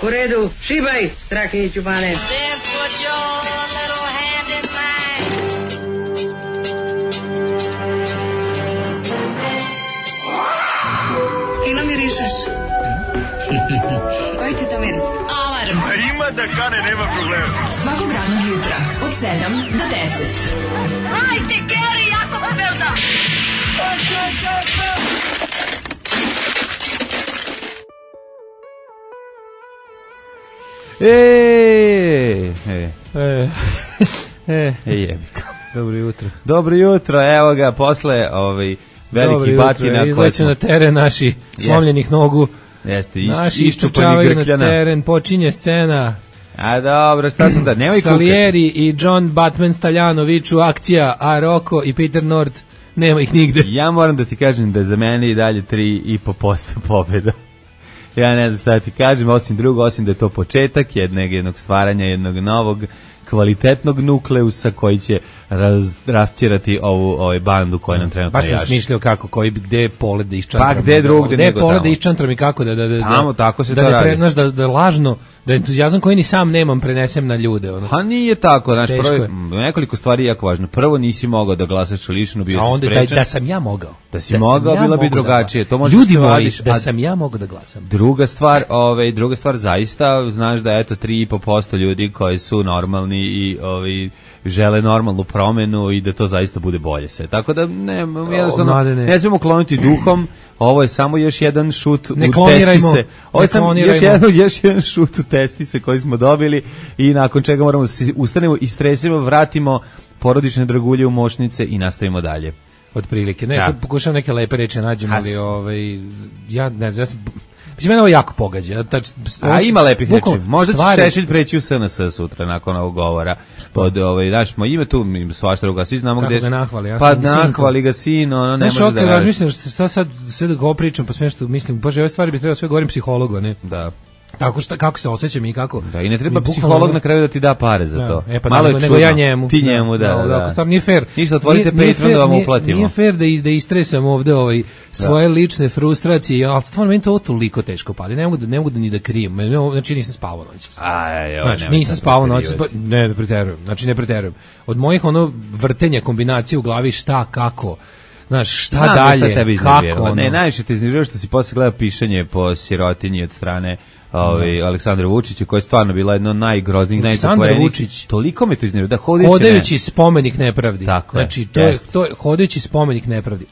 U redu, šibaj, Strahinjiću Bane. Then put your little hand in mine. Fino mirišeš. Koji ti to miris? Alarm. Ima da kane, nema problema. Svakog radnog jutra od 7 do 10. Hajde, Geri, jako se velda. Jebika. Dobro jutro. Dobro jutro, evo ga, posle velikih batina. Izleću na teren naši slomljenih nogu. Jeste, naši iščupani Grkljana. na teren, počinje scena. A dobro, šta sam da, nemoj kukati. Salieri i John Batman Staljanović u akcija, a Rocco i Peter Nord, nema ih nigde. Ja moram da ti kažem da za mene i dalje 3,5% pobjeda. Ja ne znam šta ti kažem, osim da je to početak jednog stvaranja, jednog novog kvalitetnog nukleusa koji će rastjerati ovu bandu koja nam trenutno jaši. Baš sam smišljao kako, gde je Polet da iščantram. Pa gde drugde nego tamo. Gde je Polet da iščantram i kako tamo, tako se to radi. Da lažno, da entuzijazam koji ni sam nemam prenesem na ljude. Ono. A nije tako, znaš, nekoliko stvari je jako važno. Prvo, nisi mogao da glasaš lično, bio si sprečan. Da sam ja mogao. Da si mogao, bila bi drugačije. To ljudi moji, da sam ja mogao da glasam. Druga stvar, zaista, znaš da eto 3,5% ljudi koji su normalni i žele normalnu promenu i da to zaista bude bolje sve. Tako da jednostavno ne smemo kloniti duhom. Ovo je samo još jedan šut u testise. Ovo je samo još jedan šut u testise koji smo dobili i nakon čega moramo da se ustanemo, istresimo, vratimo porodične dragulje u mošnice i nastavimo dalje. Otprilike. Ne, sad pokušam neke lepe reči nađem, ali ja ne znam, mislim, mene ovo jako pogađa. Ima lepih reči. Možda će Šešelj preći u SNS sutra nakon ovog govora. Ima tu svašta druga, svi znamo gde... Kako ga nahvali? Pa nahvali ga sin, ne može da radi. Razmišljam šta sad, sve da go pričam, pa sve što mislim, bože, ove stvari bi trebalo sve govorim psihologu, ne? Da. Kako se osjećam i kako... Da, i ne treba psiholog na kraju da ti da pare za to. Malo je nego ja njemu. Ti njemu, da. Ako stvarno nije fair. Ništa, otvorite Patreon da vam uplatimo. Nije fair da istresam ovde svoje lične frustracije, ali stvarno meni to toliko teško pali. Ne mogu da ni da krijem. Znači nisam spavao noć. Nisam spavao noć. Ne preterujem. Od mojih vrtenja kombinacije u glavi šta, kako... Znaš, šta dalje, kako... Ne, najviše te iznervirao što si posle gleda pišanje po sirotinji od strane Aleksandra Vučića, koja je stvarno bila jedno od najgroznijih, najpokvarenijih. Vučić. Toliko me to iznervirao. Hodajući spomenik nepravdi. Tako znači, to je hodajući spomenik nepravdi.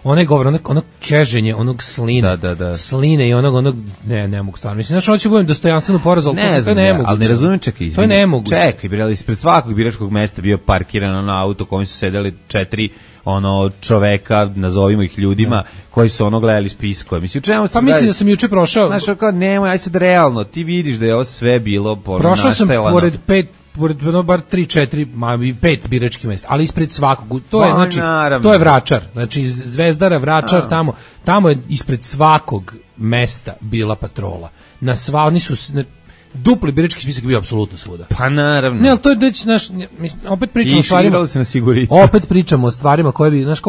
Onaj govor, ono keženje, onog sline i onog, ne mogu stvarno. Mislim, znaš, hoće budem dostojanstveno poraz, ali to je nemoguće. Ali ne razumijem, čekaj, to je nemoguće. Čekaj, ispred svakog biračkog mesta bio parkiran na auto kojim su sedeli 4 čoveka, nazovimo ih ljudima, koji su gledali spiskove. Mislim, mislim da sam juče prošao. Znaš, nemoj, aj sad realno, ti vidiš da je ovo sve bilo prošao sam pored bar 3-4, 5 biračkih mesta, ali ispred svakog. To je Vračar. Znači, Zvezdara, Vračar, tamo je ispred svakog mesta bila patrola. Oni su... Dupli birački spisak bio apsolutno svuda. Pa naravno. Ne, ali to je opet pričamo o stvarima. Opet pričamo o stvarima koje bi, znaš,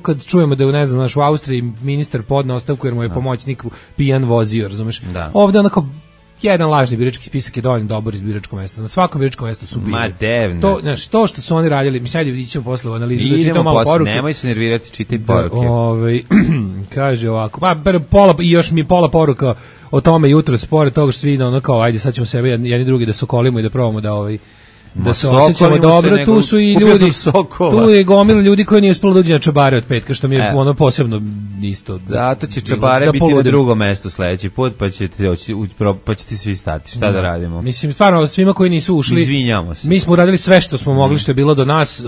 kad čujemo da je, ne znam, u Austriji ministar podneo ostavku jer mu je pomoćnik pijan vozio, razumeš? Da. Ovde onako jedan lažni birački spisak je dovoljno dobar iz biračkog mesta. Na svakom biračkom mestu su bili. Ma devno. To što su oni radili, mi sad vidimo posle u analizu, da čitamo malo poruke. Nemoj se nervirati, čitaj poruke. Kaže ovako, i još mi pola poruka o tome jutro, pored toga što svi ajde sad ćemo sebe jedni drugi da sokolimo i da probamo da se osjećamo dobro, tu su i ljudi, tu je gomila ljudi koji nije uspelo da uđe na čabare od petka, što mi je posebno isto. Zato će čabare biti na drugom mestu sledeći put, pa će ti svi stati. Šta da radimo? Mislim, stvarno, svima koji nisu ušli, izvinjamo se. Mi smo uradili sve što smo mogli, što je bilo do nas,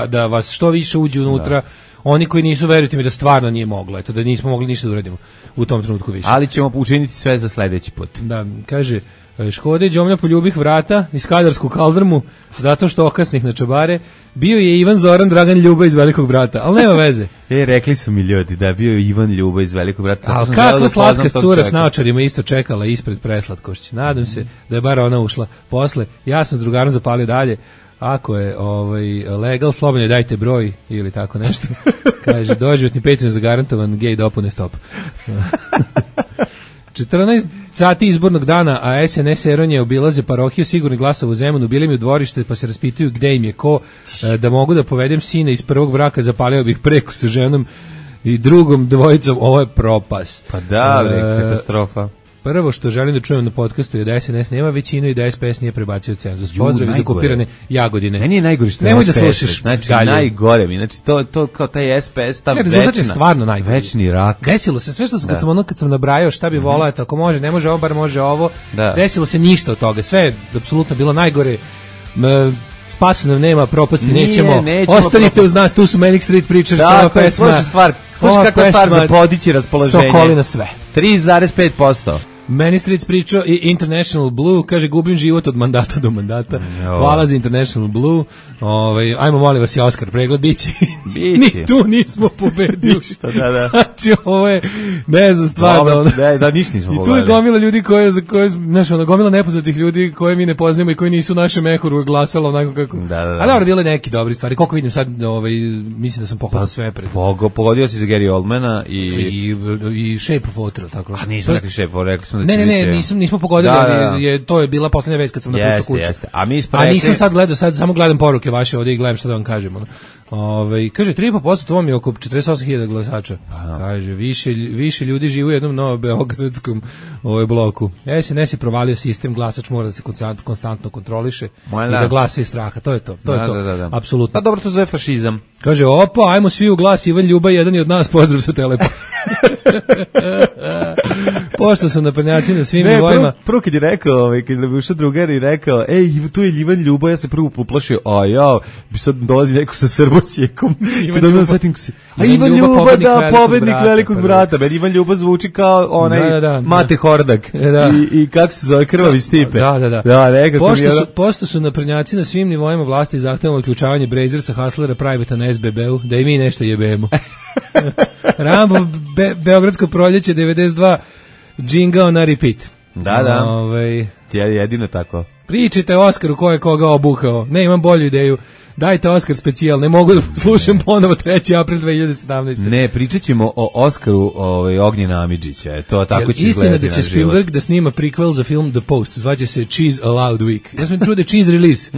da vas što više uđe unutra. Oni koji nisu, verujte mi da stvarno nije moglo, da nismo mogli ništa da uradimo u tom trenutku više. Ali ćemo učiniti sve za sledeći put. Da, kaže, Škode Đomlja poljubih vrata iz Kadarsku kaldrmu zato što okasnih na čabare. Bio je Ivan Zoran Dragan Ljuba iz Velikog brata, ali nema veze. Rekli su mi ljudi da je bio Ivan Ljuba iz Velikog brata. Ali kako slatka cura s naočarima isto čekala ispred preslatkošća. Nadam se da je bar ona ušla posle. Ja sam s drugarom zapalio dalje. Ako je legal, slobodno dajte broj ili tako nešto. Kaže, doživotni Patreon zagarantovan, gej dopune stop. 14 sati izbornog dana, a SNS Eronje obilaze parohiju sigurni glasova u Zemunu, bili mi u dvorište pa se raspituju gde im je ko, da mogu da povedem sina iz prvog braka, zapalio bih preko sa ženom i drugom dvojicom, ovo je propast. Pa da, katastrofa. Prvo što želim da čujem na podcastu je da SNS nema većinu i da SPS nije prebacio cenzus. Pozdrav iz okupirane Jagodine. Meni je najgore što nemoj da slušaš. Znači, najgore mi. Znači, to kao taj SPS, ta rezultat je stvarno najgore. Večni rak. Desilo se sve što sam kad sam nabrajao šta bi volao, tako može, ne može ovo, bar može ovo. Desilo se ništa od toga. Sve je apsolutno bilo najgore. Spasa nam nema, propasti nećemo. Ostanite uz nas, tu su Manic Street Preachers, ova pesma. Slušaj kakva stvar za podići raspoloženje. Sokolina sve. 3,5%. Manic Street pričao i International Blue, kaže gubim život od mandata do mandata. Hvala za International Blue. Ajmo molim vas i Oskar pregled biće. Ni tu nismo pobedili. Da. Znači ovo je ne znam stvarno. Da ništa nismo pobedili. I tu je gomila ljudi gomila nepoznatih ljudi koje mi ne poznajemo i koji nisu u našem mehuru glasalo onako kako. Ali dobro, bile neki dobri stvari. Koliko vidim sad, mislim da sam pohvalio sve pred. Pogodio si za Gary Oldmana i Shape of Water, tako. A nismo rekli Shape of Water, rekli smo Ne, nismo pogodili, to je bila poslednja vest kad sam napustio kuću. A nisam sad gledao, samo gledam poruke vaše ovdje i gledam šta da vam kažem. Kaže, 3,5% to vam je oko 48.000 glasača. Kaže, više ljudi živi u jednom novobeogradskom bloku. SNS je provalio sistem, glasač mora da se konstantno kontroliše i da glasa iz straha. To je to. Apsolutno. Pa dobro, to zove fašizam. Kaže, opa, ajmo svi u glas, Ivan Ljuba, jedan je od nas, pozdrav sa Telepa. Pošto su naprednjaci na svim nivoima. Prvo kad je rekao, kad je ušao drugar i rekao, tu je Ivan Ljuba, ja se prvo poplašio, bi sad dolazi neko sa srbosjekom. Ivan Ljuba, da, pobednik velikog brata. Meni Ivan Ljuba zvuči kao onaj Mate Hordak. I kako se zove, Krvavi Stipe. Pošto su naprednjaci na svim nivoima vlasti zahtevamo uključavanje Brazersa, Haslera, Privata na SBB-u, da i mi nešto jebemo. Rambo, Beogradsko proljeće 92, džingao na repeat. Da. Ti je jedino tako. Pričajte Oskaru ko je koga obuhao. Ne, imam bolju ideju. Dajte Oskar specijal, ne mogu da slušam ponovo 3. april 2017. Ne, pričat ćemo o Oskaru Ognjena Amidžića. To tako će izgledati. Istina da će Spielberg da snima prequel za film The Post, zvaće se Cheese Allowed Week. Ja sam čuo da je cheese release.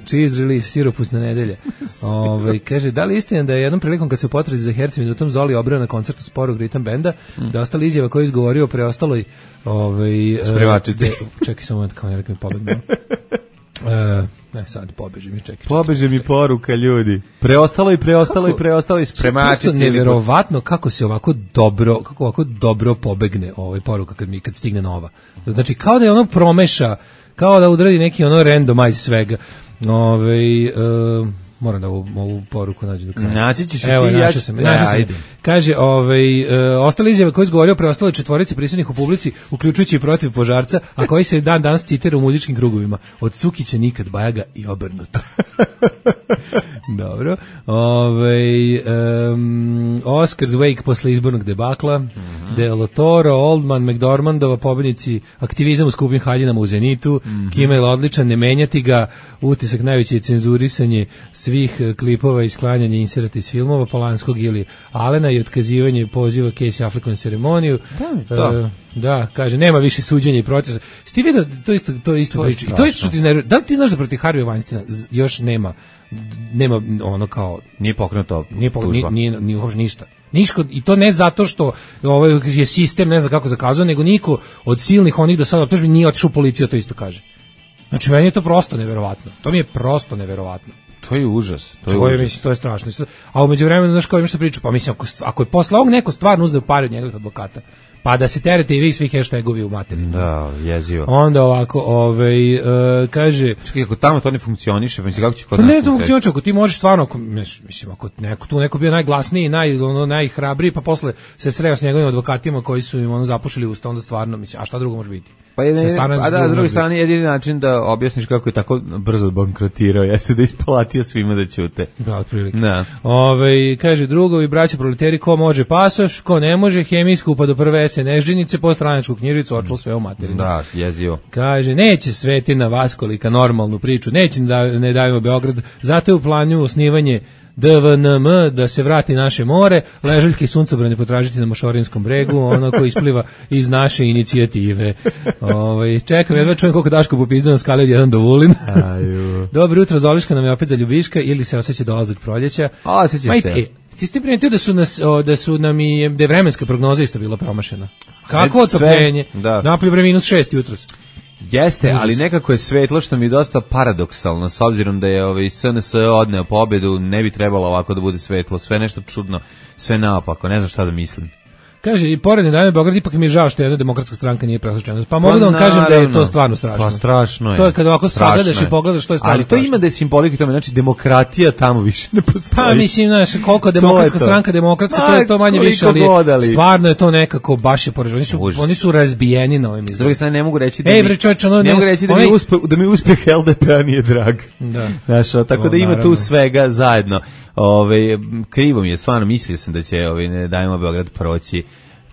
Cheese release, siropusna nedelja. Kaže, da li istina da je jednom prilikom kad se u potrazi za hercem minutom Zoli obreo na koncertu Sporog ritam benda, da ostala izjava koju je izgovorio o preostaloj spremačici. Čekaj samo moment, kao ne rekao mi pobegno. Sad pobeže mi, čekaj. Pobeže mi poruka, ljudi. Preostalo i spremačici. Prosto neverovatno kako ovako dobro pobegne poruka kad stigne nova. Znači, kao da je ono promeša, kao da udradi neki randomize svega. Moram da ovu poruku nađem do kraja. Naći ćeš i ti. Evo, našao sam. Kaže, ostale izjave koje je izgovorio preostale četvorice prisutnih u publici, uključujući i protiv požarca, a koji se danas citira u muzičkim krugovima. Od Cukića nikad Bajaga i obrnuto. Dobro. Oscars Wake posle izbornog debakla, Del Toro, Oldman, McDormandova, pobednici aktivizam u skupim haljinama u Zenitu, Kimmel odličan, ne menjati ga, utisak najveće je cenzurisanje svih klipova i sklanjanje inserata iz filmova Polanskog ili Alena i otkazivanje poziva Casey Affleck na ceremoniju. Da, kaže, nema više suđenja i procesa. Sti vidio, to isto priča. I to je što ti iznervira. Da li ti znaš da protiv Harvey Weinsteina još nema ono kao... Nije pokrenuto tužba. Nije uopšte ništa. I to ne zato što je sistem ne zna kako zakazao, nego niko od silnih onih do sada optužbi nije otišao u policiju, to isto kaže. Znači, meni je to prosto neverovatno. To mi je prosto neverovatno. To je užas. Mislim, to je strašno. A u međuvremenu, znaš kao imaš šta priču, pa mislim, ako je posle ovog neko stvarno uzeo pare od njegovih advokata, pa da se terete i vi svi hashtagovi u materiju. Da, jezivo. Onda ovako, kaže... Čekaj, ako tamo to ne funkcioniše, mislim, kako će kod nas... Ne, to funkcioniše, ako ti možeš stvarno, mislim, ako neko bio najglasniji, najhrabriji, pa posle se sreo s njegovim advokatima koji su im zapušili usta, onda stvarno, mislim, a šta drugo može biti? S druge strane, jedini način da objasniš kako je tako brzo bankrotirao, jeste da isplatio svima da ćute. Da, otprilike. Kaže, drugovi, braća proleteri, ko može pasoš, ko ne može, hemijsku, pa do prve se nežinice po stranačku knjižicu, očelo sve o materinu. Da, jezivo. Kaže, neće Svetina Vaskolika normalnu priču, neće ne dajemo Beograd, zato je u planu osnivanje DVNM, da se vrati naše more, ležaljke i suncobrane potražiti na Mošorinskom bregu, ono koji ispliva iz naše inicijative. Čekam, jedva čujem koliko Daško popizda na skali od 1 do Vulin. Dobro jutro, Zoliška nam je opet za Ljubiška ili se osjeća dolazak proljeća. Osjeća se. Ti ste primetio da nam i da je vremenska prognoza isto bila promašena. Kako otopljenje? Napolju -6 jutros. Jeste, ali nekako je svetlo, što mi je dosta paradoksalno, s obzirom da je SNS odneo pobedu, ne bi trebalo ovako da bude svetlo, sve nešto čudno, sve naopako, ne znam šta da mislim. Kaže, i pored Nedajme Beograd, ipak mi je žao što jedna demokratska stranka nije preslučena. Pa mogu da vam kažem da je to stvarno strašno. Pa strašno je. To je kad ovako sagledaš i pogledaš što je stvarno strašno. Ali to ima da je simbolika tome, znači demokratija tamo više ne postoji. Pa mislim, znaš, koliko demokratska stranka demokratska, to je to manje više, ali stvarno je to nekako baš je poraženo. Oni su razbijeni na ovim izborima. S druge strane, ne mogu reći da mi uspeh LDP-a nije drag. Znaš, tako da ima tu svega zajedno. Krivo mi je, stvarno mislio sam da će ne dajemo Beograd proći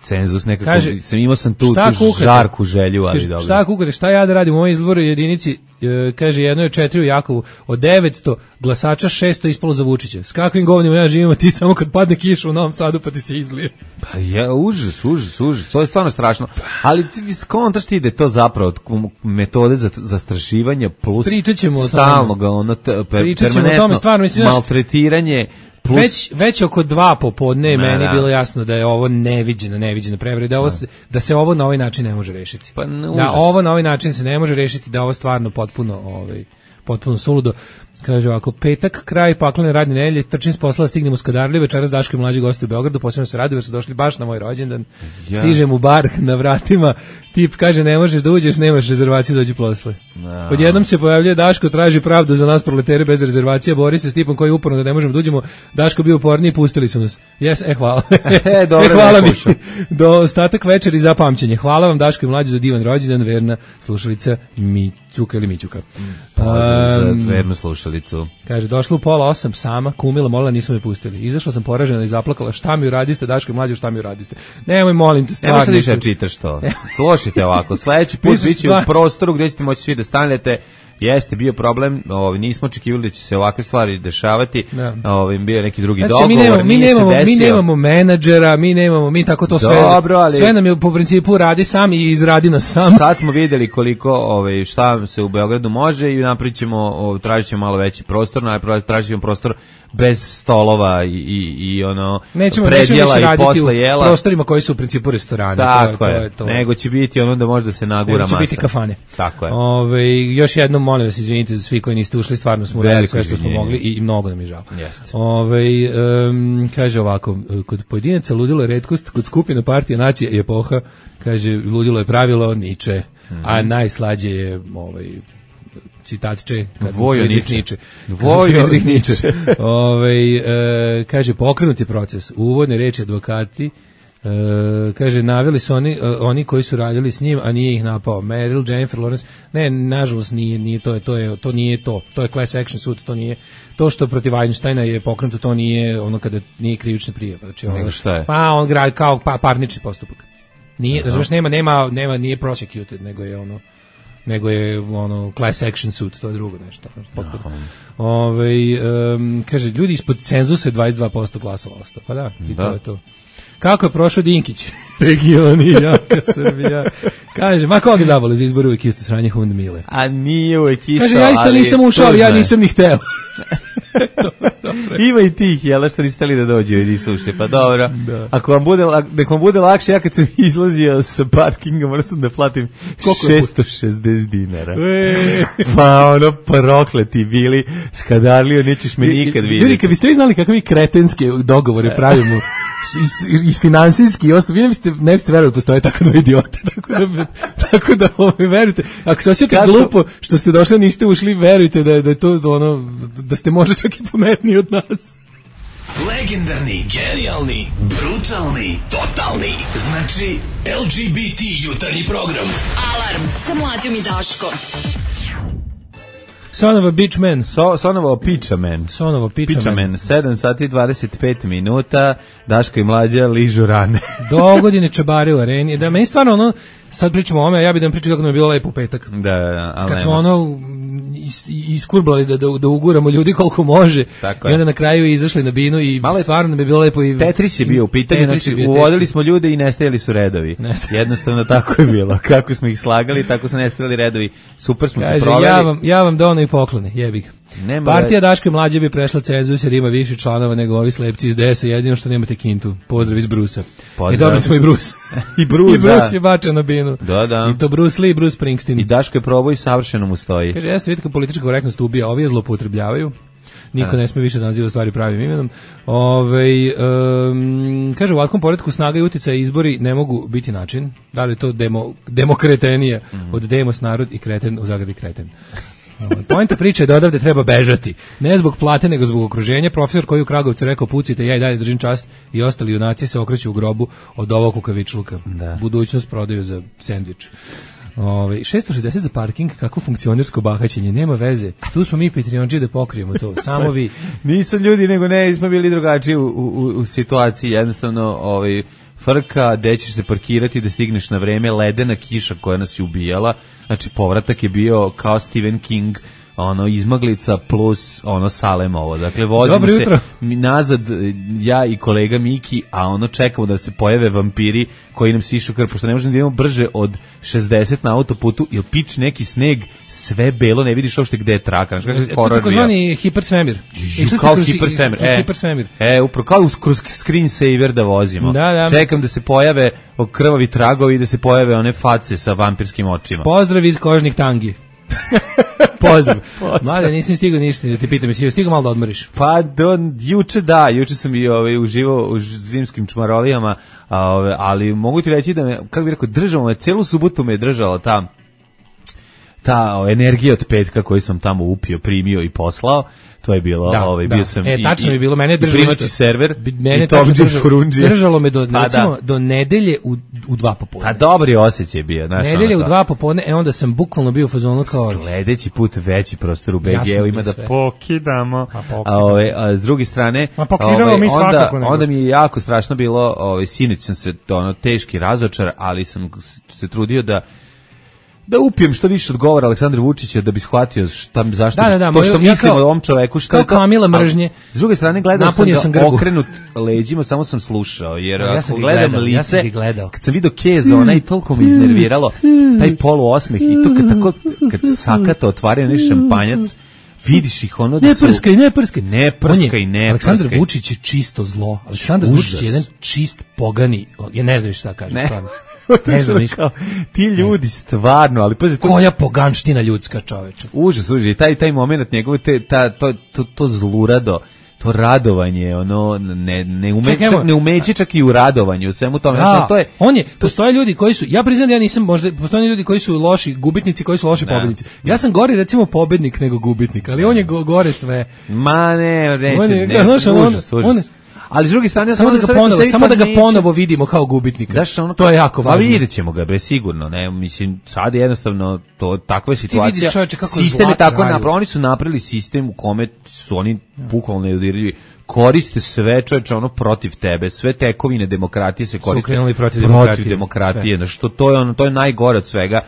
cenzus nekako, imao sam tu žarku želju, ali dobro. Šta kukate, šta ja da radim u ovoj izboru jedinici, kaže, jedno je 4 u Jakovu, od 900 glasača 600 ispalo za Vučića. S kakvim govnima ja živim, ti samo kad padne kiša u Novom Sadu pa ti se izlije. Pa je, užas, to je stvarno strašno. Ali ti skontaš ti da je to zapravo metode za zastrašivanje plus stalnog permanentno maltretiranje. Već oko 2 popodne je meni bilo jasno da je ovo neviđena prevreda, da se ovo na ovaj način ne može rešiti. Da ovo na ovaj način se ne može rešiti, da ovo stvarno potpuno suludo. Kaže ovako, petak, kraj paklene radne nedelje, trčim s posla, stignem u Skadarliju, večeras Daško i mlađi gosti u Beogradu, posebno se radujem jer su došli baš na moj rođendan. Stižem u bar na vratima, tip kaže ne možeš da uđeš, nemaš rezervaciju, dođi posle. Odjednom se pojavljuje Daško, traži pravdu za nas proletere bez rezervacije, bori se s tipom koji je uporno da ne možemo da uđemo. Daško bio uporniji, pustili su nas. Hvala. Hvala mi. Do ostatak večeri za pamćenje. Hvala vam Daško i mlađi za divan rođendan, verna slušalica Mićuka ili Mićuka. Pozdrav za vernu slušalicu. Kaže, došla u 7:30 sama, kumila, molila, nisu me pustili. Izašla sam poražena i zaplakala, šta mi uradiste, Daško i mlađi, šta mi uradiste. Nemoj, molim te, stvarno. Nemoj sad više čitaš to. Slušajte ovako, sledeći put biće u prostoru gdje ćete moći svi da stanete. Jeste bio problem, nismo očekivali da će se ovakve stvari dešavati. Bio je neki drugi dogovor, mi nemamo menadžera, mi tako to sve. Dobro, ali sve nam je po principu radi sam i izradi nas sam. Sad smo vidjeli koliko šta se u Beogradu može i napravićemo, tražit ćemo malo veći prostor, tražit ćemo prostor bez stolova i predjela i posle jela. U prostorima koji su u principu restorani. Tako je, nego će biti da može da se nagura masa. Nego će biti kafane. Tako je. Još jednom molim vas, izvinite za svi koji niste ušli, stvarno smo uradili sve što smo mogli i mnogo nam je žao. Kaže ovako, kod pojedinaca ludilo je retkost, kod skupina partija nacija i epoha, kaže, ludilo je pravilo Niče, a najslađe je citatče Vojniče. Kaže, pokrenut je proces. Uvodne reči advokati, kaže, naveli su oni koji su radili s njim, a nije ih napao. Meryl, Jennifer Lawrence, ne, nažalost nije to nije to. To je class action sud, to nije to što protiv Weinsteina je pokrenuto, to nije ono kada nije krivična prijava. Znači, nego šta je? Pa on gradi kao parnični postupak. Nije, znači nema, nije prosecuted, nego je class action suit, to je drugo nešto. Kaže, ljudi ispod cenzusa 22% glasova ostao. Pa da, i to je to. Kako je prošao Dinkić? Regioni, jaka Srbija. Kaže, ma koga zabole za izbor, uvijek isto sranje Hund Mile. A nije uvijek isto, kaže, ja isto nisam ušao, ali ja nisam ni hteo. Ima i tih, jel, što niste li da dođu i nisu ušli, pa dobro. Ako vam bude lakše, ja kad sam izlazio sa parkinga, moram sam da platim 660 dinara. Pa prokleti bili, Skadarlio, nećeš me nikad vidjeti. Ljudi, kad biste vi znali kakve kretenske dogovore pravimo, i finansijski i ostalo, vi ne biste verovali da postoje tako dva idiota, tako da verujte, ako se osjetite glupo što ste došli, niste ušli, verujte da je to da ste možda čak i pametniji od nas. Legendarni, genijalni, brutalni, totalni, znači LGBT jutarnji program. Alarm sa Mlađom i Daškom. Son of a bitch man. Son of a piča man. Son of a piča man. 7 sati 25 minuta, Daško i Mlađa ližu rane. Dogodine čabare u areni. Da, meni stvarno ono, sad pričamo o ome, ja bih da vam pričam kako nam je bilo lepo u petak. Da, ali kad smo ono iskurblali da uguramo ljudi koliko može. Tako i onda na kraju izašli na binu i stvarno nam je bilo lepo. I Tetris je bio u pitanju, znači uvodili smo ljude i nestajali su redovi. Jednostavno tako je bilo. Kako smo ih slagali, tako su nestajali redovi. Super smo se proveli. Ja vam dono i poklone, jebi ga. Partija Daško i Mlađe bi prešla cenzus jer ima više članova nego ovi slepci iz DS-a, jedino što nemate kintu. Pozdrav iz Brusa. I dobili smo i Brus. I Brus, I Brus je bačen na binu. Da. I to Bruce Lee i Bruce Springsteen. I Daško je probao i savršeno mu stoji. Kaže, jeste vidite kako politička korektnost ubija, ovi je zloupotrebljavaju. Niko ne sme više da naziva stvari pravim imenom. Kaže, u ovakvom poretku snaga i uticaj izbori ne mogu biti način. Da li je to demokratenija od demos narod i kreten u zagradi kreten. Poenta priče je da odavde treba bežati. Ne zbog plate, nego zbog okruženja. Profesor koji u Kragovcu rekao pucite, ja i dalje držim čast i ostali junaci se okreću u grobu od ovog kukavičluka. Budućnost prodaju za sendvič. 660 za parking, kako funkcionersko bahaćenje, nema veze. Tu smo mi Patreonđi da pokrijemo to, samo vi. Nisu ljudi, nego ne, smo bili drugačiji u situaciji, jednostavno frka, gde ćeš se parkirati da stigneš na vreme, ledena kiša koja nas je ubijala, znači povratak je bio kao Stephen King, izmaglica plus Salemovo. Dakle, vozimo se nazad, ja i kolega Miki, a čekamo da se pojave vampiri koji nam sišu krv, pošto ne možemo da idemo brže od 60 na autoputu, ili pič neki sneg, sve belo, ne vidiš uopšte gde je traka. To tako zvani hipersvemir. Kao hipersvemir. Upravo kao kroz screensaver da vozimo. Da. Čekam da se pojave krvavi tragovi i da se pojave one face sa vampirskim očima. Pozdrav iz kožnih tangi. Pozdrav. Mada, nisam stigao ništa da te pitam, jesi stigao malo da odmoriš? Pa, juče sam i uživao u zimskim čmarolijama, ali mogu ti reći da me, kako bih rekao, držalo me, celu subotu me je držala ta energija od petka koju sam tamo upio, primio i poslao. To je bilo, bio sam tačno je bilo, mene držalo primaći server, mene i Tomđe Furundžija. Držalo me do nedelje u 2 popodne. Pa dobri osjećaj bio, znaš. Nedelje u 2 popodne, onda sam bukvalno bio u fazonu kao sledeći put veći prostor u BG-u ima da pokidamo. A s druge strane, onda mi je jako strašno bilo, sinoć sam se teški razočar, ali sam se trudio da upijem što više odgovara Aleksandar Vučića da bi shvatio što mislimo o ovom čoveku, što je to. Kamila mržnje. S druge strane gledao sam ga okrenut leđima, samo sam slušao, jer ako gledam lice, kad sam vidio keza, ona i toliko me iznerviralo, taj poluosmeh i to kad sakata otvaraju onaj šampanjac, vidiš ih da su... Ne prskaj. Aleksandar Vučić je čisto zlo. Aleksandar Vučić je jedan čist pogani. Ja ne znam šta kažem. Ne znam ništa. Ti ljudi stvarno, ali pazi, koja poganština ljudska, čoveče. Užas, taj moment njegove, to zlurado, to radovanje, ne umeće čak i u radovanju, u svemu tome. Postoje ljudi koji su, ja priznam da ja nisam, možda, postoje ljudi koji su loši gubitnici, koji su loši pobednici. Ja sam gori, recimo, pobednik nego gubitnik, ali on je gore sve. Ma ne, užas. Ali s druge strane, samo da ga ponovo vidimo kao gubitnika. To je jako važno. Pa vidjet ćemo ga, bre, sigurno. Ne, mislim, sad je jednostavno takva je situacija. Ti vidiš, čovječe, kako sistem je tako napravili. Oni su napravili sistem u kome su oni bukvalno nedodirljivi. Koriste sve, čovječe, protiv tebe. Sve tekovine demokratije se koriste protiv demokratije. Znači, to je najgore od svega.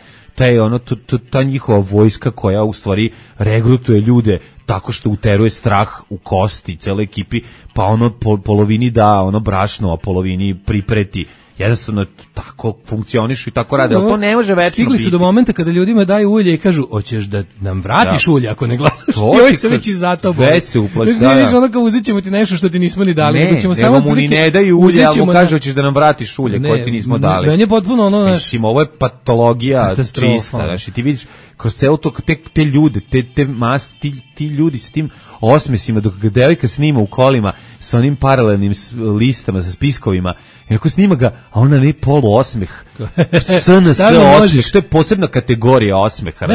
Ta njihova vojska koja u stvari regrutuje ljude tako što uteruje strah u kosti cele ekipi, pa polovini da brašno, a polovini pripreti. Jednostavno tako funkcionišu i tako rade, ali to ne može večno biti. Stigli su do momenta kada ljudima daju ulje i kažu, hoćeš da nam vratiš ulje ako ne glasaš? I ovi se već i zato boli. Već se uplaši. Ne vidiš kao uzet ćemo ti nešto što ti nismo ni dali. Nego mu ni ne daju ulje, ali mu kaže, hoćeš da nam vratiš ulje koje ti nismo dali. Meni je potpuno mislim, ovo je patologija čista. Znači, ti vidiš, kroz celo to, te ljude, ti ljudi sa tim osmesima, dok ga devojka snima u kolima sa onim paralelnim listama, sa spiskovima, i ako snima ga, a ona ne poluosmeh, SNS osmeh, to je posebna kategorija osmeha.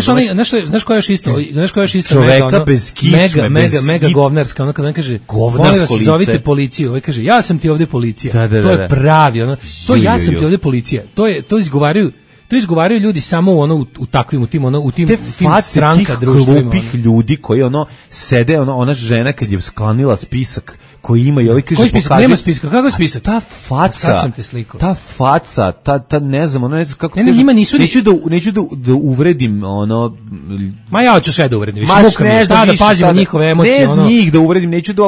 Znaš koja je još isto? Čoveka bez kičme, mega govnarska, ono kad on kaže, molim vas, zovite policiju, ovaj kaže, ja sam ti ovde policija, to je pravi, to ja sam ti ovde policija, to izgovaraju to izgovaraju ljudi samo u takvim, u tim stranka društvima. Te face tih glupih ljudi koji sede, ona žena kad je sklanila spisak koji ima i ovaj kaže pokazuje. Nema spiska, kako je spisak? Ta faca. Sad sam te slikao. Ta faca, ta ne znam, ne znam kako. Ne, njima nisu neću da uvredim Ma ja ću sve da uvredim. Više muka mi, šta da pazimo njihove emocije, Ne njih da uvredim, neću da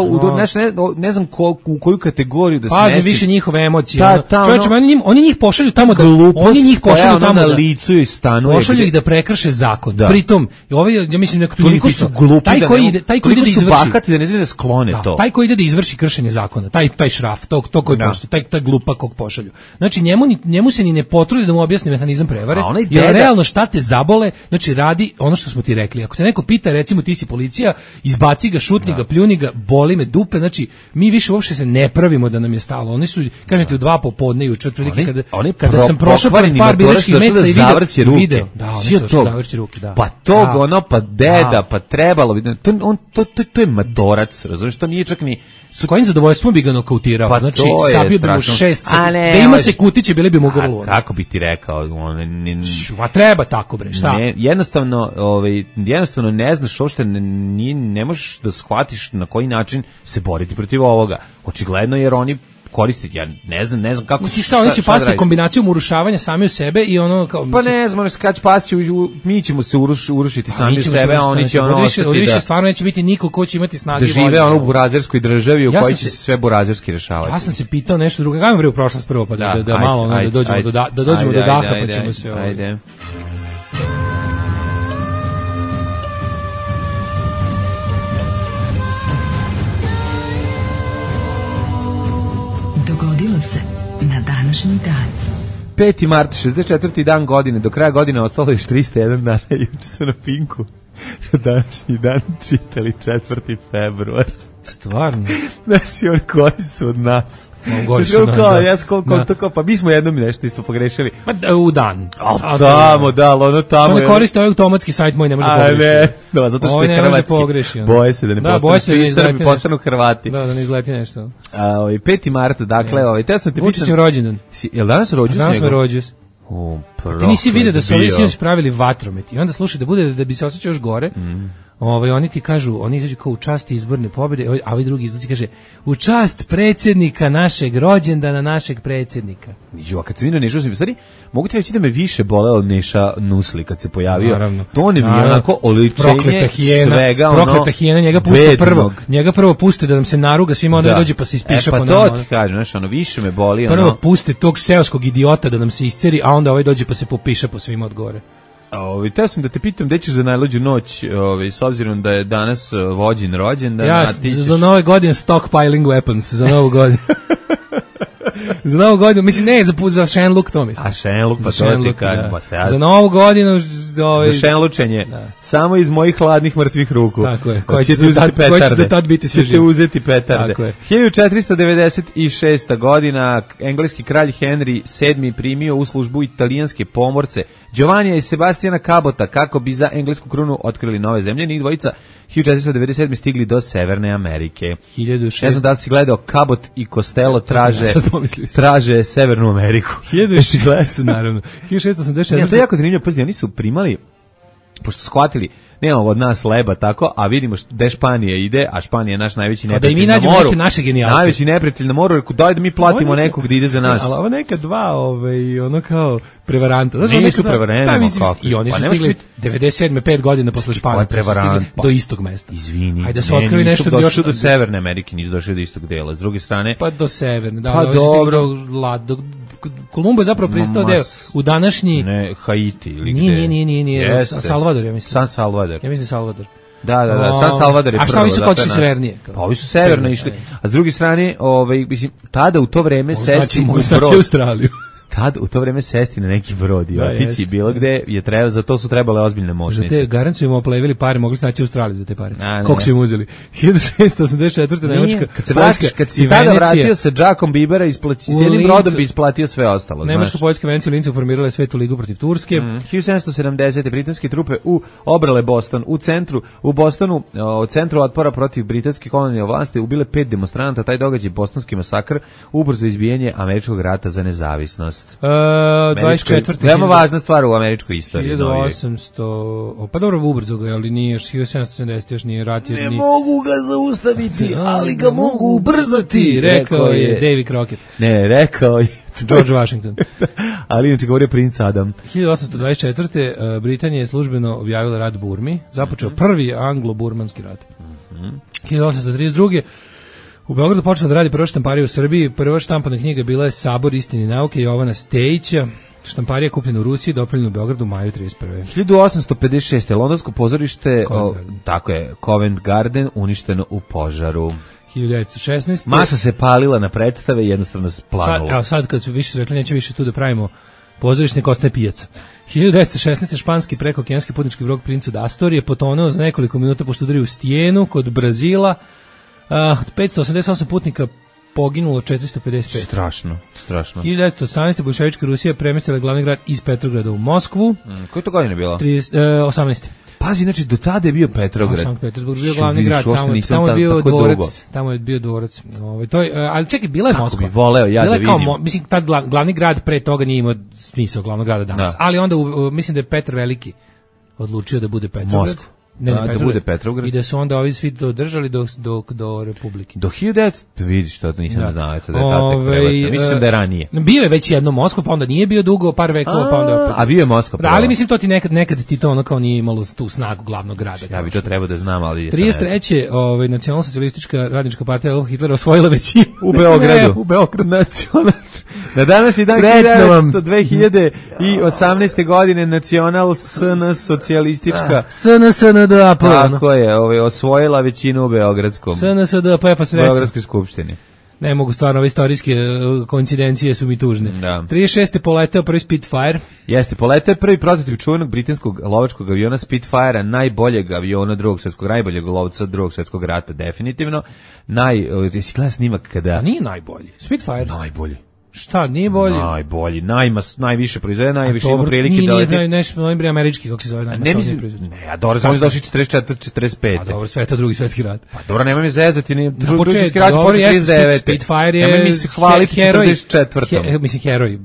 ne znam u koju kategoriju da smestim. Pazi više njihove emocije. Čovječe, oni njih pošalju tamo da na licu i stanuje. Pošalju ih da prekrše zakon. Pritom, ja mislim da tu toliko su glupi, taj koji ide da izvrši, da ne znaju da sklone to. Taj koji ide da izvrši kršenje zakona, taj šraf, to koji pošalju, taj glupak kog pošalju. Znači njemu se ni ne potrudi da mu objasni mehanizam prevare, jer realno šta te zabole, znači radi ono što smo ti rekli. Ako te neko pita, recimo ti si policija, izbaci ga, šutni ga, pljuni ga, boli me dupe, znači mi više uopšte se ne pravimo da nam je stalo. Oni su, kažem ti, u 2 popodne juče otprilike kada sam prošao pored par biračkih mesta i video. Da, oni su zavrći ruke, da. Pa tog pa deda, pa trebalo bi, to je madorac, razumiješ, to nije čak ni s kojim zadovoljstvom bi ga nokautirao, pa znači sabio bi mu 6, da ima se kutiće, bile bi mu grlo. Kako bi ti rekao? Ma treba tako, bre, šta? Jednostavno ne znaš uopšte, ne možeš da shvatiš na koji način se boriti protiv ovoga. Očigledno jer oni koristiti, ja ne znam kako. Misliš šta, oni će pasti kombinacijom urušavanja sami u sebe i ono kao... Pa ne znam, kad će pasti, mi ćemo se urušiti sami u sebe, a oni će ostati da... stvarno neće biti niko ko će imati snage. Da žive u burazerskoj državi u kojoj će se sve burazerski rešavati. Ja sam se pitao nešto drugo, gajmo bre u prošlost prvo, pa da malo da dođemo do daha, pa ćemo se... Ajde. Dogodilo se na današnji dan. 5. mart, 64. dan godine, do kraja godine ostalo još 301 dana, juče su na Pinku. Današnji dan čitali 4. februar. Stvarno? Znači, on koji su od nas. Gori su nas, da. Pa mi smo jednom nešto isto pogrešili. Pa u dan. Tamo, ono tamo. Što ne koriste ovaj automatski sajt moj, ne može pogrešiti. A ne, zato što je hrvatski. Boje se da ne postanu svi Srbi, postanu Hrvati. Da ne izleti nešto. 5. marta, dakle, te sam te pitan. Vučićem rođendan. Jel danas rođus njegov? Danas me rođus. Ti nisi vidio da su ovi sinoć pravili vatromet i onda slušaj da bi se osjećao još gore. Oni ti kažu, oni izađu kao u čast izborne pobjede, a ovaj drugi izlazi kaže u čast predsjednika našeg rođendana, našeg predsjednika. A kad se vidio Neša Nusli, stvari, mogu ti reći da me više boleo Neša Nusli kad se pojavio. Naravno. To ne mi je onako oličenje svega. Prokleta hijena, njega prvo puste da nam se naruga svima, onda dođe pa se ispiša po nama. Pa to ti kažem, znaš, više me boli. Prvo puste tog seoskog idiota da nam se isceri, a onda ovaj dođe pa se popiše po svima od gore. Teo sam da te pitam gde ćeš za najluđu noć, s obzirom da je danas vođin rođendan. Ja za nove godine stockpiling weapons, za novu godinu. Za novu godinu, mislim ne, za šenluk to mislim. A šenluk, pa to ti kažem. Za novu godinu... Za šenlučenje, samo iz mojih hladnih mrtvih ruku. Tako je, koji će da tad biti sve živ. Ćete uzeti petarde. 1496. godina, engleski kralj Henry VII primio u službu italijanske pomorce Giovannija i Sebastiana Cabota kako bi za englesku krunu otkrili nove zemlje. Njih dvojica 1497. stigli do Severne Amerike. 1600. Ne znam da si gledao, Cabot i Costello traže Severnu Ameriku. 1600, naravno. 1684. To je jako zanimljivo, pazi, oni su primali, pošto su shvatili, nemamo od nas leba tako, a vidimo gde Španija ide, a Španija je naš najveći neprijatelj na moru. Da i mi nađemo neke naše genijalce. Najveći neprijatelj na moru, daj da mi platimo nekog da ide za nas. Ali ovo neka dva, ono kao prevaranta. Nisu prevarenti, i oni su stigli 97. 5 godina posle Španije do istog mesta. Izvini. Ajde su otkrili nešto došli do Severne Amerike, nisu došli do istog dela. S druge strane, pa do Severne, da, pa dobro. Kolumbo je zapravo pristao da je u današnji... Ne, Haiti ili gde? Nije. Salvador, ja mislim. San Salvador. Ja mislim Salvador. Da, San Salvador je prvo. A šta ovi su kočili severnije? Pa ovi su severno išli. A s druge strane, mislim, tada u to vreme sesti u brod. Australiju. Tad u to vreme sesti na neki brod i otići bilo gde je treba, za to su trebale ozbiljne moćnice. Za te garancije im oplevili pare, mogli su naći u Australiju za te pare. Koliko su im uzeli? 1684. Nemačka, kad si tada vratio sa Jackom Bibera, s jednim brodom bi isplatio sve ostalo. Nemačka, Poljska, Venecija u Lincu formirale Svetu ligu protiv Turske. 1770. britanske trupe obrale Boston. U Bostonu, u centru otpora protiv britanske kolonijalne vlasti ubile 5 demonstranata. Taj događaj, bostonski masakr, ubrzo izbijanje američkog rata za nezavisnost. 24. Veoma važna stvar u američkoj istoriji. 1800, pa dobro, ubrzo ga, ali nije još 1770, još nije rat. Ne mogu ga zaustaviti, ali ga mogu ubrzati, rekao je Davy Crockett. Ne, rekao je George Washington. Ali inače govorio princ Adam. 1824. Britanija je službeno objavila rat Burmi, započeo prvi anglo-burmanski rat. 1832. U Beogradu počela da radi prva štamparija u Srbiji. Prva štampana knjiga bila je Sabor istine i nauke Jovana Stejića. Štamparija kupljena u Rusiji, dopravljena u Beogradu u maju 31. 1856. Londonsko pozorište, tako je, Covent Garden, uništeno u požaru. 1916. Masa se palila na predstave i jednostavno splanula. Sad kad su više rekli, neće više tu da pravimo pozorište, nek ostaje pijaca. 1916. španski prekookeanski putnički brod Prince od Astorije potonuo za nekoliko minuta pošto udario u stijenu kod Brazila. 588 putnika poginulo, 455. Strašno. 1918. bolševička Rusija premestila glavni grad iz Petrograda u Moskvu. Koje to godine bilo? 18. Pazi, znači do tada je bio Petrograd. Sankt Petersburg bio glavni grad, tamo je bio dvorac. Tamo je bio dvorac. To je, ali čekaj, bila je Moskva. Kako bi voleo ja da vidim. Mislim, tad glavni grad pre toga nije imao smisao glavnog grada danas. Ali onda, mislim da je Petar Veliki odlučio da bude Petrograd. Moskva. Da bude Petrograd. I da su onda ovi svi dodržali do Republike. Do 1900, vidiš to, nisam znao, eto da je tad prebacio. Mislim da je ranije. Bio je već jedno Moskva, pa onda nije bio dugo, par vekova, pa onda opet. A bio je Moskva. Da, ali mislim to ti nekad ti to ono kao nije imalo tu snagu glavnog grada. Ja bi to trebao da znam, ali 33. Nacionalsocijalistička radnička partija Adolfa Hitlera osvojila većinu u Beogradu. U Beogradu. Na danas je dan 2018. godine Nacional SNS socijalistička SNSD tako je, osvojila većinu u Beogradskom. SNSD pa sreća. Beogradskoj skupštini. Ne mogu stvarno, ove istorijske koincidencije su mi tužne. Da. 36. poleteo prvi Spitfire. Jeste, poleteo je prvi prototip čuvenog britanskog lovačkog aviona Spitfire-a, najboljeg aviona najboljeg lovca drugog svjetskog rata, definitivno. Jesi gledao snimak kada... A nije najbolji. Spitfire. Najbolji. Šta, nije bolji? Najbolji, najviše proizvede, najviše ima prilike da leti. Nije nešto američki, kako se zove, najmasovnije proizvode. Ne, a dobro, samo došli 44-45. A dobro, sve to drugi svetski rat. Pa dobro, nemoj mi zezati, drugi svetski rat počeo 39. Spitfire je... Nemoj mi se hvaliti 44. Mislim, heroj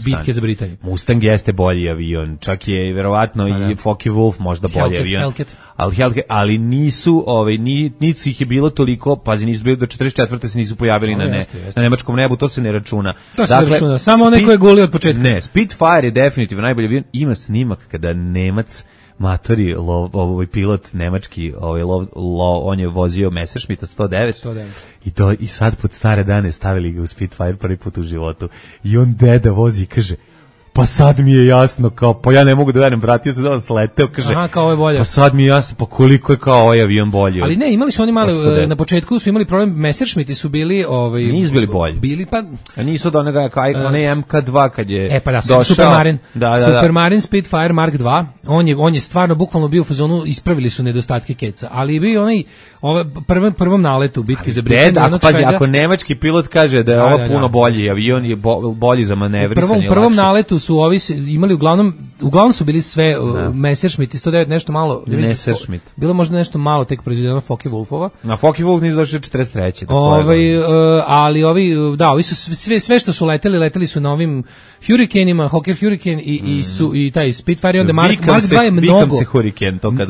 bitke za Britaniju. Mustang jeste bolji avion, čak je verovatno i Focke-Wulf možda bolji avion. Ali nisu, nisu ih je bilo toliko, pazi, nisu bili do 44. se nisu pojavili na nemačkom nebu, to se ne računa. To se računa, samo onaj ko je guli od početka. Ne, Spitfire je definitivno najbolji avion. Ima snimak kada Nemac matori, pilot nemački, on je vozio Messerschmitta 109. I sad pod stare dane stavili ga u Spitfire prvi put u životu. I on deda vozi i kaže, pa sad mi je jasno, kao, pa ja ne mogu da verujem, vratio se da on sleteo, kaže, aha, kao je bolje. Pa sad mi je jasno, pa koliko je kao ovaj avion bolji. Ali ne, imali su oni mali, na početku su imali problem, Messerschmitti su bili, nisu bili bolji. Bili pa... A nisu od onaj MK2 kad je pa da, došao. Supermarine. Supermarine Spitfire Mark 2, on je stvarno bukvalno bio u fazonu, ispravili su nedostatke keca, ali je bio onaj, prvom naletu bitke za Britaniju. Ako nemački pilot kaže da je ovo puno bolji avion, je bolji za manevrisanje. Prvom naletu su ovi imali uglavnom su bili sve Messerschmitt i 109 nešto malo. Messerschmitt. Bilo možda nešto malo tek proizvedeno Focke-Wulfova. Na Focke-Wulf nisu došli 43. Ali ovi su sve što su leteli su na ovim Hurricanima, Hawker Hurricane i taj Spitfire, onda Mark 2 je mnogo.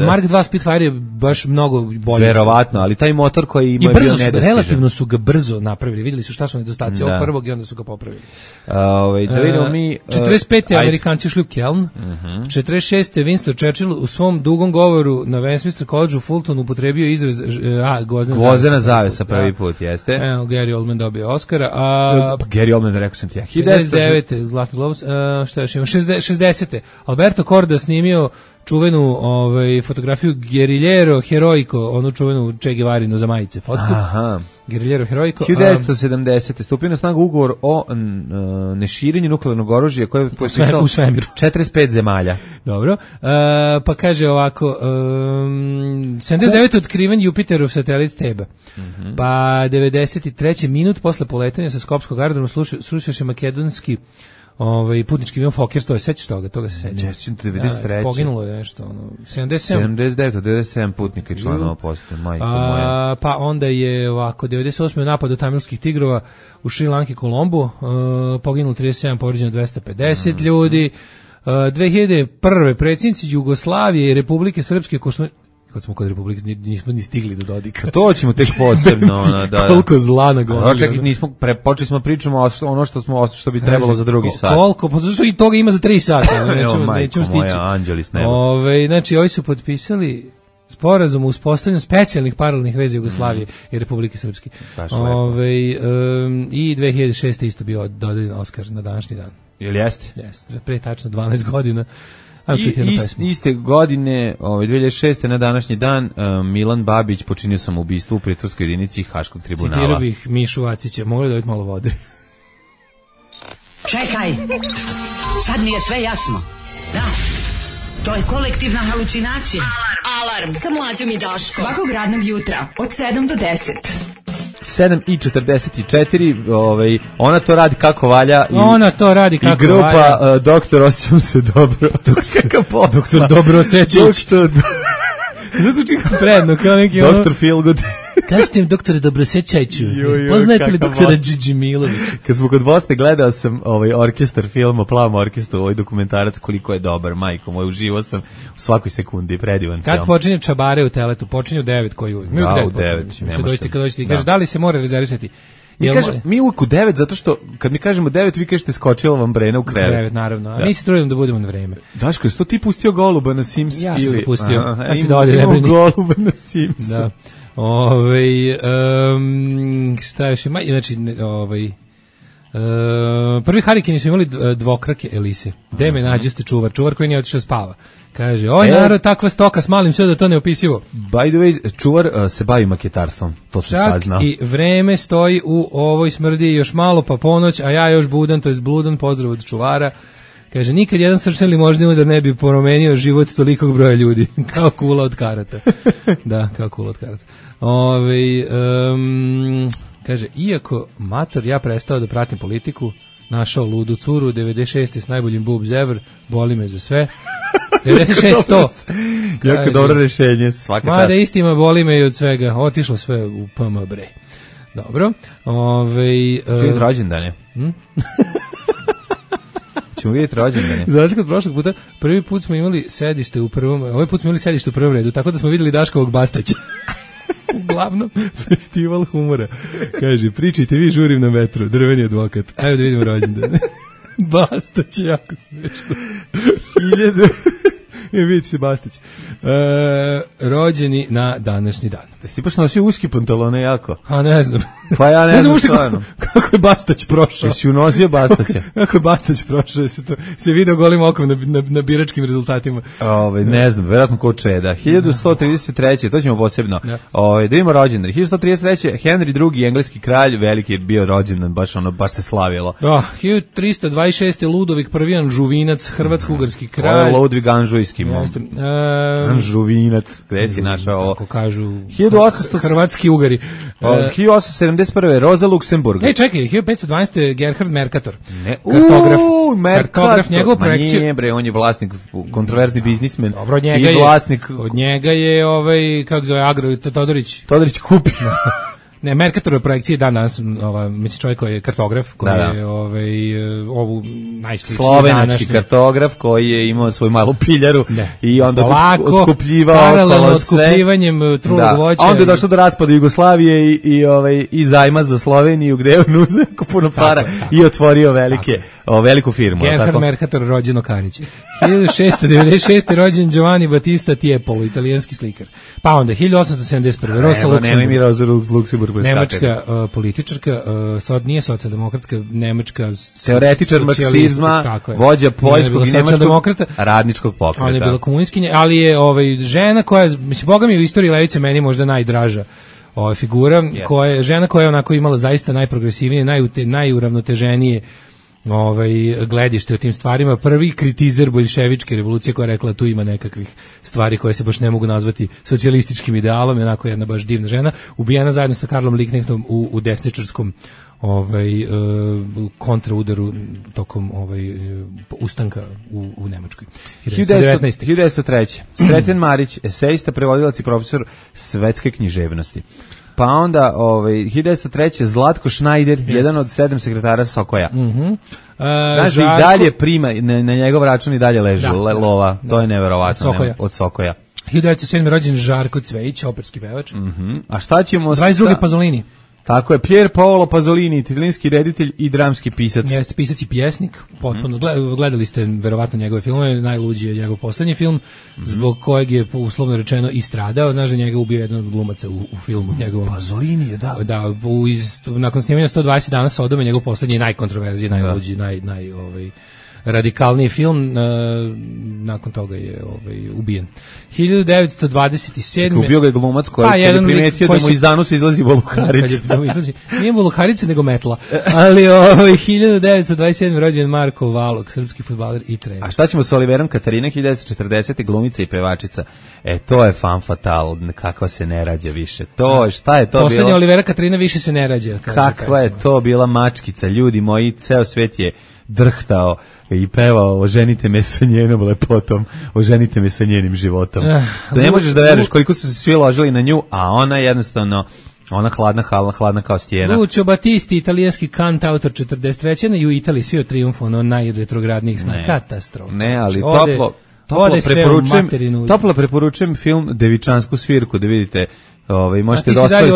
Mark 2 Spitfire je baš mnogo bolji. Verovatno, ali taj motor koji ima bio nedostižan. Relativno su ga brzo napravili. Videli su šta su nedostaci ovog prvog i onda su ga popravili. Da vidimo mi 45. Amerikanci ušli u Keln. 46. Winston Churchill u svom dugom govoru na Westminster College u Fultonu upotrebio izraz gvozdena zavesa prvi put, jeste. Evo, Gary Oldman dobio Oscara. Gary Oldman, rekao sam ti ja. 59. Zlatni globus. Šta još ima? 60. Alberto Korda snimio čuvenu fotografiju Guerrillero Heroico, onu čuvenu Che Guevarinu za majice fotku. Aha. Guerrillero Heroico. 1970. Stupio na snagu ugovor o neširenju nuklearnog oružja koje je potpisalo u svemiru 45 zemalja. Dobro. Pa kaže ovako, 79. otkriven Jupiterov satelit Teba. Pa 93. minut posle poletanja sa Skopskog aerodroma srušio se makedonski putnički avion Fokker, to je sećaš toga se seća. Nećem 93. Poginulo je nešto, 77. 97 putnika i članova postoje, majko moja. Pa onda je ovako, 98. napad od tamilskih tigrova u Šri Lanki, Kolombu, poginulo 37, povređeno 250 ljudi. 2001. predsjednici Jugoslavije i Republike Srpske, kad smo kod Republike, nismo ni stigli do Dodika. To ćemo tek posebno. Koliko zla na gomili. Čekaj, počeli smo pričamo ono što bi trebalo za drugi sat. Koliko? Pa zašto i toga ima za 3 sata. Nećemo stići. Moja anđeli s neba. Znači, ovi su potpisali sporazum o uspostavljanju specijalnih paralelnih veza Jugoslavije i Republike Srpske. I 2006. isto bio dodeljen Oskar na današnji dan. Jel jeste? Jeste, pre tačno 12 godina. Iste godine, 2006. na današnji dan, Milan Babić počinio samoubistvo u pritvorskoj jedinici Haškog tribunala. Citirao bih Mišu Vacića, mogli dobiti malo vode. Čekaj, sad mi je sve jasno. Da, to je kolektivna halucinacija. Alarm sa Mlađom i Daškom. Svakog radnog jutra od 7 do 10. 7:44, ona to radi kako valja. Ona to radi kako valja. I grupa Doktor osjećam se dobro. Doktor dobro osjećajući. Zvuči kao predno, kao neki Doktor Feelgood. Kažete im doktore Dobrosećajću. Poznajete li doktora Džidžimilovića? Kad smo kod Bosne, gledao sam orkestar film o plavom orkestru, dokumentarac koliko je dobar, majko moj, uživao sam u svakoj sekundi, predivan film. Kad počinje Čabare u Teletu? Počinje u 9 koju? Mi u 9 počinje. Kaže, da li se mora rezervisati? Mi uvijek u 9, zato što kad mi kažemo 9, vi kažete skočila vam Brena u krevet. U krevet, naravno. A mi se trudimo da budemo na vreme. Daško, jesi to ti pustio Goluba na Sims? Ja sam ga pustio. Imamo Goluba na Sims. Da. Šta još ima? Znači, prvi harikini su imali dvokrake Elise. Gde me nađeste čuvar koji nije otišao spava. Kaže, narod, takva stoka s malim sve da to ne opisivo. By the way, čuvar se bavi maketarstvom, to se saznao. I vreme stoji u ovoj smrdi još malo pa ponoć, a ja još budan, to jest bludan, pozdrav od čuvara. Kaže, nikad jedan srčani možni udar ne bi promenio život tolikog broja ljudi. Kao kula od karata. Da, kao kula od karata. Kaže, iako mator ja prestao da pratim politiku, našao ludu curu, 96. s najboljim boobs ever, boli me za sve. 96-100. Jako dobro rešenje, svaka čast. Mada istima, boli me i od svega. Otišlo sve u PM bre. Dobro. Čemo vidjeti rođendane? Ćemo vidjeti rođendane. Za razliku od prošlog puta, prvi put smo imali sedište u prvom, ovaj put smo imali sedište u prvom redu, tako da smo vidjeli Daškovog Bastaća. Uglavnom, festival humora. Kaže, pričajte vi, žurim na metru, drveni advokat. Ajde da vidimo rođendane. Bastać je jako smiješno. 1000. Vidite se Bastać. Rođeni na današnji dan. Ti baš nosio uski pantalone jako? A ne znam. Pa ja ne znam stvarno. Kako je Bastać prošao? Jesi unosio Bastaća? Kako je Bastać prošao? Se video golim okom na biračkim rezultatima. Ne znam, verovatno ko Čeda. 1133. To ćemo posebno. Da vidimo rođendan. 1133. Henry II. engleski kralj, veliki je bio rođendan, baš se slavilo. 1326. Ludovik I. Anžuvinac, hrvatsko-ugarski kralj. Ovo je Ludvig Anžujski. Anžuvinac, gde si našao ovo? Kako kažu 1800... hrvatski Ugari. 1871. Roza Luksemburg. Čekaj, 1512. Gerhard Mercator. Kartograf, njegov projekciju. Nije bre, on je vlasnik, kontroverzni biznismen. Dobro, od njega je kako zove, Todorić kupio. Ne, Mercatorove projekcije danas, mislim čovjek koji je kartograf, koji je ovu najsličniji slovenački kartograf koji je imao svoju malu piljaru i onda otkupljivao paralelno otkupljivanjem trulog voća. A onda je došlo do raspada Jugoslavije i zajma za Sloveniju gde je on uzeo puno para i otvorio veliku firmu. Gerhard Mercator, rođeno Karić. 1696. rođen Giovanni Battista Tiepolo, italijanski slikar. Pa onda 1871. Rosa Luxemburg. Nemačka političarka, nije socijaldemokratska, nemačka teoretičar marksizma, vođa poljskog i nemačkog radničkog pokreta. Ona je bila komunistkinja, ali je žena koja, mislim, boga mi u istoriji levice meni možda najdraža figura, žena koja je onako imala zaista najprogresivnije, najuravnoteženije gledište o tim stvarima, prvi kritizer boljševičke revolucije koja je rekla tu ima nekakvih stvari koje se baš ne mogu nazvati socijalističkim idealom, onako jedna baš divna žena, ubijena zajedno sa Karlom Liebknechtom u desničarskom kontraudaru tokom ustanka u Nemačkoj. 1903. Sreten Marić, esejista, prevodilac i profesor svetske književnosti. Pa onda 1903. Zlatko Šnajder, jedan od 7 sekretara Sokoja. Znaš, i dalje prima, na njegov račun i dalje ležu lova, to je neverovatno. Od Sokoja. 1907. rođen Žarko Cvejić, operski pevač. A šta ćemo 22. Pasolini. Tako je, Pier Paolo Pasolini, italijanski reditelj i dramski pisac. Jeste pisac i pjesnik, potpuno. Gledali ste verovatno njegove filmove, najluđi je njegov poslednji film, zbog kojeg je uslovno rečeno i stradao. Znaš da njega ubio jedan od glumaca u filmu njegovom. Pasolini je, da. Da, nakon snimanja 120 dana Sodome, njegov poslednji je najkontroverziji, najluđi, radikalniji film, nakon toga je ubijen. 1927. Ubio ga je glumac koji je primetio da mu iz zanusa izlazi voluharica. Nije voluharica, nego metla. Ali 1927. rođen Marko Valok, srpski fudbaler i trener. A šta ćemo sa Oliverom Katarina, 1940. glumica i pevačica? To je fan fatal, kakva se ne rađa više. Šta je to bilo? Poslednja Olivera Katarina više se ne rađa. Kakva je to bila mačkica, ljudi moji, ceo svet je drhtao i pevao oženite me sa njenom lepotom, oženite me sa njenim životom. Da ne možeš da veruješ koliko su se svi ložili na nju, a ona jednostavno, ona hladna kao stijena. Lucio Battisti, italijanski kant, autor 43. I u Italiji svi o triumfu, najretrogradnijih sna. Katastrofa. Ne, ali toplo preporučujem film Devičansku svirku, da vidite. Možete da ostavite,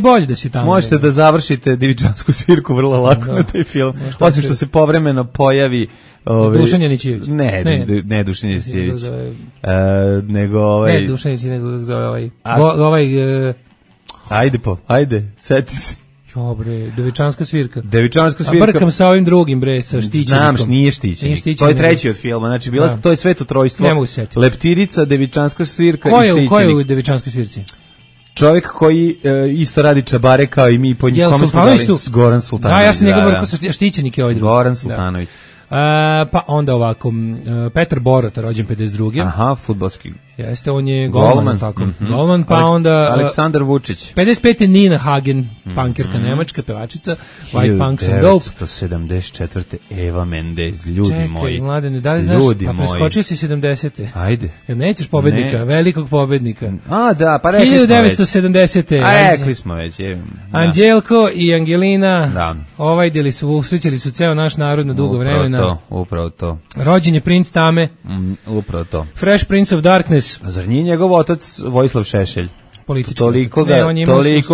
bolje da si tamo. Možete da završite Devičansku svirku vrlo lako na taj film. Osim što se povremeno pojavi Dušan Janićević. Ne Dušan Janićević. Nego ne Dušan Janićević, nego zove Ajde, seti se. Dobre, Devičanska svirka. A brkam sa ovim drugim, sa štićenikom. Znam, nije štićenik. To je treći od filma. Znači, to je sveto trojstvo. Ne mogu setiti. Leptirica, Devičanska svirka i štićenik. Ko je u Devičanskoj svirci? Čovjek koji isto radi čabare kao i mi. Kome smo dali? Goran Sultanović. Ja sam njegov brkao sa štićenik je ovaj drugi. Goran Sultanović. Pa onda ovako, Petar Borota, rođen 52. Aha, fudbalski. Jeste, on je golman, tako. Golman, pa onda Aleksandar Vučić. 55. Nina Hagen, punkirka nemačka, pevačica, White Punks and Dope. 1974. Eva Mendez, ljudi moji. Čekaj, mladene, da li znaš, preskočio si 70. Ajde. Jer nećeš pobednika, velikog pobednika. Da, pa rekli smo već. 1970. Rekli smo već. Anđelko i Angelina, usrećili su ceo naš narod na dugo vremena. Upravo to. Rođen je princ Tame. Upravo to. Fresh Prince of Darkness. Zar nije njegov otac Vojislav Šešelj? Toliko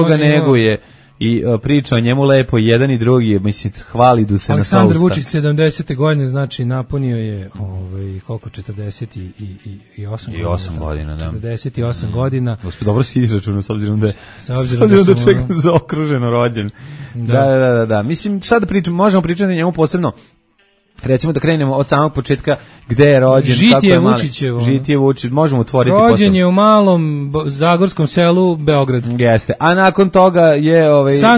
ga neguje i priča o njemu lepo, jedan i drugi, mislim, hvalidu se na sva usta. Aleksandar Vučić 70. godine, znači napunio je koliko, 48 godina, da. 48 godina. Gospod, dobro si izračunao, s obzirom da je čovjek zaokruženo rođen. Da. Mislim, sad da možemo pričati o njemu posebno. Recimo da krenemo od samog početka gde je rođen, Žitije Vučićevo. Žitije Vučić, možemo otvoriti rođen je u malom zagorskom selu Beograd. Jeste. A nakon toga je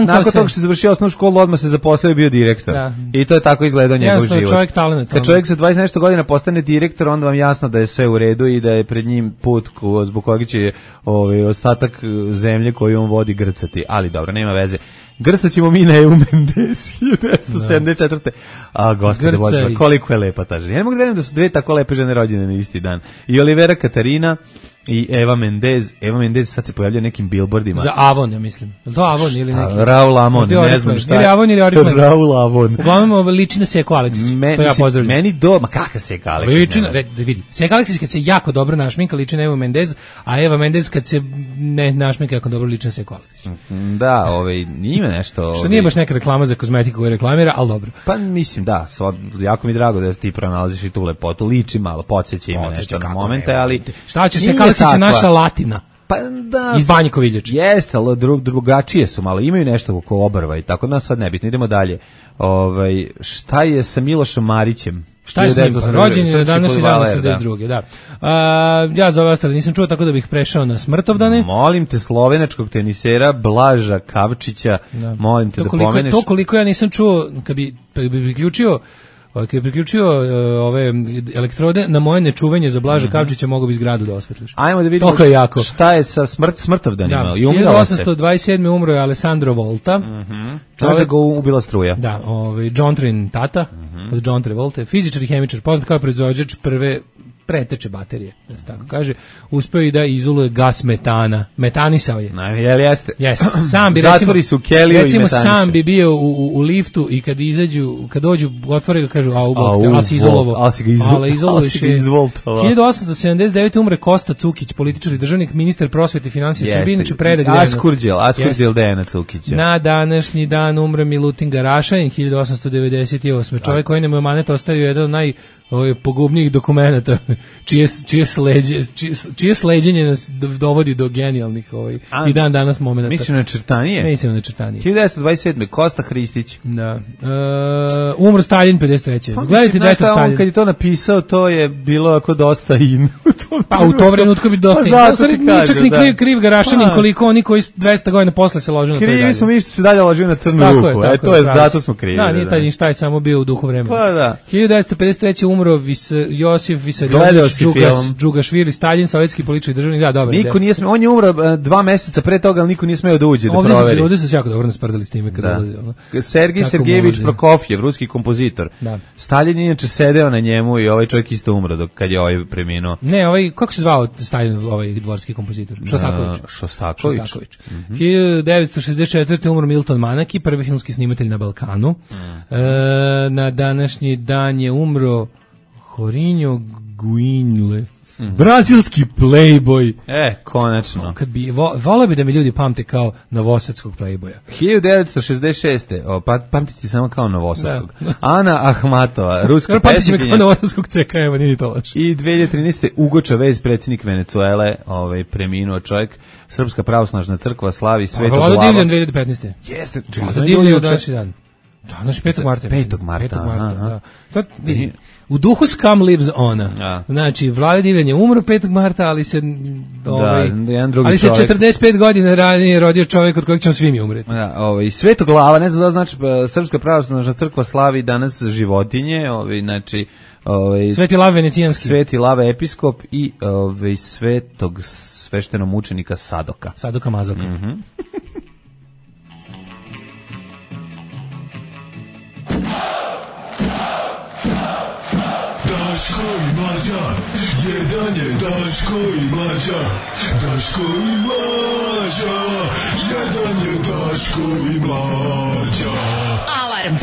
nakon toga što je završio osnovnu školu, odmah se zaposlio i bio direktor. Da. I to je tako izgledao njegov život. Čovjek talent. Kad čovjek sa 20 nešto godina postane direktor, onda vam jasno da je sve u redu i da je pred njim put zbog kojeg će ostatak zemlje koju on vodi grcati. Ali dobro, nema veze. Grcat ćemo mi na Evu Mendez 1974. A gospode Bože, koliko je lepa ta žena. Ja ne mogu da verujem da su dve tako lepe žene rođene na isti dan. I Olivera Katarina i Eva Mendez. Eva Mendez sad se pojavlja nekim billboardima. Za Avon, ja mislim. Je to Avon ili neki? Raul Amon, ne znam šta. Ili Avon ili Oriflame. Raul Avon. Uglavnom liči na Seko Aleksić. To ja pozdravljam. Meni ma kakav Seko Aleksić? Liči na, vidi. Seko Aleksić kad se jako dobro našminka liči na Evu Mendez, a Eva Mendez kad se ne našminka jako dobro liči na Seko Aleksić. Da, ima nešto. Što nije baš neka reklama za kozmetiku koju reklamira, al dobro. Pa mislim da, jako mi drago da ti pronalaziš i tu lepotu. Liči malo, podsjeća ima nešto na momente, ali šta će Seko Aleksić naša Latina. Pa da. Iz Banje Koviljač. Jeste, ali drugačije su malo. Imaju nešto oko obrva i tako da sad nebitno. Idemo dalje. Šta je sa Milošom Marićem? Šta je s njim? Rođen je danas i danas 72. Da. Ja za ove ostale nisam čuo, tako da bih prešao na smrtovdane. Molim te slovenačkog tenisera Blaža Kavčića, molim te da pomeneš. To koliko ja nisam čuo, kad bi priključio Kad je priključio ove elektrode na moje nečuvanje za Blaža Kavčića, mogu bi zgradu da osvetliš. Ajmo da vidimo šta je sa smrtovdanima. 1827. umro je Alessandro Volta. Čovjek ga ubila struja. Da, John Trin tata, od John Travolta, fizičar i hemičar, poznat kao proizvođač prve preteče baterije, da se tako kaže, uspeo i da izoluje gas metana. Metanisao je. Jel jeste? Jeste. Sam bi zatvori su keliju i metaniše. Sam bi bio u liftu i kad dođu, otvore ga, kažu, ali si izolovo. Ali si ga izvoltova. 1879. umre Kosta Cukić, političar i državnik, ministar prosvete i finansije Srbije, inače predak. Askurđel Dejana Cukića. Na današnji dan umre Milutin Garašanin, 1898. Čovjek koji nam je emanet ostavio jedan od pogubnijih dokumenata, čije sleđenje nas dovodi do genijalnih i dan danas momenata. Mislim na Čertanije? Mislim na Čertanije. 1927. Kosta Hristić. Da. Umro Stalin 53. Gledajte da je to Stalin. On kad je to napisao, to je bilo ako dosta in. Pa u to trenutku bi dosta in. Čak ni kriv Garašanin koliko oni koji 200 godina posle se ložio na to. Krivi smo mi što se dalje ložio na crnu ruku. Zato smo krivi. Da, nije taj ništa, je samo bio u duhu vremena. Pa da. 1953. umro Josif Visarionović Džugašvili, Stalin, sovjetski politički državnik. Da, dobro. Niko nije smeo, on je umro 2 meseca pre toga, ali niko nije smeo da uđe da proveri. Ovdje su se jako dobro nasprdali s time kad dolazi. Sergij Sergejević Prokofjev, ruski kompozitor. Da. Stalin je inače sedeo na njemu i ovaj čovjek isto umro kad je preminuo. Ne, kako se zvao Stalin, dvorski kompozitor? Šostaković. 1964. umro Milton Manaki, prvi filmski snimatelj na Balkanu. Na današnji dan je umro Jorinho Guinle, brazilski playboy. Konačno. Kad bi voleo bi da mi ljudi pamte kao novosadskog playboya. 1966. Pamtiti samo kao novosadskog. Ana Ahmatova, ruska pesnikinja. Pamtiti me kao novosadskog CK, evo nije to loše. I 2013. Ugo Chavez, predsjednik Venecuele, preminuo čovjek. Srpska pravoslavna crkva slavi Svetog Lava. Vlado Divljan 2015. Jeste. Vlado Divljan današnji dan. Danas 5. marta. 5. marta. U duhu Scum lives on. Znači, Vlada Divljan je umro 5. marta, ali se ali se 45 godina ranije rodio čovjek od kojeg ćemo svi mi umreti. Svetog Lava, ne znam da znači, Srpska pravoslavna crkva slavi danas životinje, znači Sveti Lav venecijanski. Sveti Lav episkop i svetog sveštenomučenika Sadoka. Sadoka Mazoka. Daško i Mlađa, jedan je Daško i Mlađa, Daško i Mlađa, jedan je Daško i Mlađa. Alarm.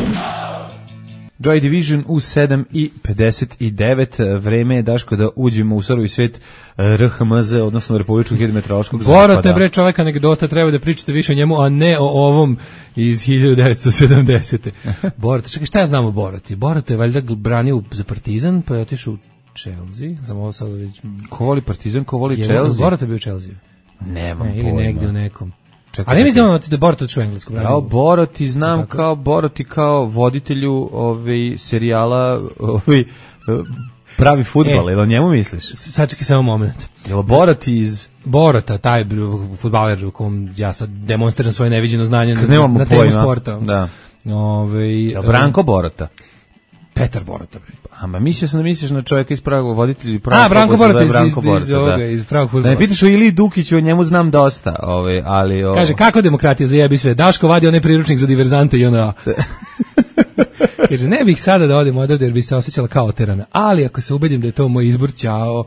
Joy Division u 7:59, vreme je, Daško, da uđemo u surovi svet RHMZ, odnosno Republičkog hidrometeorološkog zapada. Borate, bre, čovjek anegdota, treba da pričate više o njemu, a ne o ovom iz 1970. Borate, čekaj, šta ja znam o Borati? Borate je valjda branio za Partizan, pa je otišao u Chelsea. Ko voli Partizan, ko voli Chelsea? Borate bio u Chelsea. Nemam pojma. Ili negdje u nekom. Ali ne mislim da Borati otišao u Englesku. Ja Borati znam kao Borati kao voditelju serijala pravi fudbal, jel o njemu misliš? Sačekaj samo moment. Jel Borati iz... Borata, taj fudbaler u kom ja sad demonstriram svoje neviđeno znanje na temu sporta. Da. Jel Branko Borata? Petar Borata, bre. Mislio sam da misliš na čovjeka iz pravog voditelja ili pravog Branko Borata iz pravog fudbala. Da ne pitaš o Iliji Dukiću, o njemu znam dosta, ali... Kaže, kako demokratija zajebi sve? Daško vadi onaj priručnik za diverzante i ona... Kaže, ne bih sada da odim odavde jer bi se osjećala kao oterana, ali ako se ubedim da je to moj izbor, ćao...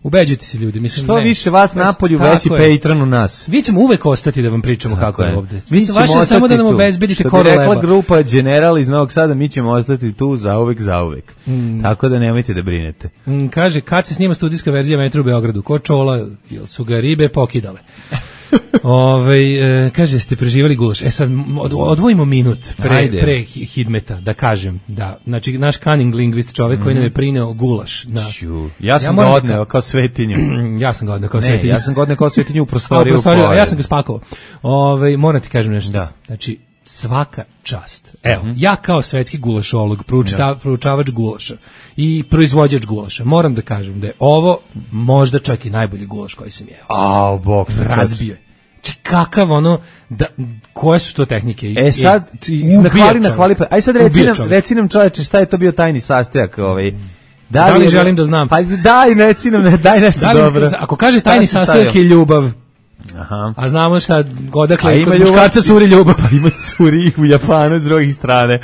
Ubeđujte se ljudi, mislim što više vas napolju, veći Patreon u nas. Vi ćemo uvek ostati da vam pričamo kako je ovde. Vi ste vaše samo da nam obezbedite koru leba. Što bi rekla grupa General iz Novog Sada, mi ćemo ostati tu zauvek. Tako da nemojte da brinete. Kaže, kad se snima studijska verzija Metra u Beogradu, ko čola, jel su ga ribe pokidale? Kaže, ste preživali gulaš. Sad odvojimo minut pre Hidmeta da kažem da, znači naš cunning lingvist, čovjek koji nam je prineo gulaš. Ja sam ga odneo kao svetinju. Ja sam ga odneo kao svetinju. Ja sam ga odneo kao svetinju u prostoriju. A ja sam ga spakovao. Moram ti kažem nešto. Da. Znači, svaka čast. Evo, ja kao svetski gulašolog, proučavač gulaša i proizvođač gulaša, moram da kažem da je ovo možda čak i najbolji gulaš koji sam jeo. Bog. Razbio je. Kakav ono, koje su to tehnike? Sad, nahvali, aj sad reci nam čoveče šta je to bio tajni sastojak Da li želim da znam? Pa daj nešto dobro. Ako kaže tajni sastojak je ljubav, aha. A znamo šta, odakle kod muškarca curi ljubav. Pa ima curi u Japanu s druge strane.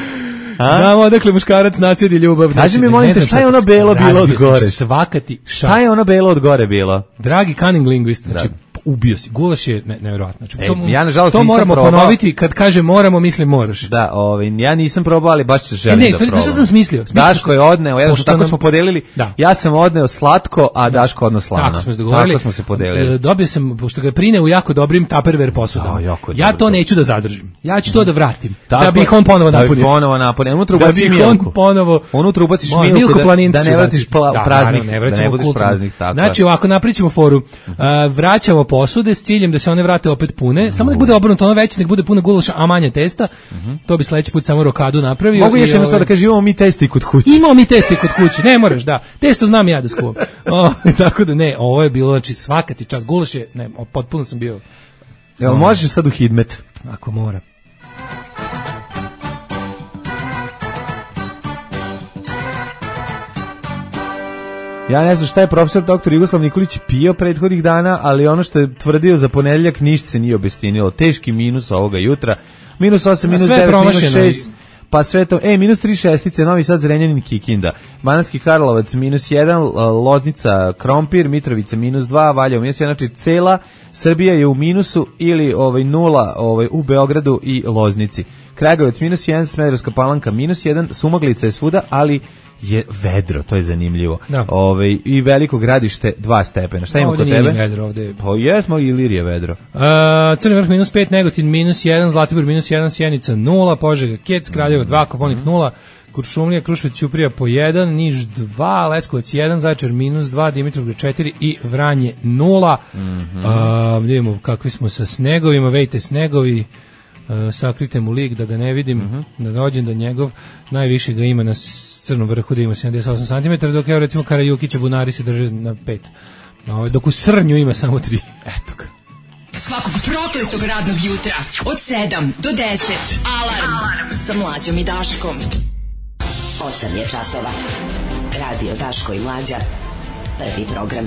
Znamo odakle muškarac nacedi ljubav. Kaži mi, molim te, šta je ono belo bilo od gore? Svakati šast. Šta je ono belo od gore bilo? Dragi cunning linguist, znači ubio si. Gulaš je nevjerojatno. Znači, ja nažalost to moramo ponoviti, kad kaže moramo, mislim moraš. Da, ja nisam probao, ali baš se želim da probam. Ne, što sam smislio? Daško je odneo, tako smo podelili, ja sam odneo slatko, a Daško odno slano. Tako smo se dogovorili. Tako smo se podelili. Dobio sam, pošto ga prine u jako dobrim Tupperware posudama. Ja to neću da zadržim. Ja ću to da vratim. Da bi ih on ponovo napunio. Unutra ubaciš milku da ne vratiš praznik. Da ne budeš praznik. Znači, ovako napričamo foru. Vraćamo posude s ciljem da se one vrate opet pune. Samo nek bude obrnuto, ono veće, nek bude puno gulaša, a manje testa. To bi sledeći put samo rokadu napravio. Mogu još jednostavno da kažem, imamo mi testi kod kuće. Imamo mi testi kod kuće, ne moraš, da. Testo znam ja da skuvam. Tako da ne, ovo je bilo, znači svaka ti čast. Gulaš je, ne, potpuno sam bio. Jel možeš sad u hidmet? Ako mora. Ja ne znam šta je profesor dr. Jugoslav Nikolić pio prethodnih dana, ali ono što je tvrdio za ponedeljak ništa se nije obestinilo. Teški minus ovoga jutra. Minus 8, minus 9, minus 6, pa sve to. Minus 3 šestice, Novi Sad, Zrenjanin, Kikinda. Banatski Karlovac, minus 1, Loznica, Krompir, Mitrovica, minus 2, Valjevo, minus 1, znači cela Srbija je u minusu ili 0 u Beogradu i Loznici. Kragujevac, minus 1, Smederevska Palanka, minus 1, Sumaglica je svuda, ali je vedro, to je zanimljivo. I Veliko Gradište 2 stepena. Šta ima kod tebe? Vedro, ovde. Pa jesmo, Ilirije vedro. Crni Vrh minus 5, Negotin minus 1, Zlatibor minus 1, Sjenica 0, Požega, Kec, Kraljevo 2, Koponik 0, Kuršumlija, Kruševac, Ćuprija po 1, Niš 2, Leskovac 1, Zaječar minus 2, Dimitrovgrad 4 i Vranje 0. Vidimo kakvi smo sa snegovima, vejte snegovi. Sakrite mu lik da ga ne vidim, da dođem do njegov, najviše ga ima na Crnom Vrhu da ima 78 cm, dok evo recimo Karajukića bunari se drže na 5. Dok u Srnju ima samo 3. Eto ga. Svakog prokletog radnog jutra od 7 do 10. Alarm sa Mlađom i Daškom. 8 je časova. Radio Daško i Mlađa. Prvi program.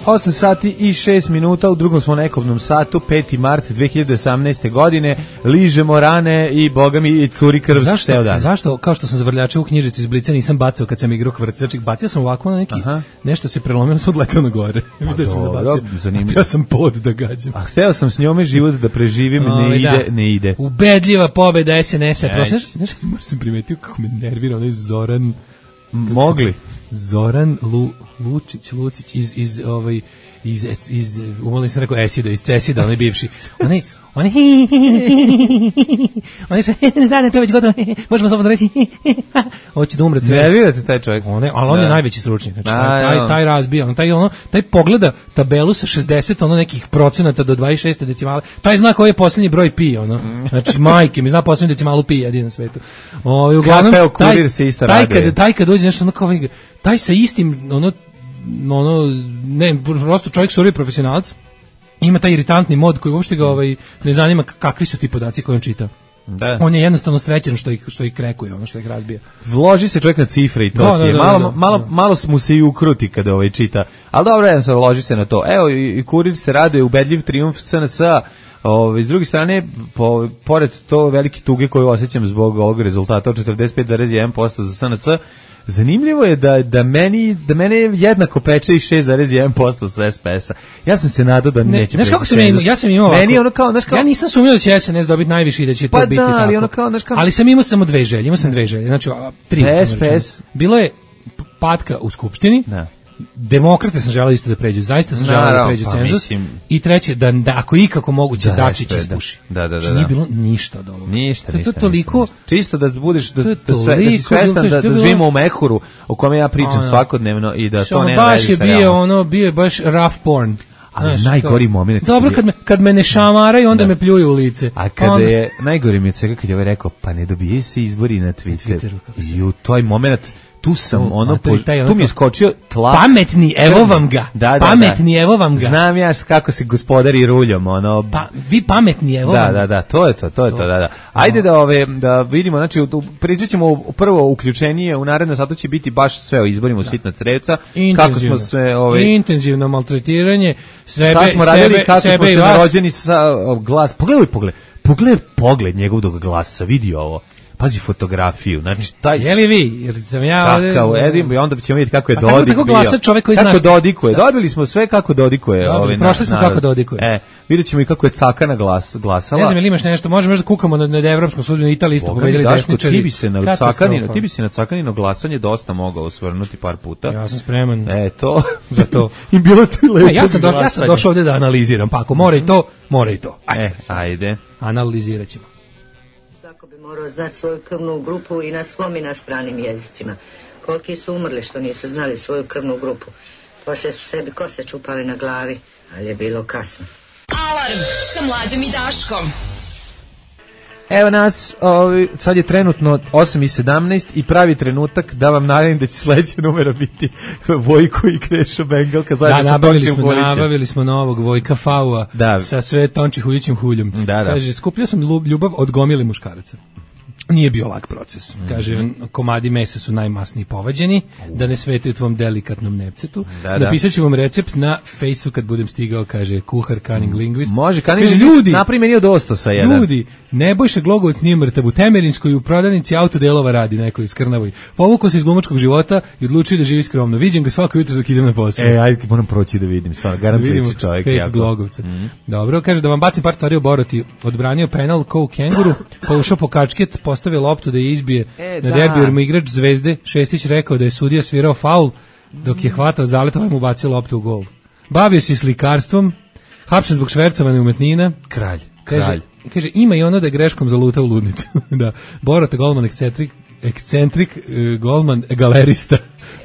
8 sati i 6 minuta, u drugom smo nekobnom satu, 5. mart 2018. godine, ližemo rane i boga mi curi krv ceo dan. Zašto, kao što sam zavrljačio u knjižicu iz Blica, nisam bacao kad sam igrao kvrc, znači bacio sam ovako na neki, nešto se prelomilo, sam odletao na gore. Vidio sam da bacio, htio sam pod da gađam. A hteo sam s njome život da preživim, ne ide. Ubedljiva pobeda SNS-a, znaš, možda sam primetio kako me nervira onaj Zoran... Mogli? Zoran Lucić iz umalo sam rekao Esida, iz Cesida, onaj bivši. Oni su, da, to je već gotovo, možemo slobodno reći, hoće da umre sve. Nervirate taj čovjek. Ali on je najveći stručnjak, znači taj razbija, taj pogleda tabelu sa 60, nekih procenata do 26 decimale, taj zna koji je posljednji broj pi, znači majke mi zna posljednju decimalu pi jedin na svetu. Uglavnom, taj kad dođe nešto kao taj sa istim, ne, prosto čovjek survi profesionalac, ima taj iritantni mod koji uopšte ga ne zanima kakvi su ti podaci koje on čita. Da. On je jednostavno srećan što ih krekuje, što ih razbija. Vloži se čovjek na cifre i to je. Malo mu se i ukruti kada čita. Ali dobro, jednostavno vloži se na to. Evo, i Kurir se raduje, ubedljiv trijumf SNS-a. S druge strane, pored to velike tuge koju osjećam zbog ovog rezultata od 45,1% za SNS, zanimljivo je da mene jednako peče i 6,1% sa SPS-a. Ja sam se nadao da neće. Znaš kako ja sam imao ovako. Ja nisam sumnjao da će SNS dobiti najviše i da će to biti tako. Ali sam imao samo dve želje. Znači, 3. SPS. Bilo je patka u Skupštini. Da. Demokrate sam želeo isto da pređu, zaista sam želeo da pređu cenzus. I treće, da ako ikako moguće Dačić ispuši. Da. Nije bilo ništa od ovoga. Ništa. To toliko... Čisto da budeš, da si svestan da živimo u mehuru o kome ja pričam svakodnevno i da to nema veze sa realno. Bio je baš rough porn. Ali najgori moment. Dobro, kad me ne šamaraju, onda me pljuju u lice. A kada je, najgori mi je od svega kad je rekao, pa ne dobije se izbori na Twitteru. I u toj moment tu sam tu mi je skočio tlak. Pametni, evo vam ga. Pametni, evo vam ga. Znam ja kako se gospodari ruljom, vi pametni, evo vam ga. Da, to je to, da. Ajde da vidimo, znači pričat ćemo prvo uključenije, u narednom satu će biti baš sve o izborima u Sitna Crevca, kako smo sve intenzivno maltretiranje šta smo radili, kako smo se narođeni sa glas. Pogledaj pogled njegov dok glasa, vidi ovo. Pazi fotografiju, znači taj. Je li vi? Jer sam ja ovdje. Onda ćemo vidjeti kako je Dodik bio. Kako glasa čovjek koji kako dodikuje. Dobili smo sve kako dodikuje. Prošli smo kako dodikuje. Vidjet ćemo i kako je Cakana glasala. Ne znam, ili imaš nešto, možemo da kukamo na Evropskom sudu, na Italiji isto pobedili desničari. Ti bi se na Cakanino glasanje dosta mogao osvrnuti par puta. Ja sam spreman. To. Za to. I bilo ti lepo. Ja sam došao ovdje da analiziram, pa ako mora i to. Ajde. Analizirat ćemo. Morao znati svoju krvnu grupu i na svom i na stranim jezicima. Koliki su umrli što nisu znali svoju krvnu grupu. Poslije su sebi kose čupali na glavi, ali je bilo kasno. Alarm sa Mlađom i Daškom. Evo nas, sad je trenutno 8:17 i pravi trenutak da vam najavim da će sledeća numera biti Vojko i Krešo Bengalka zajedno sa Tončim Huljićem. Nabavili smo novog Vojka Faua sa sve Tonči Huljićim huljom. Kaže, skupljao sam ljubav od gomile muškaraca. Nije bio lak proces. Kaže, komadi mesa su najmasniji povađeni, da ne svetaju tvom delikatnom nepcetu. Napisat ću vam recept na Facebooku kad budem stigao, kaže, kuhar, cunning linguist. Može, cunning linguist, napravi meni od ostosa jedan. Ljudi, Nebojša Glogovac nije mrtav, u Temerinskoj u prodavnici autodelova radi nekoj iz Krnavoj. Povukao se iz glumačkog života i odlučio da živi skromno. Viđem ga svako jutro dok idem na posao. Ajde, moram proći da vidim, stvarno, garantujući čovjek. Fake Glogovca. Dobro, kaže da vam bacim par stvari o Boroti. Odbranio penal ko u Kenguru, pa ušao po kačket, postavio loptu da je izbije na derbiju, jer mu igrač Zvezde Šestić rekao da je sudija svirao faul, dok je hvatao zaleta, ovaj mu bacio loptu u gol. Bavio se slikarstvom, hapšen zbog švercovane umetnina. Kralj. Kaže, ima i ono da je greškom zalutao u ludnicu. Da, Borota, golman ekscentrik, golman galerista,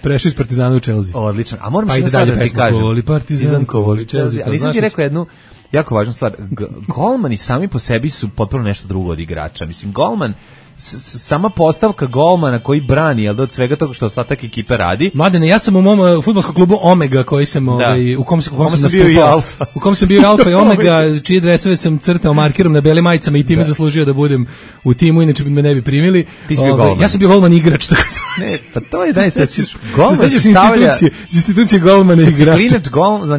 prešao iz Partizana u Chelsea. Odlično, a moram što sad da ti kažem. Partizan, kovoli Chelsea. Ali nisam ti rekao jednu jako važnu stvar. Golmani sami po sebi su potpuno nešto drugo od igrača. Mislim, golman, sama postavka golmana koji brani, jel da, od svega toga što ostatak ekipe radi. Mladene, ja sam u mom fudbalskom klubu Omega, koji sam u kom sam bio i Alfa. U kom sam bio Alfa i Omega, čiji dresove sam crtao markerom na belim majicama i time zaslužio da budem u timu, inače bi me ne bi primili. Ti si bio golman. Ja sam bio golman igrač, tako sam. Ne, pa to je zaista golman se stavlja iz institucije golmana i igrača. Klinač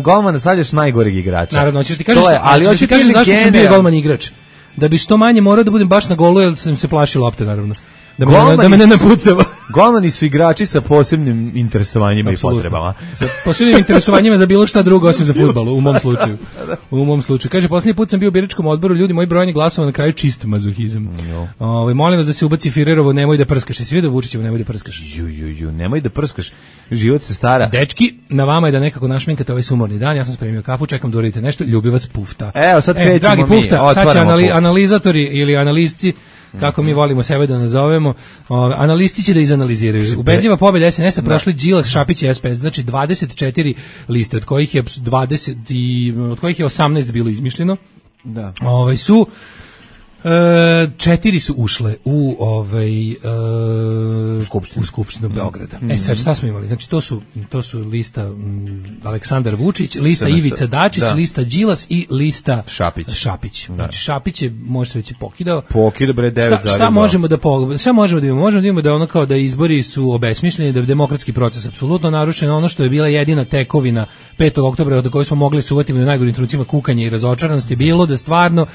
golmana stavljaš najgoreg igrača. Naravno, hoćeš ti kažeš, ali hoćeš ti kažeš zašto sam bio golman igrač. Da bi što manje morao da budem baš na golu, jer sam se plašio lopte, naravno. Da me ne napucava. Golmani su igrači sa posebnim interesovanjima i potrebama. Sa posebnim interesovanjima za bilo šta drugo osim za fudbal, u mom slučaju. U mom slučaju. Kaže, posljednji put sam bio u biračkom odboru, ljudi, moji brojanje glasova na kraju čist mazohizam. Molim vas da se ubaci Firerovo, nemoj da prskaš. Svi da Vučićevo, nemoj da prskaš. Nemoj da prskaš. Život se stara. Dečki, na vama je da nekako našminkate ovaj sumorni dan. Ja sam spremio kafu, čekam da uradite nešto. Ljubi vas Pufta. Evo, sad krećemo dragi Pufta, sad će analizatori ili analizci, kako mi volimo sebe da nazovemo, analisti će da izanaliziraju. Ubedljiva pobjeda SNS-a prošli Đilas, Šapić i SPS, znači 24 liste, od kojih je 18 bilo izmišljeno. Da. Su 4 su ušle u Skupštinu Beograda. Sad šta smo imali? Znači to su lista Aleksandar Vučić, lista Ivica Dačić, lista Đilas i lista Šapić. Znači Šapić je, može se reći, pokidao bre 9,2. Šta možemo da imamo? Možemo da imamo da ono kao da izbori su obesmišljeni, da je demokratski proces apsolutno narušen, ono što je bila jedina tekovina 5. oktobra od koje smo mogli se uvati u najgorim trenucima kukanja i razočaranosti, bilo da stvarno,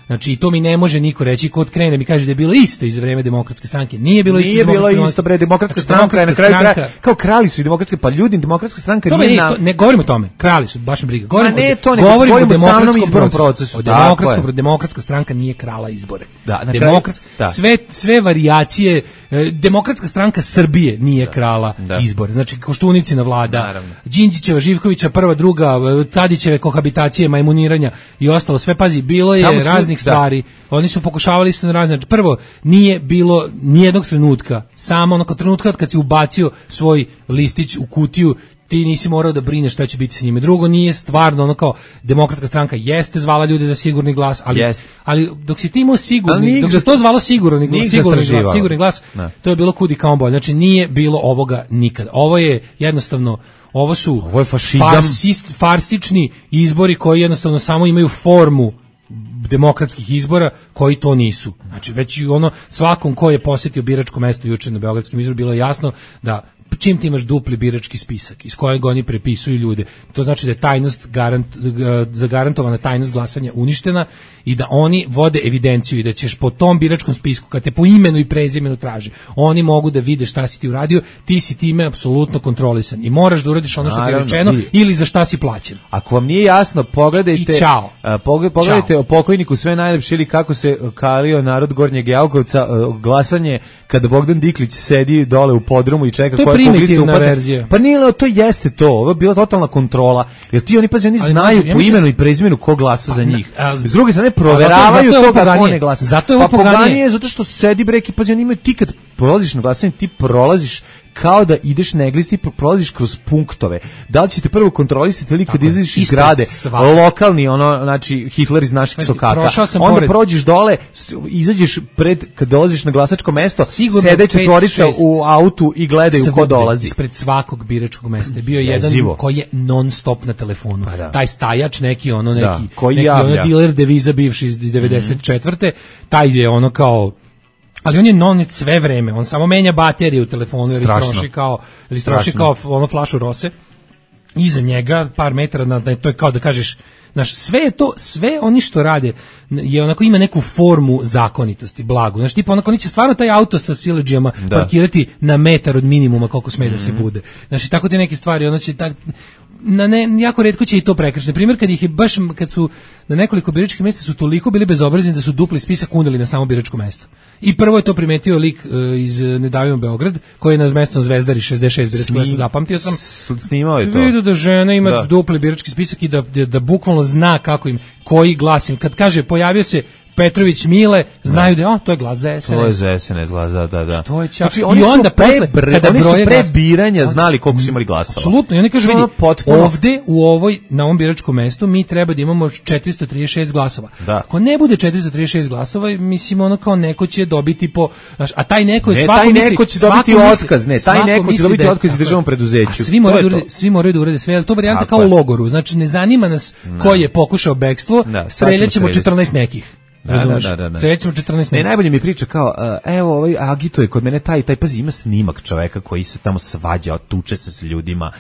znači, to mi ne može niko reći, ko krene mi kaže da je bilo isto iz vreme Demokratske stranke. Nije bilo isto, bre, Demokratska stranka je na kraju kao krali su i demokratske, pa ljudi, Demokratska stranka nije ne govorimo o tome, krali su, baš me briga. Govorimo o demokratskom procesu. Demokratska stranka nije krala izbore. Da, sve varijacije, Demokratska stranka Srbije nije krala izbore. Znači, Koštunicina vlada, Đinđićeva, Živkovića, prva, druga, Tadićeve kohabitacije, majmuniranja i ostalo, sve, pazi, bilo je raznih stvari. Oni su pokušavali isto na razne. Znači, prvo, nije bilo nijednog trenutka, samo onog trenutka kad si ubacio svoj listić u kutiju, ti nisi morao da brineš šta će biti sa njime. Drugo, nije stvarno ono kao Demokratska stranka jeste zvala ljude za sigurni glas, ali dok si ti imao sigurni, dok se to zvalo sigurni glas, to je bilo kudi kao bolje. Znači nije bilo ovoga nikada. Ovo je jednostavno, ovo je fašizam, farsični izbori koji jednostavno samo imaju formu demokratskih izbora koji to nisu. Znači već ono svakom ko je posjetio biračko mesto juče na beogradskim izborima bilo je jasno da čim ti imaš dupli birački spisak iz kojeg oni prepisuju ljude, to znači da je tajnost zagarantovana tajnost glasanja uništena i da oni vode evidenciju i da ćeš po tom biračkom spisku, kad te po imenu i prezimenu traže, oni mogu da vide šta si ti uradio, ti si time apsolutno kontrolisan i moraš da uradiš ono što ti je rečeno ili za šta si plaćen. Ako vam nije jasno, pogledajte o pokojniku Sve najlepše ili kako se kalio narod Gornjeg Jakovca, glasanje kada Bogdan Diklić sedi dole u podrumu i čeka koja kuglica upadne. Pa nije, to jeste to, ovo je bila totalna kontrola, jer oni znaju po imenu i prezimenu ko glasa za njih. S druge strane, proveravaju to kako ne glasa. Zato je ovo poganije. Zato što sedi breki, pazi, oni imaju, ti kad prolaziš na glasanje, ti prolaziš kao da ideš na eglis, ti prolaziš kroz punktove. Da li ćete prvo kontrolisati ili kad izađeš iz zgrade, lokalni, znači Hitler iz naših sokaka, onda prođeš dole, izađeš kad dolaziš na glasačko mesto, sede četvorica u autu i gledaju ko dolazi. Ispred svakog biračkog mesta je bio jedan koji je non stop na telefonu. Taj stajač, neki dealer deviza bivši iz 94. Taj je ono kao, ali on je non-net sve vreme, on samo menja baterije u telefonu jer troši kao ono flašu rose. Iza njega par metara, to je kao da kažeš, znaš, sve oni što rade je onako, ima neku formu zakonitosti, blagu. Znaš, tipa onako, oni će stvarno taj auto sa siledžijama parkirati na metar od minimuma koliko sme da se bude. Znači, tako te neke stvari, ono će jako retko će i to prekršiti. Na primjer, kad su na nekoliko biračkih mjesta su toliko bili bezobrazni da su dupli spisak uneli na samo biračko mesto. I prvo je to primetio lik iz Ne davimo Beograd, koji je na mestom Zvezdari 66 biračkih mjesta, zapamtio sam. Snimao je to. Vidio da žena ima dupli birački spisak i da bukvalno zna koji glasim. Kad kaže pojavio se Petrović Mile, znaju da to je glas za SNS. To je za SNS glas, da. Što je znači, oni su pre biranja znali koliko su imali glasova. Apsolutno, i oni kažu, vidi, ovde na ovom biračkom mestu mi treba da imamo 436 glasova. Ako ne bude 436 glasova, mislim ono kao neko će dobiti a taj neko je svako misli... Taj neko će dobiti otkaz, taj neko će dobiti otkaz u državnom preduzeću. Svi moraju da urede sve, ali to varijanta kao u logoru, znači ne zanima nas ko je pokušao bekstvo, streljaćemo 14 nekih. Srećemo 14. Ne, najbolje mi priča kao, evo, agituje kod mene taj, pazi, ima snimak čoveka koji se tamo svađa, tuče se s ljudima,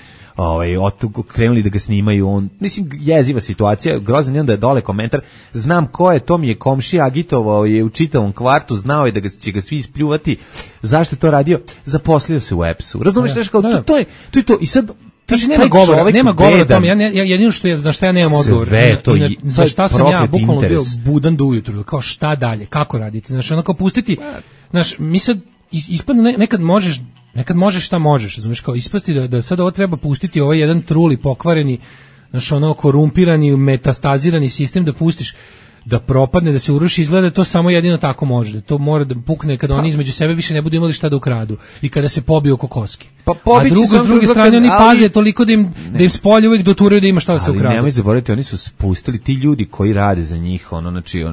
krenuli da ga snimaju, mislim, jeziva situacija, grozan je onda je dole komentar, znam ko je, to mi je komšija, agitovao je u čitavom kvartu, znao je da će ga svi ispljuvati, zašto je to radio? Zaposlio se u EPS-u, razumiješ, to je to, i sad, znači, nema govora o tome, jedino što je, na šta ja nemam odgovor. Za šta sam ja bukvalno bio budan do ujutru, kao šta dalje, kako raditi, znači ono kao pustiti, znači mi sad ispadne nekad možeš šta možeš, znači kao ispasti da sad ovo treba pustiti, ovaj jedan truli pokvareni, znači ono korumpirani, metastazirani sistem da pustiš, da propadne, da se uruši, izgleda to samo jedino tako može. Da to mora da pukne kada oni između sebe više ne budu imali šta da ukradu i kada se pobiju oko koski. A s druge strane oni paze toliko da im spolje uvijek doturaju da ima šta da se ukradu. Ali nemoj zaboraviti, oni su spustili ti ljudi koji rade za njih, znači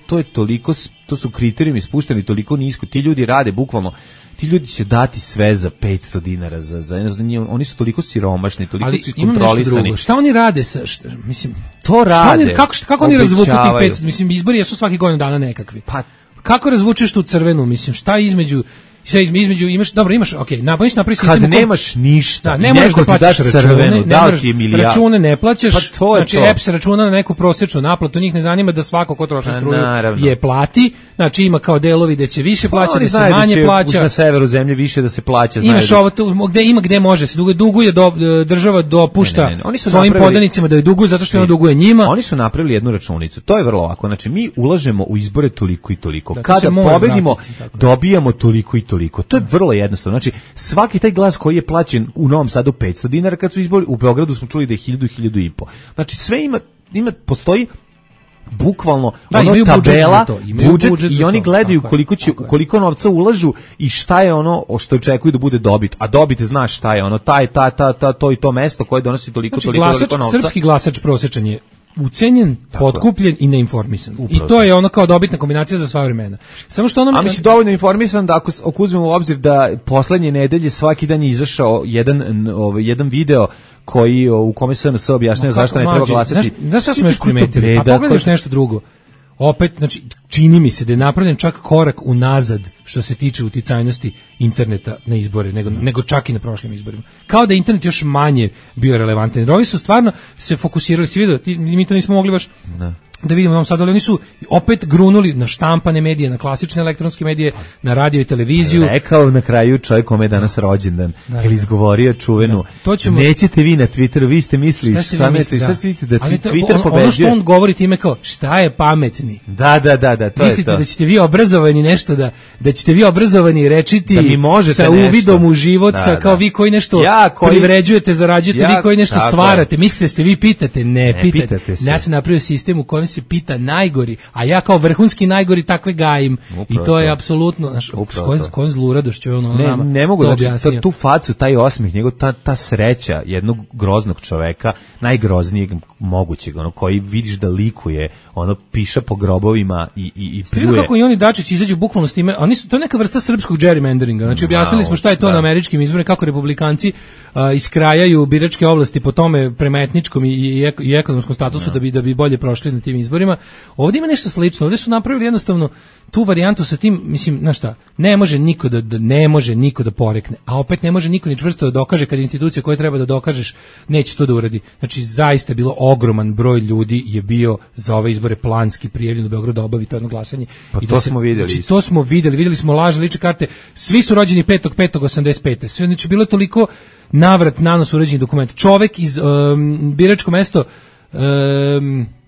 to je toliko, to su kriterijumi spušteni toliko nisko, ti ljudi rade bukvalno. Ti ljudi će dati sve za 500 dinara oni su toliko siromašni, toliko su kontrolisani. Šta oni rade mislim, to rade. Kako oni razvuku tih 500, mislim, izbori jesu svaki godinu dana nekakvi. Pa kako razvučeš tu crvenu, mislim, šta između imaš, napravi sistem. Kad nemaš ništa, ne možeš da plaćaš račune, ne plaćaš, pa znači EPS računa na neku prosječnu naplatu, njih ne zanima da svako ko troši struju je plati, znači ima kao delovi da će više plaća, da se manje plaća. Na severu zemlje više da se plaća. Imaš ovo, gde može se duguje, država dopušta svojim podanicima da je duguje zato što ona duguje njima. Oni su napravili jednu računicu, to je vrlo lako, znači mi ulažemo u izbore toliko i toliko, kada pobedimo dobijamo toliko i toliko. To je vrlo jednostavno. Znači, svaki taj glas koji je plaćen u Novom Sadu 500 dinara kad su izbori, u Beogradu smo čuli da je 1000 i 1500. Znači, sve postoji bukvalno imaju tabela, budžet i oni gledaju koliko novca ulažu i šta je ono što očekuju da bude dobit. A dobit znaš šta je ono, to i to mesto koje donosi toliko novca. Srpski glasač prosječan je ucenjen, potkupljen i neinformisan. I to je ono kao dobitna kombinacija za sva vremena. Samo što ono... A mi si dovoljno informisan da ako uzmemo u obzir da poslednje nedelje svaki dan je izašao jedan video u kome se SNS objašnjava zašto ne treba glasati. Znaš šta smo još primetili? A pogledaš nešto drugo. Opet, znači, čini mi se da je napravljen čak korak unazad što se tiče uticajnosti interneta na izbore, nego čak i na prošlim izborima. Kao da je internet još manje bio relevantan. Jer ovi su stvarno se fokusirali, si vidio, mi to nismo mogli baš da vidimo nam sad, ali oni su opet grunuli na štampane medije, na klasične elektronske medije, na radio i televiziju. Rekao na kraju čovjek kome je danas rođendan, ili izgovorio čuvenu, nećete vi na Twitteru, vi ste mislili, šta ste mislili da Twitter pobeđuje? Ono što on govori time kao, šta je pametni? Da, to je to. Mislite da ćete vi obrazovani nešto, da ćete vi obrazovani rečiti sa uvidom u život, sa kao vi koji nešto privređujete, zarađujete, vi koji nešto stvarate, mislite se vi pitate, ne pitate. Ja sam napravio sistem u kojem se pita najgori, a ja kao vrhunski najgori takve gajim. I to je apsolutno, znaš, s kojom zluradošću je ono nama. Ne mogu, znači, tu facu, taj osmih, njegov, ta sreća jednog groznog čoveka, najgroznijeg mogućeg, ono, koji vidiš da likuje, ono, piša po grobovima i pljuje. Kako i oni Dačić izađu bukvalno s time, to je neka vrsta srpskog gerrymanderinga, znači objasnili smo šta je to na američkim izborima, kako republikanci iskrajaju biračke oblasti po tome prema etničkom i ekonomskom statusu da bi bolje prošli na tim izborima. Ovdje ima nešto slično, ovdje su napravili jednostavno tu varijantu sa tim, mislim, znaš šta, ne može niko da porekne, a opet ne može niko ni čvrsto da dokaže kad institucija koje treba da dokažeš neće to da uradi. Znači, zaista je bilo ogroman broj ljudi je bio za ove izbore planski prijavljen u Beogradu da obavi to jedno glasanje. Pa i to smo vidjeli. Znači, to smo vidjeli smo lažne lične karte, svi su rođeni 5.5.85. Sve, znači, bilo je toliko navrat nanos uređenih dokumenta. Čovek iz biračko mesto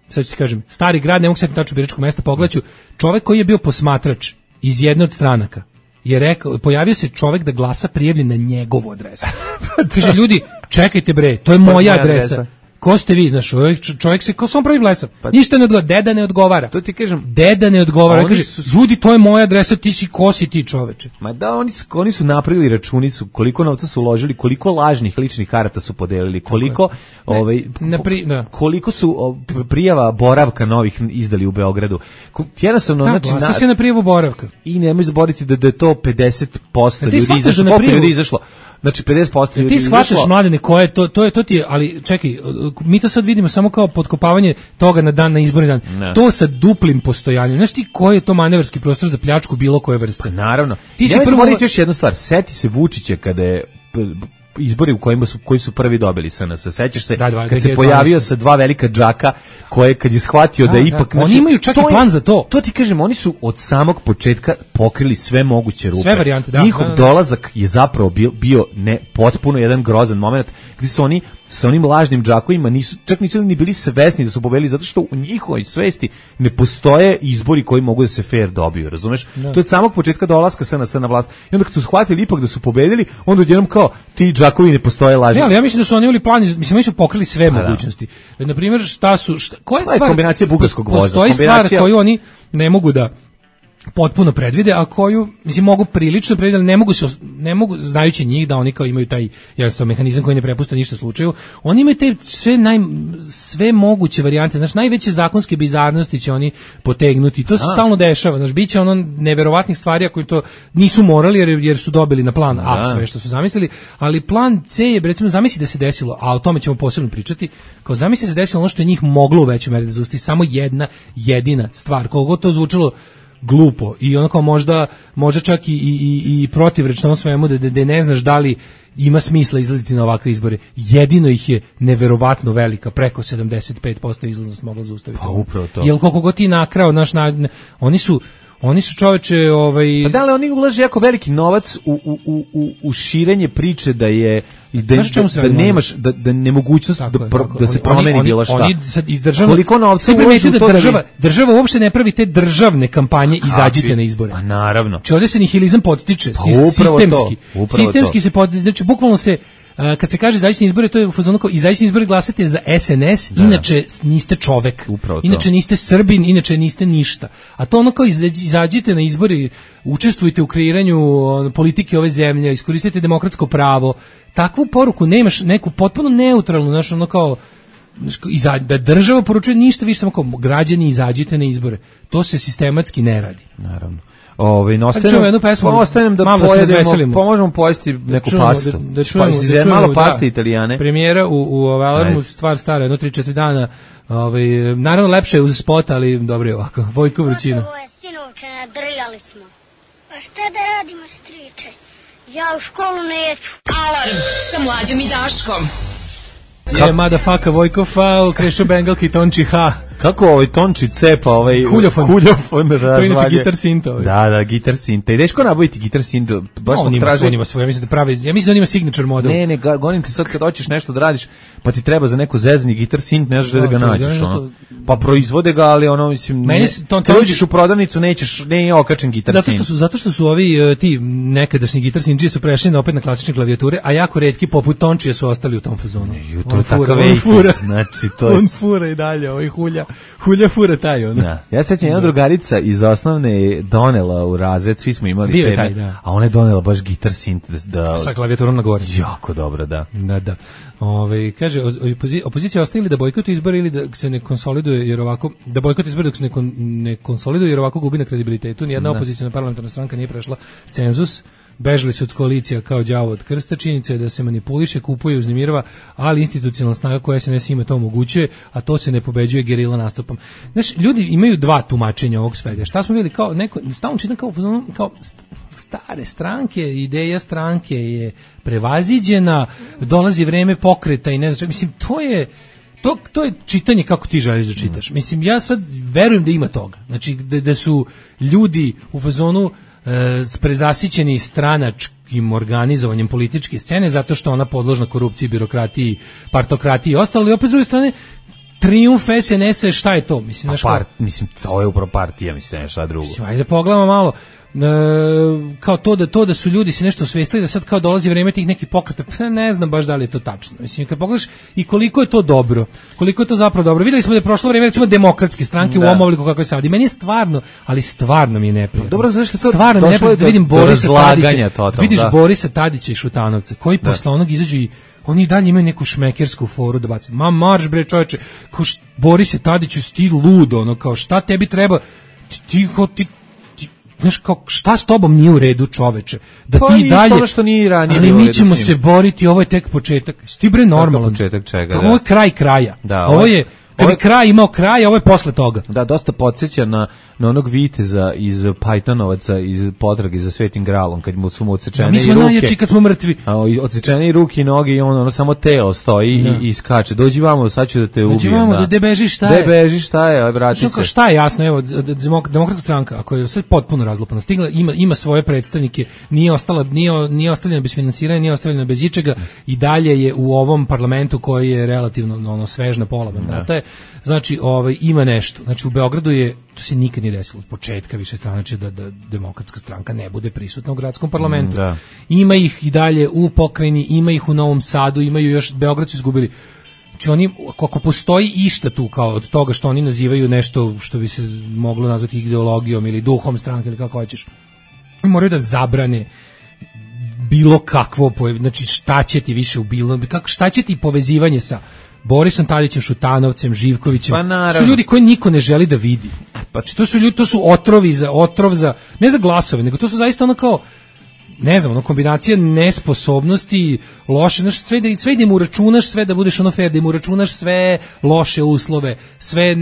sad ću ti kažem, Stari grad, ne mogu se tačno biračkog mesta, pogledaću, čovjek koji je bio posmatrač iz jedne od stranaka je rekao, pojavio se čovjek da glasa prijavljen na njegovu adresu. Kaže, ljudi, čekajte bre, to je moja adresa. Ko ste vi, znaš, čovjek se, ko sam pravi blesav, ništa ne odgovara, deda ne odgovara. To ti kažem. Deda ne odgovara, kaže, ljudi, to je moja adresa, ti si, ko si ti, čoveče? Ma da, oni su napravili računicu, koliko novca su uložili, koliko lažnih ličnih karata su podelili, koliko, koliko su prijava boravka novih izdali u Beogradu. Jednostavno, znači, glasa se na prijavu boravka. I nemoj zaboraviti da je to 50% ljudi izašlo. Znači 50% ljudi. Ti shvataš, mladene, koje to ti je, ali čekaj, mi to sad vidimo samo kao potkopavanje toga na izborni dan. Ne. To sa duplim postojanjem. Znaš ti koji je to manevarski prostor za pljačku bilo koje vrste? Pa naravno. Ti si zaboraviti još jednu stvar. Seti se Vučića kada je izbori koji su prvi dobili SNS. Sećaš se kad se pojavio sa dva velika džaka koje kad je shvatio da ipak znači, oni imaju čak i plan za to. To ti kažem, oni su od samog početka pokrili sve moguće rupe. Sve varijante, Njihov dolazak je zapravo bio potpuno jedan grozan moment gdje su oni sa onim lažnim džakovima nisu ni bili svesni da su pobedili, zato što u njihovoj svesti ne postoje izbori koji mogu da se fair dobiju, razumeš? To je od samog početka dolaska SNS na vlast. I onda kad su shvatili ipak da su pobedili, onda odjednom kao ti džakovi ne postoje lažni. Ne, ali ja mislim da su oni imali plan, mislim oni su pokrili sve mogućnosti. Na primjer, koja je stvar? Kombinacija bugarskog voza. Postoji stvar koju oni ne mogu da potpuno predvide, a koju mislim mogu prilično predvidjeti, ali ne mogu znajući njih da oni kao imaju taj jednostavno mehanizam koji ne prepušta ništa slučaju. Oni imaju te sve moguće varijante, znači najveće zakonske bizarnosti će oni potegnuti. To se stalno dešava, znači biće ono neverovatnih stvari koji to nisu morali jer su dobili na plan A sve što su zamislili, ali plan C je recimo zamisli da se desilo, a o tome ćemo posebno pričati. Kao zamisli da se desilo ono što je njih moglo u većoj meri da zaustavi, samo jedna jedina stvar, koliko to zvučalo glupo i onako možda čak i protivrečno ovom svemu da ne znaš da li ima smisla izlaziti na ovakve izbore. Jedino ih je neverovatno velika, preko 75% izlaznost mogla zaustaviti. Pa upravo to. Jel koliko god ti nakrao, oni su čoveče Pa da li oni ulaže jako veliki novac u širenje priče da je da nemaš da nemogućnost da se promeni bilo šta. Oni iz države koliko novca ulažu da država uopšte ne pravi te državne kampanje, izađite na izbore. Pa naravno. Znači ovdje se nihilizam podstiče sistemski se podstiče, znači bukvalno se kad se kaže izaći na izbore, to je u fazonu kao izaći na izbore, glasate za SNS, inače niste čovek, inače niste Srbin, inače niste ništa. A to ono kao izađite na izbore, učestvujte u kreiranju politike ove zemlje, iskoristite demokratsko pravo. Takvu poruku nemaš, neku potpuno neutralnu, znaš, ono kao da država poručuje ništa više, samo kao građani izađite na izbore. To se sistematski ne radi. Naravno. Ostanem da pojedemo, možemo pojesti neku pastu. Da čujemo malo paste Italijane. Premijera u Alarmu, stvar stara, 1-3-4 dana. Naravno lepše je uz spot, ali dobro je ovako. Vojko Vrućina. Gotovo je, sinovče, nadrljali smo. Pa šta da radimo, striče? Ja u školu neću. Alarm sa Mlađom i Daškom. Je motherfucker Vojko Fao, Krešo Bengalki, Tonči H. Kako Tonči cepa Huljofon razvalje. To je inače gitar synth ovaj. Da, gitar synth. Ideš ko nabaviti gitar synth? Baš on ima svoj, ja mislim da pravi, ja mislim da on ima signature model. Ne, govorim ti sad kad hoćeš nešto da radiš, pa ti treba za neko zezanje gitar synth, ne znaš da ga nađeš, ono. Pa proizvode ga, ali ono, mislim, kad uđeš u prodavnicu nije okačen gitar synth. Zato što su ovi ti nekadašnji gitar synth su prešli opet na klasične klavijature, a jako retki poput Tončija su ostali u tom fazonu. Znači to je on fura i dalje, ovaj Hulja fura taj ono. Da. Ja sećam jedna drugarica iz osnovne donela u razred, svi smo imali teme, a ona je donela baš gitar synth sa klavijaturom na gore. Jako dobro, da. Da. Kaže opozicija ostaje da bojkotuje izbore ili da se ne konsoliduje jer ovako da bojkotuje izbore dok se ne konsoliduje jer ovako gubi na kredibilitetu. Nijedna opozicijna parlamentarna stranka nije prešla cenzus. Bežali su od koalicija kao đavo od krsta, činjenica je da se manipuliše, kupuje, uznemirava, ali institucionalna snaga koja SNS ima to omogućuje, a to se ne pobeđuje gerila nastupom. Znaš, ljudi imaju dva tumačenja ovog svega. Šta smo vidjeli kao neko, stalno čitam kao stare stranke, ideja stranke je prevaziđena, dolazi vreme pokreta i ne znam, mislim, to je čitanje kako ti želiš da čitaš. Mislim, ja sad verujem da ima toga. Znači, da su ljudi u fazonu prezasićeni stranačkim organizovanjem političke scene zato što ona podložna korupciji, birokratiji, partokratiji i ostalo, i opet s druge strane trijumf SNS-a, šta je to? Mislim, mislim, to je upravo partija, mislim, šta drugo. Ajde, pogledamo malo. Kao to da su ljudi se nešto osvestili da sad kao dolazi vreme tih nekih pokreta, ne znam baš da li je to tačno. Mislim, kad pogledaš i koliko je to dobro, koliko je to zapravo dobro. Videli smo da je prošlo vreme recimo demokratske stranke u ovom obliku kako je sad. I meni je stvarno mi je neprijatno. Dobro, zašto to stvarno mi je neprijatno da vidim Borisa Tadića. Vidiš da. Borisa Tadića i Šutanovca koji posle onog izađu i oni dalje imaju neku šmekersku foru da baci. Ma marš bre čoveče, kao Borise Tadiću sti ludo, ono kao šta tebi treba ti znaš, kao, šta s tobom nije u redu, čoveče? Da pa ti dalje, ono što nije ranije, ali mi ćemo se boriti, ovo je tek početak. Sti bre normalan. Početak čega, ovo je kraj kraja. Da, ovo je, kad bi kraj imao kraj, ovo je posle toga. Da, dosta podsjeća na onog viteza iz Pajtonovaca, iz Potrage za Svetim Gralom, kad su mu odsečene i ruke. Mi smo najjači kad smo mrtvi. Odsečene i ruke i noge i ono samo telo stoji i skače. Dođi vamo, sad ću da te ubijem. Dođi vamo, da bežiš, šta je? Da bežiš, šta je, vrati se. Šta je jasno, evo, demokratska stranka, ako je sve potpuno razlupana, stigla, ima svoje predstavnike, nije ostavljena bez finansiranja, nije ostavljena bez ičega i dalje je u ovom parlamentu koji je relativno svežna pola mandata. Znači, ima nešto. Znači, u Beogradu to se nikad nije desilo od početka više stranačije da demokratska stranka ne bude prisutna u gradskom parlamentu. Ima ih i dalje u pokrajini, ima ih u Novom Sadu, imaju još, Beograd su izgubili. Znači, oni, ako postoji išta tu kao od toga što oni nazivaju nešto što bi se moglo nazvati ideologijom ili duhom stranke ili kako hoćeš, moraju da zabrane bilo kakvo, znači šta će ti više u bilo, šta će ti povezivanje sa Borisom Tadićem, Šutanovcem, Živkovićem, su ljudi koji niko ne želi da vidi. To su otrov za, ne za glasove, nego to su zaista ono kao, ne znam, kombinacija nesposobnosti, loše, sve da im uračunaš, sve da budeš ono fair, da im uračunaš sve loše uslove, sve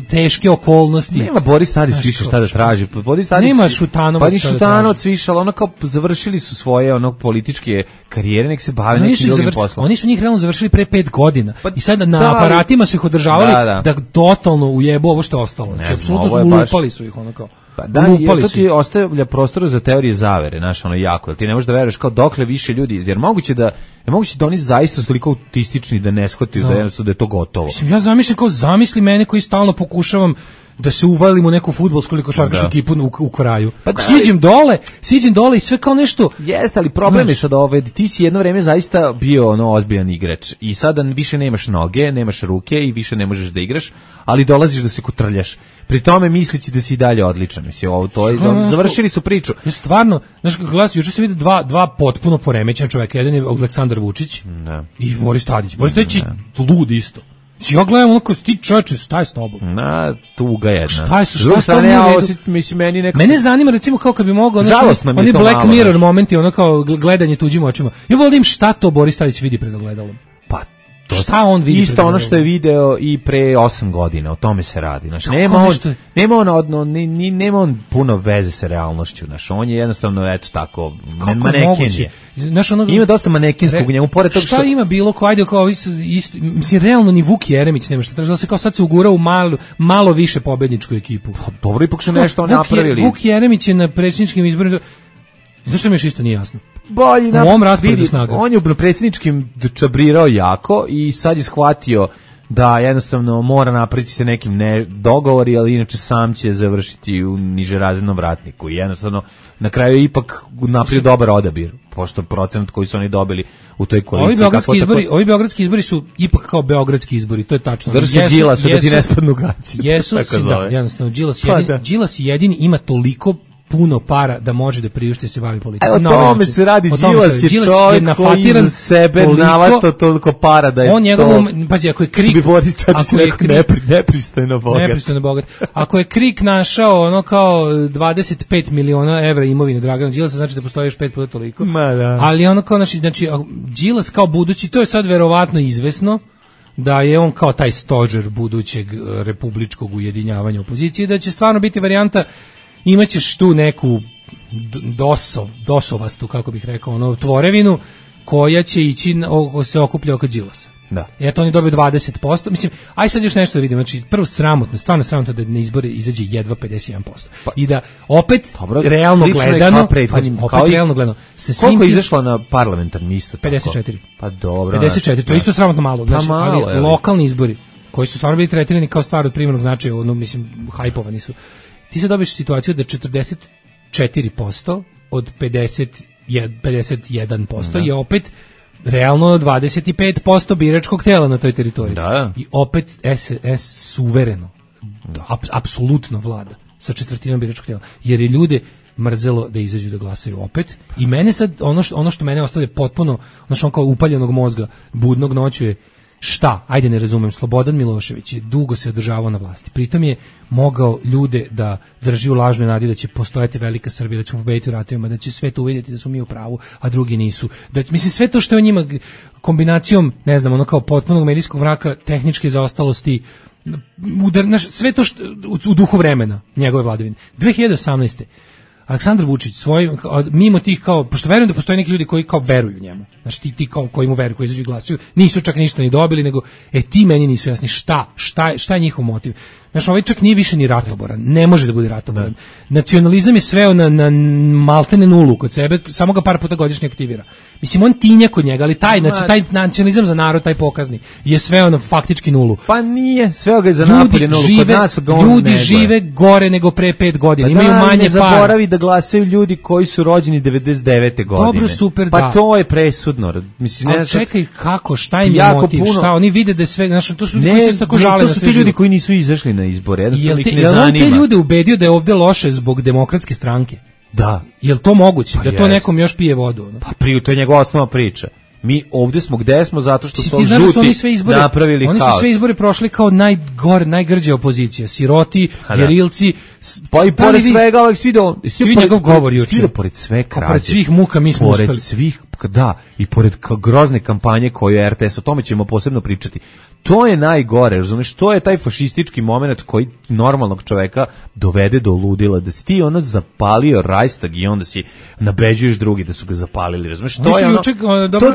teške okolnosti. Nema Boris Tadić više šta da traži. Nema Šutanovac. Pa ni Šutanovac više, ali ono kao završili su svoje političke karijere, nek se bave nekim drugim poslom. Oni su njih realno završili pre 5 godina i sad na aparatima su ih održavali da totalno ujebu ovo što je ostalo. Znači, apsolutno su ulupali su ih ono kao. Pa da, to ti ostavlja prostor za teorije zavere, znaš, ono jako, jer ti ne možeš da veruješ kao dokle više ljudi, jer moguće da oni zaista su toliko autistični da ne shvataju da je to gotovo. Mislim, ja zamislim mene koji stalno pokušavam da se uvalim u neku fudbalsku ili košarkašku ekipu u kraju. Pa siđem dole i sve kao nešto. Jeste, ali problem je sad ti si jedno vreme zaista bio ozbiljan igrač i sada više nemaš noge, nemaš ruke i više ne možeš da igraš, ali dolaziš da se kotrljaš. Pri tome mislići da si i dalje odličan. Mislim, završili su priču. Ja stvarno, znaš kako gledam, juče se vidi dva potpuno poremećena čoveka. Jedan je Aleksandar Vučić i Boris Tadić. Boris Tadić je lud isto. Ja gledam onako, ti čoveče, šta je s tobom? Tuga jedna. Šta je s tobom? Mene zanima, recimo, kao kad bi mogao, oni Black Mirror momenti, ono kao gledanje tuđim očima. Ja volim šta to Boris Tadić vidi pred ogledalom. Pa, šta on vidi? Isto ono što je video i pre 8 godina, o tome se radi. Znači, nema on puno veze sa realnošću. Znači, on je jednostavno, eto tako, maneken je. Ima dosta manekinskog u njemu, pored toga šta ima bilo ko ajde kao isto, mislim, realno ni Vuk Jeremić nema šta traži, da se kao sad se ugura u malo više pobedničku ekipu. Pa, dobro, ipak su nešto napravili. Vuk Jeremić je na predsjedničkim izborima, zašto mi još isto nije jasno? U ovom rasporedu snaga. On je u predsjedničkim čabrirao jako i sad je shvatio da jednostavno mora napraviti se nekim dogovori, ali inače sam će završiti u nižerazrednom vratniku. I jednostavno na kraju je ipak napravio dobar odabir, pošto procenat koji su oni dobili u toj koaliciji. Ovi beogradski izbori su ipak kao beogradski izbori, to je tačno. Drži Đilasa da ti ne spadnu gaci. Jesu, jednostavno, Đilas jedini ima toliko puno para da može da priušti se bavi politikom. Evo tome se radi, Đilas je čovjek koji iza sebe navato toliko para da je pazi, ako je Krik, nepristojno bogat. Ako je Krik našao ono kao 25 miliona evra imovine Dragana Đilasa, znači da postoji još 5 puta toliko. Ali ono kao, znači, Đilas kao budući, to je sad verovatno izvesno, da je on kao taj stožer budućeg republičkog ujedinjavanja opozicije, da će stvarno biti varijanta. Imaćeš tu neku dosovastu, kako bih rekao, tvorevinu koja će ići, se okuplja oko Đilasa. Da. Eto, oni dobiju 20%. Mislim, aj sad još nešto da vidimo. Znači, prvo sramotno, stvarno sramotno da na izbore izađe jedva 51%. I da opet, realno gledano, koliko je izašlo na parlamentarni isto tako? 54. Pa dobro. 54, to je isto sramotno malo. Znači, ali lokalni izbori, koji su stvarno bili tretirani kao stvar od primjernog značaja, mislim, hajpovani su. Ti se dobiješ situaciju da 44% od 51% je opet realno 25% biračkog tela na toj teritoriji. Da. I opet SNS suvereno, apsolutno vlada sa četvrtinom biračkog tela. Jer je ljude mrzelo da izađu da glasaju opet. I mene sad, ono što mene ostavlja potpuno, ono kao upaljenog mozga, budnog noću je šta, ajde ne razumem, Slobodan Milošević je dugo se održavao na vlasti. Pritom je mogao ljude da drži u lažnoj nadi da će postojati velika Srbija, da ćemo pobediti u ratovima, da će sve to uvidjeti da smo mi u pravu, a drugi nisu. Mislim, sve to što je on njima kombinacijom, ne znam, ono kao potpunog medijskog mraka, tehničke zaostalosti, sve to što, u duhu vremena njegove vladavine. 2018. Aleksandar Vučić mimo tih kao, pošto verujem da postoje neki ljudi koji kao veruju njemu, znači ti kao koji mu veruju, koji izađu i glasaju, nisu čak ništa ni dobili, nego ti meni nisu jasni šta je njihov motiv. Znači, ovaj čak nije više ni ratoboran, ne može da bude ratoboran. Nacionalizam je sveo na maltene nulu kod sebe, samo ga par puta godišnje aktivira. Mislim, on tinja kod njega, ali taj nacionalizam za narod, taj pokazni, je sveo na faktički nulu. Pa nije, sveo ga je za napolje nulu, kod nas ga on ljudi žive gore nego pre 5 godina, imaju manje ne zaboravi da glasaju ljudi koji su rođeni 99. godine. Dobro, super, pa to je presudno. Mislim, ali čekaj, kako, šta im je motiv, šta, oni vide da je sve, znači, to su ljudi koji se tako žale na sve. To su ti ljudi koji nisu izašli na izbore, jednostavno ih ne zanima. Jel on te ljude ubedio da je ovdje loše zbog Demokratske stranke? Da. Jel to moguće? Da to nekom još pije vodu? Pa to je njegova osnova priča. Mi ovdje smo gde smo zato što su žuti napravili haos. Oni su sve izbore prošli kao najgrđa opozicija. Siroti, gerilci. Pa i pored svega ovih svi njegov govor juče. Pored sve krađe. Pored svih muka mi smo uspeli. Pored svih, da, i pored grozne kampanje koju je RTS, o tome ćemo posebno pričati. To je najgore, razumiješ, to je taj fašistički moment koji normalnog čoveka dovede do ludila, da si ti zapalio Rajstag i onda si nabeđuješ drugi da su ga zapalili, razumiješ, to je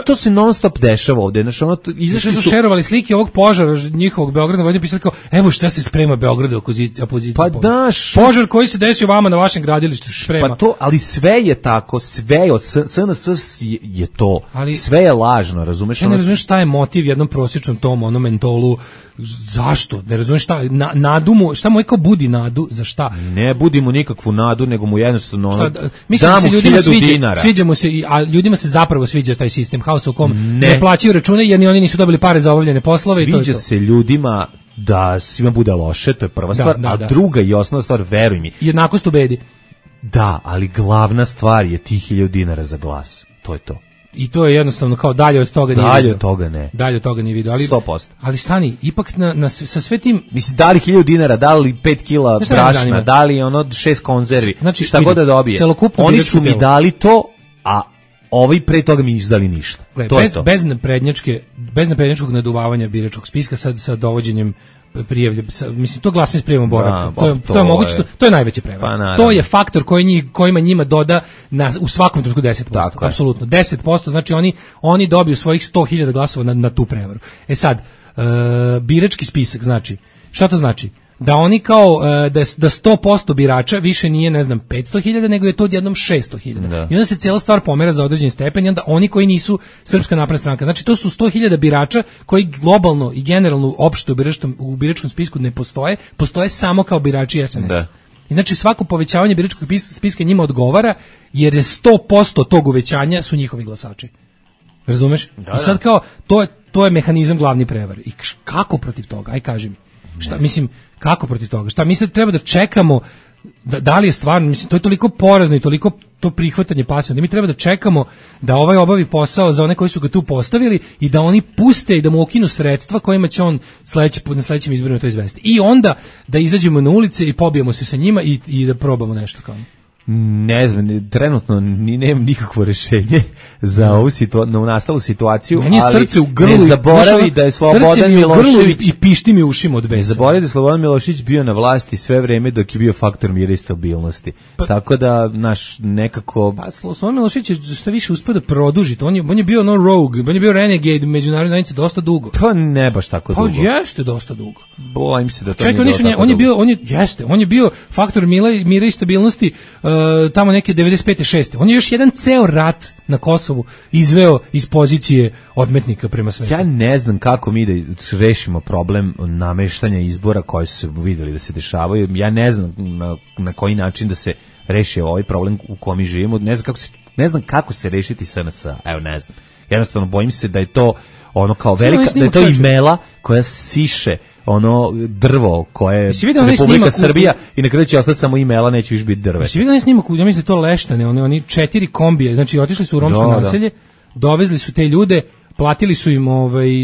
to se non stop dešava ovdje, znači izašli su šerovali slike ovog požara njihovog Beograda, ovdje pisali kao, evo šta se sprema Beogradu opozicija. Pa daš požar koji se desio vama na vašem gradilištu sprema. Pa to, ali sve je tako, sve od SNS je to, sve je lažno, razumiješ? Ja ne razumiješ šta je motiv jednom prosječnom tom kontrolu. Zašto? Ne razumeš šta, nadu mu, šta mu kao budi nadu, za šta? Ne budi mu nikakvu nadu, nego mu jednostavno ono, mislim da se ljudima sviđa mu se, a ljudima se zapravo sviđa taj sistem haosa u kom ne plaćaju račune jer ni oni nisu dobili pare za obavljene poslove. Sviđa se ljudima da svima bude loše, to je prva stvar, a druga i osnovna stvar, veruj mi. Jednakost u bedi. Da, ali glavna stvar je tih 1000 dinara za glas, to je to. I to je jednostavno kao dalje od toga nije video. Dalje od toga ne. Dalje od toga nije video, ali 100%. Ali stani, ipak sa sve tim, mislim, da li 1000 dinara, da li 5 kila brašna, da li ono 6 konzervi, znači, šta god da dobije. Oni su mi dali to, a ovi pre toga mi izdali ništa. To je to. Bez naprednjačkog naduvavanja biračkog spiska sa dovođenjem prijavlje, mislim, to glasanje s prijavom boravka, to je moguće, to je najveća prevara. To je faktor kojima njima doda u svakom trenutku 10%, apsolutno 10%, znači oni dobiju svojih 100.000 glasova na tu prevaru. E sad, birački spisak, znači, šta to znači? Da oni kao, da 100% birača više nije, ne znam, 500.000, nego je to odjednom 600.000. I onda se cijela stvar pomera za određeni stepen i onda oni koji nisu Srpska napredna stranka. Znači to su 100.000 birača koji globalno i generalno opšte u biračkom spisku ne postoje samo kao birači SNS. Da. I znači svako povećavanje biračkog spiska njima odgovara jer je 100% tog uvećanja su njihovi glasači. Razumeš? I sad kao, to je mehanizam glavni prevare. I kako protiv toga? Aj kaži mi. Šta, mislim, kako protiv toga? Šta, mi sad treba da čekamo, da li je stvarno, mislim, to je toliko porazno i toliko to prihvatanje pasivno, da mi treba da čekamo da ovaj obavi posao za one koji su ga tu postavili i da oni puste i da mu ukinu sredstva kojima će on na sledećim izborima to izvesti. I onda da izađemo na ulice i pobijemo se sa njima i da probamo nešto kao. Ne znam, trenutno nemam nikakvo rešenje za ovu nastalu situaciju, meni je srce u grlu, ne zaboravi da je Slobodan Milošević i pišti mi ušima od besa. Ne zaboravi da je Slobodan Milošević bio na vlasti sve vreme dok je bio faktor mira i stabilnosti. Tako da, naš, nekako... Pa, Slobodan Milošević je šta više uspio da produži. On je bio rogue, on je bio renegade međunarodne zajednice dosta dugo. Pa ne baš tako dugo. Pa jeste dosta dugo. Bojim se da to nije bilo tako dugo. On je bio faktor mira i stabilnosti tamo neke 95. 6. On je još jedan ceo rat na Kosovu izveo iz pozicije odmetnika prema svetu. Ja ne znam kako mi da rešimo problem nameštanja izbora koji su videli da se dešavaju. Ja ne znam na koji način da se reši ovaj problem u kom mi živimo. Ne znam kako se rešiti SNS. Evo, ne znam. Jednostavno bojim se da je to ono kao velika, da je to imela koja siše ono drvo koje je Republika Srbija i na kraju će ostati samo imela, neće više biti drve. Si vidio onaj snimak, ja mislim da to Leštane, oni 4 kombije, znači otišli su u romsko naselje, dovezli su te ljude, platili su im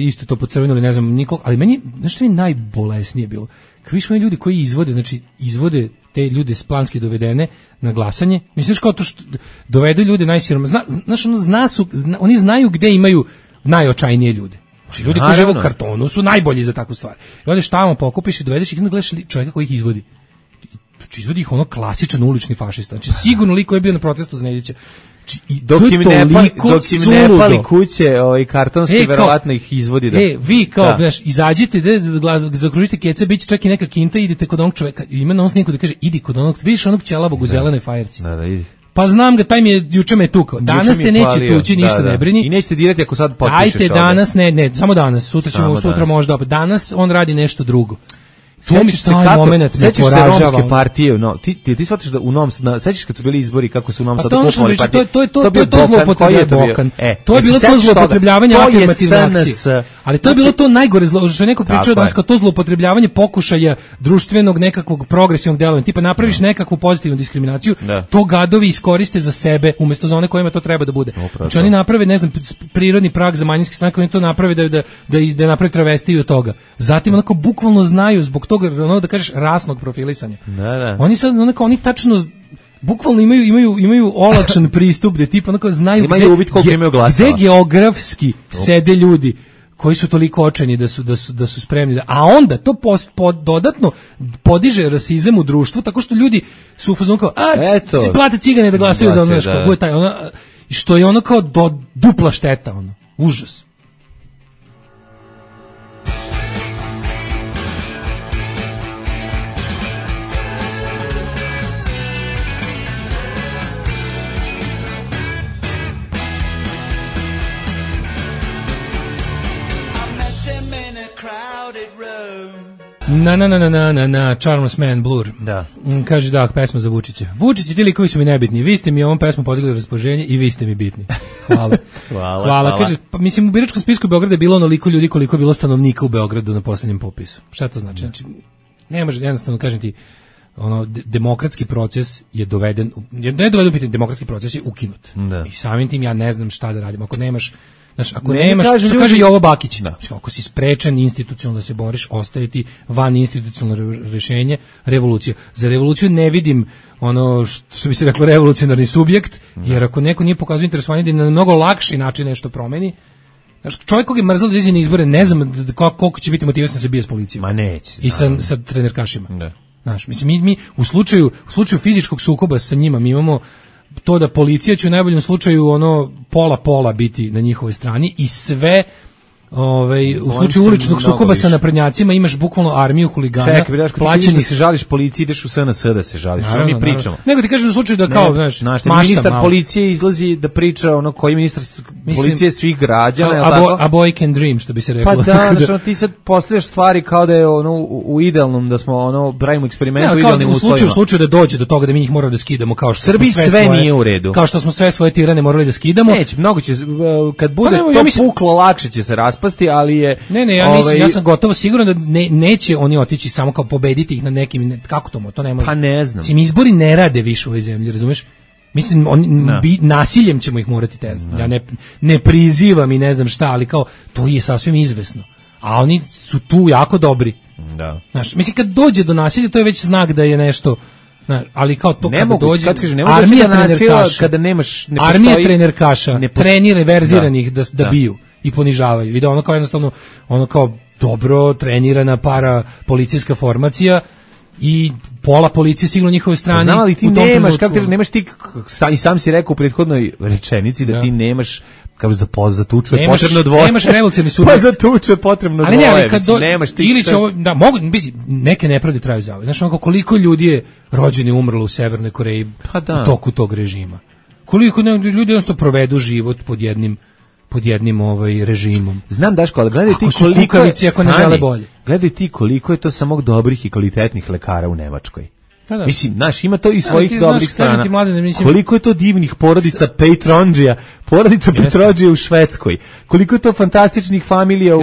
isto to pocrvenuli, ne znam, nikog, ali meni, znaš što mi najbolesnije bilo? Kad viš oni ljudi koji izvode te ljude planski dovedene na glasanje, misliš kao to što dovedu ljude najsiroma, znaš, oni znaju gde imaju najočajnije ljude. Znači, ljudi koji žive u kartonu su najbolji za takvu stvar. I odeš tamo, pokupiš i dovedeš ih, gledaš čovjeka koji ih izvodi. Znači, izvodi ih ono klasičan ulični fašista. Znači, sigurno liko je bio na protestu za Nedića. Dok im ne pali kuće, kartonski, verovatno ih izvodi. Vi kao, znaš, izađite, zakružite keca, bit će čak i neka kinta, idite kod onog čovjeka, ima na sniku da kaže, idi kod onog, vidiš onog ćelabog u zelenoj fajerci. Da, idi. Pa znam ga, taj mi je, juče me tukao. Danas te neće tući, ništa ne brini. I nećete dirati ako sad potpišeš. Dajte danas, ne, samo danas. Sutra možda opet. Danas on radi nešto drugo. Sećaš se romske partije, ti shvataš da u Novom Sadu, sećaš kad su bili izbori kako su u Novom Sadu kupovali partije? To je to zloupotrebljavanje. To je bilo to zloupotrebljavanje afirmativne akcije. Ali to je bilo to najgore zlo, što je neko pričao danas kao to zloupotrebljavanje pokušaja društvenog nekakvog progresivnog delovanja. Tipa napraviš nekakvu pozitivnu diskriminaciju, to gadovi iskoriste za sebe umjesto za one kojima to treba da bude. Znači oni naprave, ne znam, prirodni prag za manjinske stranke, oni to naprave da naprave travestiju od toga. Zatim onako bukvalno znaju zbog toga, ono da kažeš, rasnog profilisanja. Oni sad oni tačno bukvalno imaju olakšan pristup gde tipa onako znaju gde geografski sede ljudi koji su toliko očajni da su spremni a onda to dodatno podiže rasizam u društvu tako što ljudi su u fazonu kao si plate cigane da glasaju za ono što je ono kao dupla šteta, ono užas. Na Charles Man Blur. Da. Kaže da, pesma za Vučića. Vučić i ti likovi su mi nebitni. Vi ste mi ovom pesmom podigli raspoloženje i vi ste mi bitni. Hvala. Hvala. Kaže, pa mislim u biračkom spisku Beograda je bilo onoliko ljudi koliko je bilo stanovnika u Beogradu na poslednjem popisu. Šta to znači? Znači, ne može jednostavno kažem ti demokratski proces je doveden, ne doveden u pitanje, demokratski proces je ukinut. Da. I samim tim ja ne znam šta da radim. Ako nemaš, znaš, ako nemaš, što kaže Jovo Bakić, ako si sprečen institucionalno da se boriš, ostaje ti van institucionalno rešenje, revolucija. Za revoluciju ne vidim ono što bi se reklo revolucionarni subjekt, jer ako neko nije pokazao interesovanje da na mnogo lakši način nešto promeni, znaš, čovjek kog je mrzalo da izađe na izbore, ne znam koliko će biti motivisan da se bije s policijom. Ma neće. I sa trenerkašima. Da. Znaš, mislim, mi u slučaju fizičkog sukoba sa njima, mi imamo to da policija će u najboljem slučaju ono pola biti na njihovoj strani i sve u slučaju uličnog sukoba sa naprednjacima imaš bukvalno armiju huligana. Čekaj, plaćeni da se žališ policiji, ideš u SNS da se žališ. Što mi pričamo? Nego ti kažem u slučaju da kao, znaš, ministar policije izlazi da priča ono koji ministar policije svih građana, je tako? A boy can dream, što bi se reklo. Pa da, znači ti sad postavljaš stvari kao da je ono u idealnom, da smo pravimo eksperiment u idealnim uslovima. U slučaju da dođe do toga da mi njih moramo da skidamo, kao što Srbiji sve nije u redu. Kao što smo sve svoje tirane morali da skidamo. Neće, mnogo će, kad bude to puklo, lakše će se raspasti, ali je ja sam gotovo siguran da neće oni otići samo kao pobediti ih na nekim, kako to ne može. Pa ne znam. Mislim, izbori ne rade više u ovoj zemlji, razumeš? Mislim, nasiljem ćemo ih morati terati. Ja ne prizivam i ne znam šta, ali kao, to je sasvim izvesno. A oni su tu jako dobri. Da. Znaš, mislim, kad dođe do nasilja, to je već znak da je nešto... ali kao to kada dođe armija trenerkaša, kada nemaš, ne postoji, armija trenerkaša trenira verziranih da biju i ponižavaju i da ono kao jednostavno ono kao dobro trenirana para policijska formacija i pola policije sigurno njihove strane. Znam, ali ti nemaš, kako nemaš ti, i sam si rekao u prethodnoj rečenici da ti nemaš, kao za tuču je potrebno dvoje. Nemaš revolucionarni subjekt. Pa za tuču je potrebno dvoje. Ali ne, kad nemaš ti. Ili će mogu, neke nepravde traju za ovo. Znaš, onako koliko ljudi je rođeni umrlo u Severnoj Koreji u toku tog režima. Koliko ljudi jednostavno provedu život pod jednim režimom. Znam, Daško, ali gledaj ti koliko je, ako ne žele bolje. Gledaj ti koliko je to samo dobrih i kvalitetnih lekara u Nemačkoj. Da. Mislim, znaš, ima to i svojih dobrih strana. Koliko je to divnih porodica Petronđija, porodica Petronđija u Švedskoj. Koliko je to fantastičnih familija u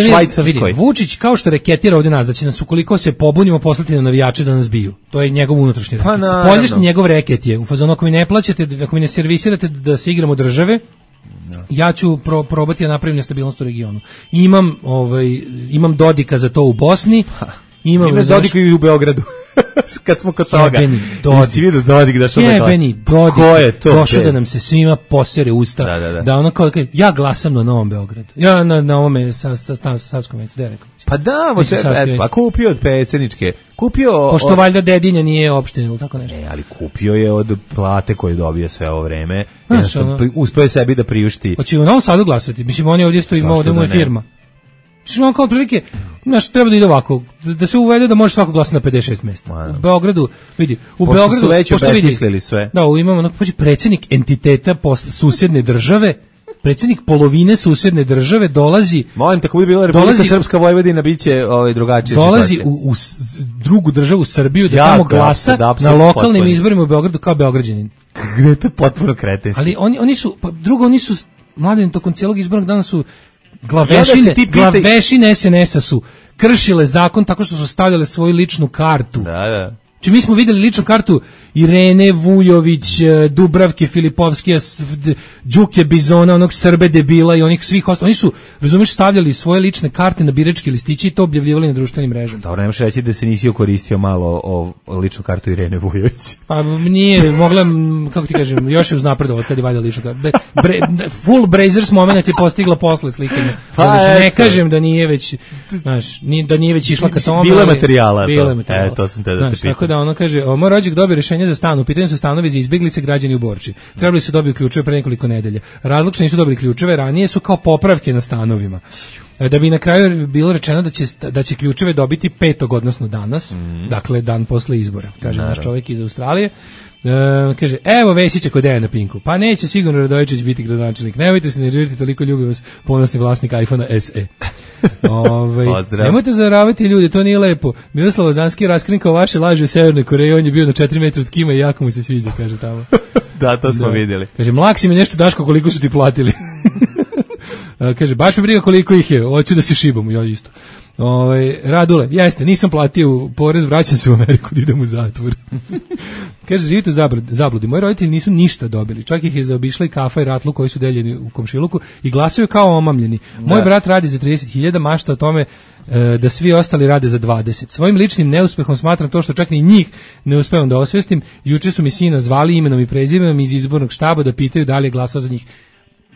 Švajcarskoj. Vučić kao što reketira ovdje nas, da će nas ukoliko se pobunimo poslati na navijače da nas biju. To je njegov unutrašnji reket. Spoljašnji njegov reket je. U fazonu, ako mi ne plaćate, ako mi ne servisirate da se igramo države, ja ću probati da napravim nestabilnost u regionu. Imam Dodika za to u Bosni. Ima Dodika i u Beogradu. Kad smo kod toga. Nisi vidio Dodik da što da gleda. Dodik došao da nam se svima posere usta. Da ono kao, ja glasam na Novom Beogradu. Ja na ovome Savskom vencu, da je rekao. Pa da, pa kupio od predsjedničke. Pošto valjda dedinja nije opština ili tako nešto. Ali kupio je od plate koje dobije sve ovo vreme. Uspio je sebi da priušti. Hoće u Novom Sadu glasati. Mislim, oni ovdje stoji, ovdje mu je firma. Što kao otprilike, treba da ide ovako, da se uvede da može svako glasati na 56 mjesta. U Beogradu, vidi, Beogradu su već obesmislili sve. Da, imamo predsjednik entiteta susedne države, predsjednik polovine susedne države dolazi. Molim, tako bi bila Republika Srpska Vojvodina, biće drugačije. Dolazi u drugu državu Srbiju da tamo glasa na lokalnim izborima u Beogradu kao Beograđanin. Gde je to potpuno kretenski. Ali oni su mladi tokom cijelog izbornog dana su glavešine SNS-a su kršile zakon tako što su stavljale svoju ličnu kartu. Da. Či mi smo vidjeli ličnu kartu Irene Vujović, Dubravke Filipovskije, Đuke Bizona, onog Srbe debila i onih svih ostalih. Oni su, razumiješ, stavljali svoje lične karte na biračke listići i to objavljivali na društvenim mrežama. Dobro, nemaš reći da se nisi okoristio malo o ličnu kartu Irene Vujović. Pa nije, mogla, kako ti kažem, još je uznapredovati kad je valjda ličnu kartu. Full Brazers moment je postigla posle slikanja. Ne kažem da nije već, znaš, da nije već išla ka samom. Bilo je materijala. To sam te da te pitam. Tako da ono kaže, moj rođak dobio rješenje za stan, u pitanju su stanovi za izbjeglice građani u Borči. Trebali su dobiti ključeve pre nekoliko nedelja. Razlog što nisu dobili ključeve ranije su kao popravke na stanovima. Da bi na kraju bilo rečeno da će ključeve dobiti 5. odnosno danas, dakle dan posle izbora, kaže naš čovjek iz Australije. Kaže, evo Vesića kod Dejana Pinku. Pa neće sigurno Radojičić biti gradonačelnik. Nemojte se nervirati, toliko ljubi vas ponosni vlasnik iPhone SE. Nemojte zavaravati ljudi, to nije lepo. Miroslav Lazanski raskrinkao vaše laže u Severnoj Koreji, on je bio na 4 metra od Kima i jako mu se sviđa, kaže tamo. Da, to smo vidjeli. Kaže, mlak si mi nešto Daško, koliko su ti platili. Kaže, baš mi briga koliko ih je, hoću da se šibamo, ja isto. Radule, jeste, nisam platio porez, vraćam se u Ameriku da idem u zatvor. Kaže, živite u zabludi. Moji roditelji nisu ništa dobili. Čak ih je zaobišla i kafa i ratlu koji su deljeni u komšiluku i glasaju kao omamljeni. Moj brat radi za 30.000, mašta o tome da svi ostali rade za 20. Svojim ličnim neuspehom smatram to što čak ni njih ne uspevam da osvestim. Juče su mi sina zvali imenom i prezimenom iz izbornog štaba da pitaju da li je glasao za njih.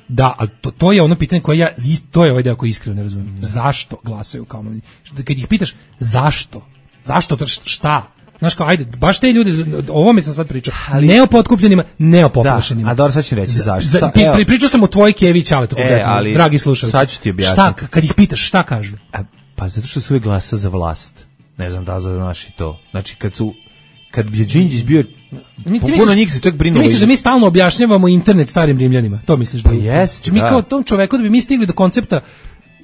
Da, ali to je ono pitanje koje to je ovaj deo koji iskreno ne razumijem. Zašto glasaju kao omamljeni? Kad ih pitaš zašto? Zašto? Šta? Znaš kao, ajde, baš te ljudi, o ovome sam sad pričao, ne o potkupljenima, ne o poplašenima. Da, a dobro, sad ću reći zašto. Pričao sam o tvojoj Kevi Ćaletu, dragi slušalci. Sad ću ti objasniti. Šta, kad ih pitaš, šta kažu? Pa zato što su uvijek glasa za vlast. Ne znam da znaš i to. Znači, kad bi Đinđić bio, puno njih se čak brinulo. Ti misliš da mi stalno objašnjavamo internet starim Rimljanima? To misliš da je? Jeste, mi kao tom čoveku da bi mi stigli do koncepta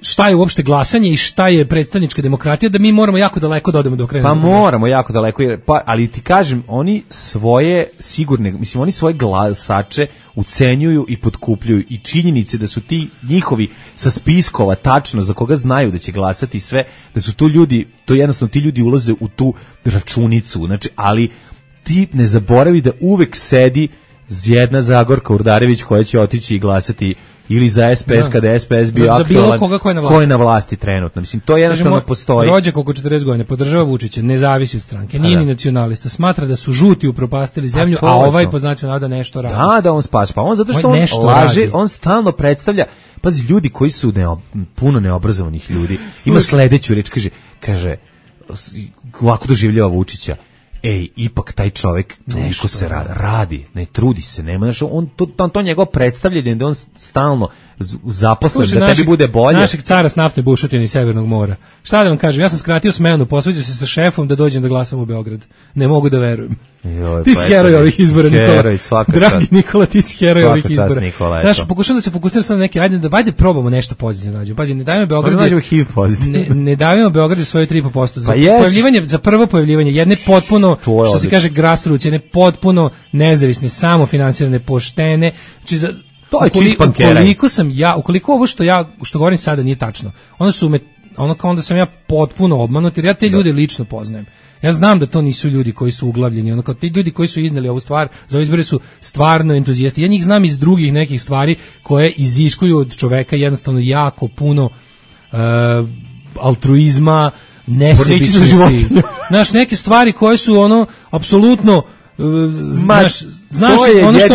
šta je uopšte glasanje i šta je predstavnička demokratija, da mi moramo jako daleko da odemo do kraja. Pa moramo jako daleko, ali ti kažem, oni svoje sigurne, mislim, oni svoje glasače ucenjuju i potkupljuju i činjenice da su ti njihovi sa spiskova tačno za koga znaju da će glasati sve, da su to ljudi, to jednostavno ti ljudi ulaze u tu računicu, znači, ali ti ne zaboravi da uvek sedi jedna Zagorka Urdarević koja će otići i glasati ili za SPS kada je SPS bio aktualan, ko je na vlasti trenutno. Mislim, to jednostavno postoji. Rođak oko 40 godina, podržava Vučića, ne zavisi od stranke, nije ni nacionalista, smatra da su žuti upropastili zemlju, a ovaj po značaju navoda nešto radi. Da, on spaš, pa on zato što on laže, on stalno predstavlja, pazi, ljudi koji su puno neobrazovanih ljudi, ima sledeću reč, kaže, ovako doživljava Vučića, ipak taj čovjek toliko se radi, ne trudi se, nema, znači to njegovo predstavljanje da on stalno zaposlen, da tebi bude bolje. Našeg cara s naftne bušotine iz Severnog mora. Šta da vam kažem, ja sam skratio smenu, posveđao se sa šefom da dođem da glasam u Beograd. Ne mogu da verujem. Ti si heroj ovih izbora, Nikola. Dragi Nikola, ti si heroj ovih izbora. Znaš, pokušam da se fokusiram sam na neke, ajde probamo nešto pozitivno nađemo. Pazi, ne dajemo Beograd. Ne dajemo Beograd svoje 3,5%. Za prvo pojavljivanje jedne potpuno, što se kaže grassroots, jedne potpuno nezavisne, samofinansirane, poštene, znači ukoliko ovo što govorim sada nije tačno, onda sam ja potpuno obmanut, jer ja te ljude lično poznajem. Ja znam da to nisu ljudi koji su uglavljeni, ti ljudi koji su izneli ovu stvar za izbore su stvarno entuzijasti. Ja njih znam iz drugih nekih stvari koje iziskuju od čoveka jednostavno jako puno altruizma, nesebičnosti. Znaš, neke stvari koje su apsolutno znaš,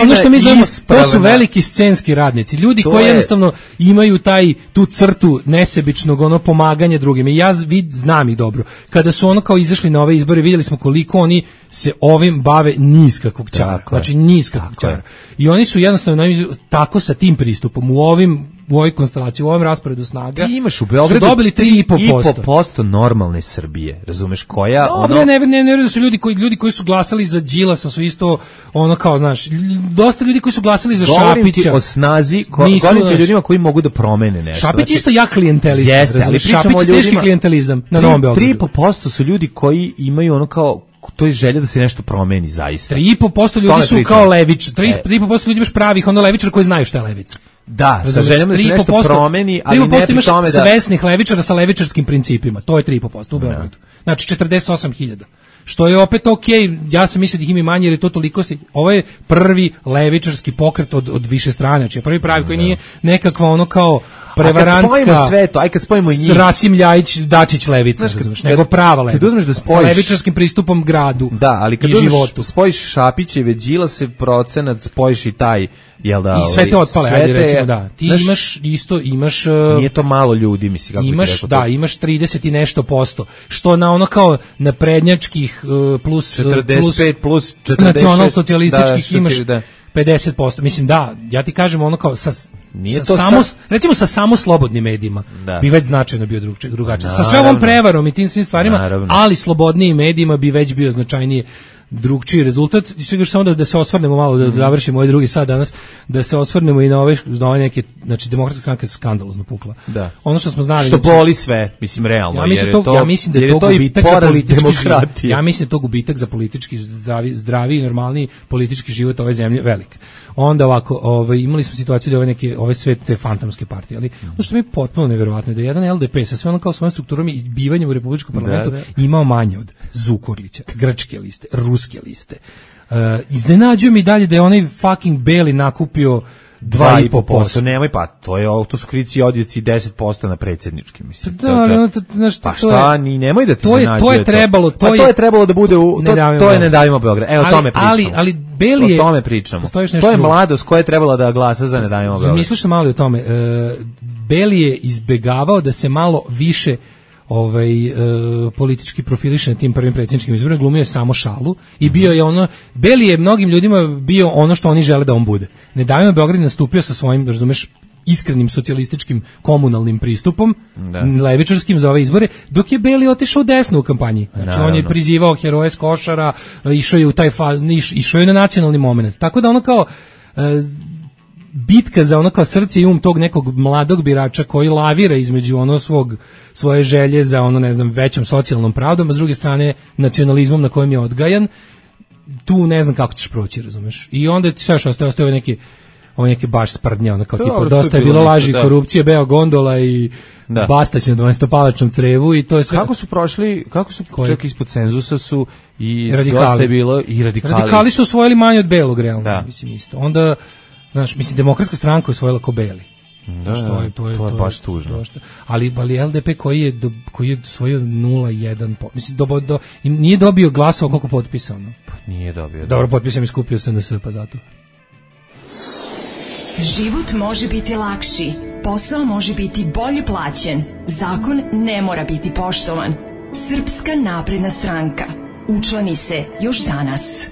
ono što mi zovemo, to su veliki scenski radnici, ljudi koji jednostavno imaju tu crtu nesebičnog pomaganja drugima. I ja znam ih dobro. Kada su kao izašli na ove izbore, vidjeli smo koliko oni se ovim bave niz kakvog ćara. Znači niz kakvog ćara. I oni su jednostavno tako sa tim pristupom u ovoj konstelaciji, u ovom rasporedu snaga, ti imaš u Beogradu su dobili 3,5% normalne Srbije, razumeš, koja ne da su ljudi koji su glasali za Đilasa su isto kao, znaš, dosta ljudi koji su glasali za Šapića. Govorim ti o snazi, govorim ti o ljudima koji mogu da promene nešto. Šapić isto jak klijentelizam. Jeste, ali Šapić teški klijentelizam na Novom Beogradu. 3,5% su ljudi koji imaju to je želja da se nešto promeni zaista. 3,5% ljudi su kao levič. 3,5% ljudi imaš pravih levičara koji znaju šta je levica. Da, sa željom da se nešto promeni, ali ne pri tome da... svesnih levičara sa levičarskim principima. To je 3,5% u Beogradu. Znači 48.000. Što je opet ja sam mislio da ih ima manje jer je to toliko ovo je prvi levičarski pokret od više strane, znači prvi pravi koji nije nekakva kao prevarantska sve to, kad spojimo i njih Rasim Ljajić, Dačić levica, razumeš, nego prava levica. Sa levičarskim pristupom gradu. Da, ali kad spojiš Šapićeve, Đilase procenat, spojiš i taj, jel da, i sve te otpale, ajde recimo, da. Ti imaš nije to malo ljudi, mislim, kako imaš, imaš 30 i nešto posto, što na kao naprednjačkih plus 45 plus 40 nacionalsocijalističkih imaš 50%. Mislim, ja ti kažem kao recimo sa samo slobodnim medijima bi već značajno bio drugačije. Sa sve ovom prevarom i tim svim stvarima, ali slobodnijim medijima bi već bio značajnije drugčiji rezultat. I sve još samo da se osvrnemo malo, da završimo ovaj drugi sat danas, da se osvrnemo i na ove neke, znači Demokratska stranka je skandalozno pukla. Da. Ono što smo znali, što boli sve, mislim realno, ja mislim da je to gubitak za politički život. Ja mislim da je to gubitak za politički zdravi i normalni politički život ove zemlje velik. Onda ovako, imali smo situaciju da ove sve te fantomske partije, ali ono što mi je potpuno neverovatno je da jedan LDP sa sve ono kao svojom strukturom i bivanjem u Republičkom parlamentu imao manje od Zukorlića, grčke liste, ruske liste. Iznenađuje mi dalje da je onaj fucking Beli nakupio 2,5%. Nemoj, pa to su krici odjeci 10% na predsjednički, mislim. Pa šta, nemoj da ti to je trebalo, to je trebalo da bude to je Ne davimo Beograd. Evo, o tome pričamo. Ali Beli je, o tome pričamo. To je mladost koja je trebala da glasa za Ne davimo Beograd. Misliš što malo o tome. Beli je izbegavao da se malo više politički profiliše na tim prvim predsjedničkim izborima, glumio je samo šalu i bio je ono, Beli je mnogim ljudima bio ono što oni žele da on bude. Ne davimo Beograd nastupio sa svojim, razumeš, iskrenim socijalističkim komunalnim pristupom, levičarskim za ove izbore, dok je Beli otišao desno u kampanji. Znači on je prizivao heroje s Košara, išao je u taj išao je na nacionalni moment. Tako da ono kao bitka za ono kao srce i tog nekog mladog birača koji lavira između ono svoje želje za ono, ne znam, većom socijalnom pravdom, a s druge strane nacionalizmom na kojem je odgajan, tu ne znam kako ćeš proći, razumeš. I onda ti šta ostaje neke baš sprdnje, ono kao tipa dosta je bilo laži, korupcije, beo gondola i Bastać na 12-palačnom crevu i to je sve. Kako su čak ispod cenzusa su i radikali. Dosta je bilo i radikali. Radikali su osvojili manje od belog, realno, mislim isto. Onda mislim, Demokratska stranka je osvojila ko Beli. To je baš tužno. Ali LDP koji je osvojio 0,1%. Mislim, nije dobio glasova koliko potpisano. Nije dobio. Dobro, potpisam i skupio SNS, pa zato. Život može biti lakši, posao može biti bolje plaćen, zakon ne mora biti poštovan. Srpska napredna stranka. Učlani se još danas.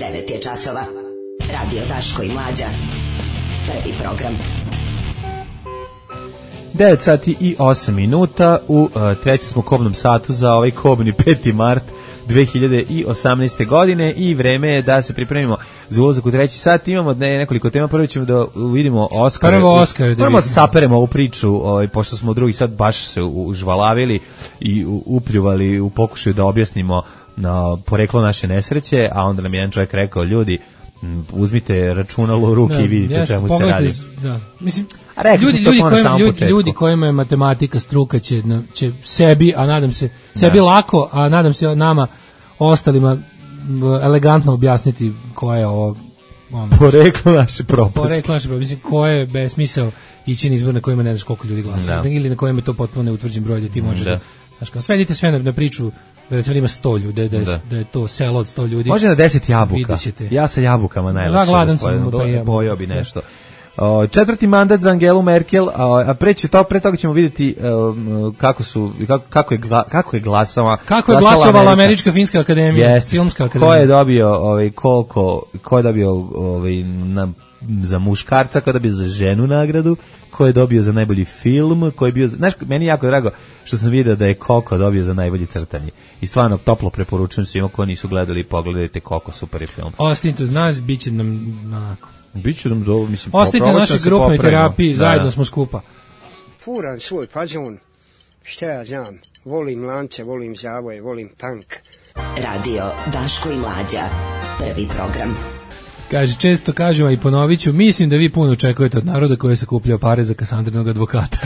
9 je časova. Radio Daško i Mlađa. Prvi program. 9 sati i 8 minuta. U trećem smo kobnom satu za ovaj kobni 5. mart 2018. godine i vreme je da se pripremimo za ulazak u treći sat. Imamo nekoliko tema. Prvo ćemo da vidimo Oskar. Prvo saperemo ovu priču, pošto smo u drugi sat baš se užvalavili i upljuvali u pokušaju da objasnimo poreklo naše nesreće, a onda nam jedan čovjek rekao, ljudi, uzmite računalo u ruke i vidite čemu se radi. Da. Mislim, ljudi kojima je matematika struka će sebi, a nadam se sebi lako, a nadam se nama ostalima elegantno objasniti koja je ovo poreklo naše propasti. Mislim, koja je besmisao ići na izbor na kojima ne znaš koliko ljudi glasa ili na kojima je to potpuno neutvrđen broj da ti možeš svedite sve na priču da recimo ima 100 ljudi, da je to selo od 100 ljudi. Može na 10 jabuka. Ja sa jabukama najlakše. Gladan sam, pojeo bi nešto. Četvrti mandat za Angelu Merkel, a pre toga ćemo vidjeti kako je glasovala Američka filmska akademija, filmska akademija. Ko je dobio ko je dobio za muškarca, ko je dobio za ženu nagradu, ko je dobio za najbolji film, ko je bio, znaš, meni je jako drago što sam vidio da je Koko dobio za najbolji crtanje. I stvarno toplo preporučujem svima ko nisu gledali, pogledajte Koko, super je film. Ostanite uz nas, bit će nam onako. Biće nam dobro, mislim. Ostanite na našoj grupnoj terapiji, zajedno smo skupa. Furam svoj fazon, šta ja znam, volim lance, volim zavoje, volim tank. Radio Daško i Mlađa, prvi program. Kaže, često kažemo i ponovit ću, mislim da vi puno očekujete od naroda koji je sakupljao pare za Kasandrinog advokata.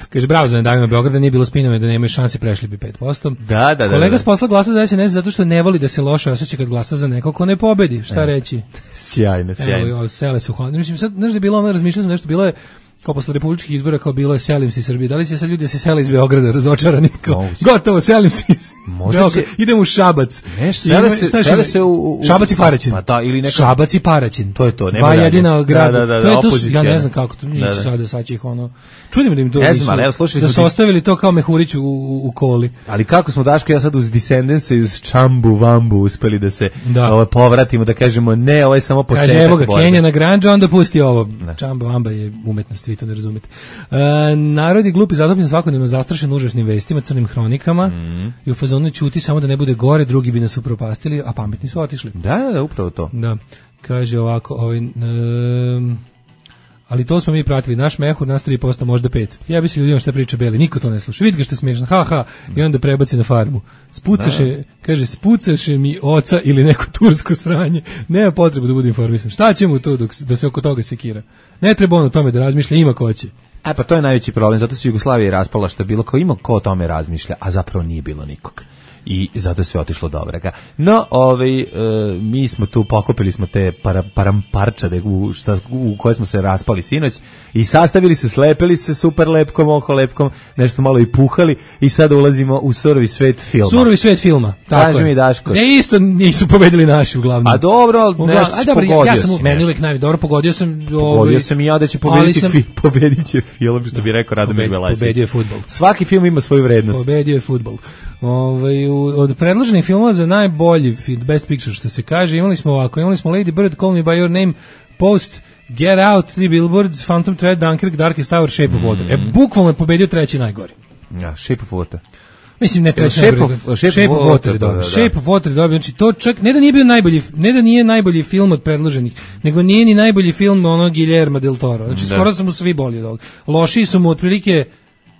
Kaže, bravo za Ne davimo Beograd, da nije bilo spinove, da nemaju šanse, prešli bi 5%. Da. Kolega s posla glasa za SNS zato što ne voli da se loše osjeća kad glasa za nekog ko ne pobedi. Šta reći? Sjajno. Evo, sele se u Holandiji. Mislim, sad, znaš da je bilo ono, razmišljao sam nešto, bilo je kao posle republičkih izbora, kao bilo je selim se iz Srbije. Da li će sad ljudi da se sele iz Beograda razočarani? Gotovo, selim se iz Beograda. Idem u Šabac. Sele se u Šabac i Paraćin. Šabac i Paraćin. To je to. Dva jedina grada. To je to, ja ne znam kako to. Nisu sada će ih ono. Čudim da im to nisu. Da su ostavili to kao mehurić u koli. Ali kako smo, Daško, ja sad uz Descendence i uz Čambu Vambu uspeli da se povratimo, da kažemo ne, ovo je samo početak. Kaže, evo ga, Kenja na Granđu, onda pusti ovo. Čamba Vamba je umetnost. to ne razumete. Narod je glup i zatopljen svakodnevno zastrašen užasnim vestima, crnim hronikama i u fazonu ćuti samo da ne bude gore, drugi bi nas upropastili, a pametni su otišli. Da, upravo to. Da. Kaže ovako, ali to smo mi pratili, naš mehur, nas 3%, možda 5%. Ja bi se ljudima šta priča Beli, niko to ne sluša. Vidi ga što je smiješno, ha, i onda prebaci na farmu. Spucaše mi oca ili neko tursko sranje. Nema potrebe da bude informisan. Šta će mu to da se oko toga sekira? Ne treba on o tome da razmišlja, ima ko će. Pa to je najveći problem, zato se Jugoslavija raspala, što je bilo kao ima ko o tome razmišlja, a zapravo nije bilo nikog. I zato je sve otišlo dobrega. No, mi smo tu, pokopili smo te paramparčade u koje smo se raspali sinoć i sastavili se, slepili se super lepkom, oko lepkom, nešto malo i puhali i sada ulazimo u surovi svet filma. Surovi svet filma, tako Kaži mi, Daško. Isto nisu pobedili naši uglavnom. A dobro, nešto pogodio ja sam, meni uvek dobro, pogodio sam i ja da će pobedit će film, što bi rekao Radomir Belašević. Pobedio je fudbal. Svaki film ima svoju vrednost. Pobedio je fudbal. Od predloženih filmova za najbolji Best Picture, što se kaže, imali smo Lady Bird, Call Me By Your Name, Post, Get Out, Three Billboards, Phantom Thread, Dunkirk, Darkest Hour, Shape of Water. Bukvalno je pobedio treći najgori. Ja, Shape of Water. Mislim, ne treći najgori. Shape of Water je dobio. Shape of Water je dobio. Znači, to čak, ne da nije najbolji film od predloženih, nego nije ni najbolji film onog Guillerma del Toro. Znači, skoro su mu svi bolji od ovog. Lošiji su mu otprilike,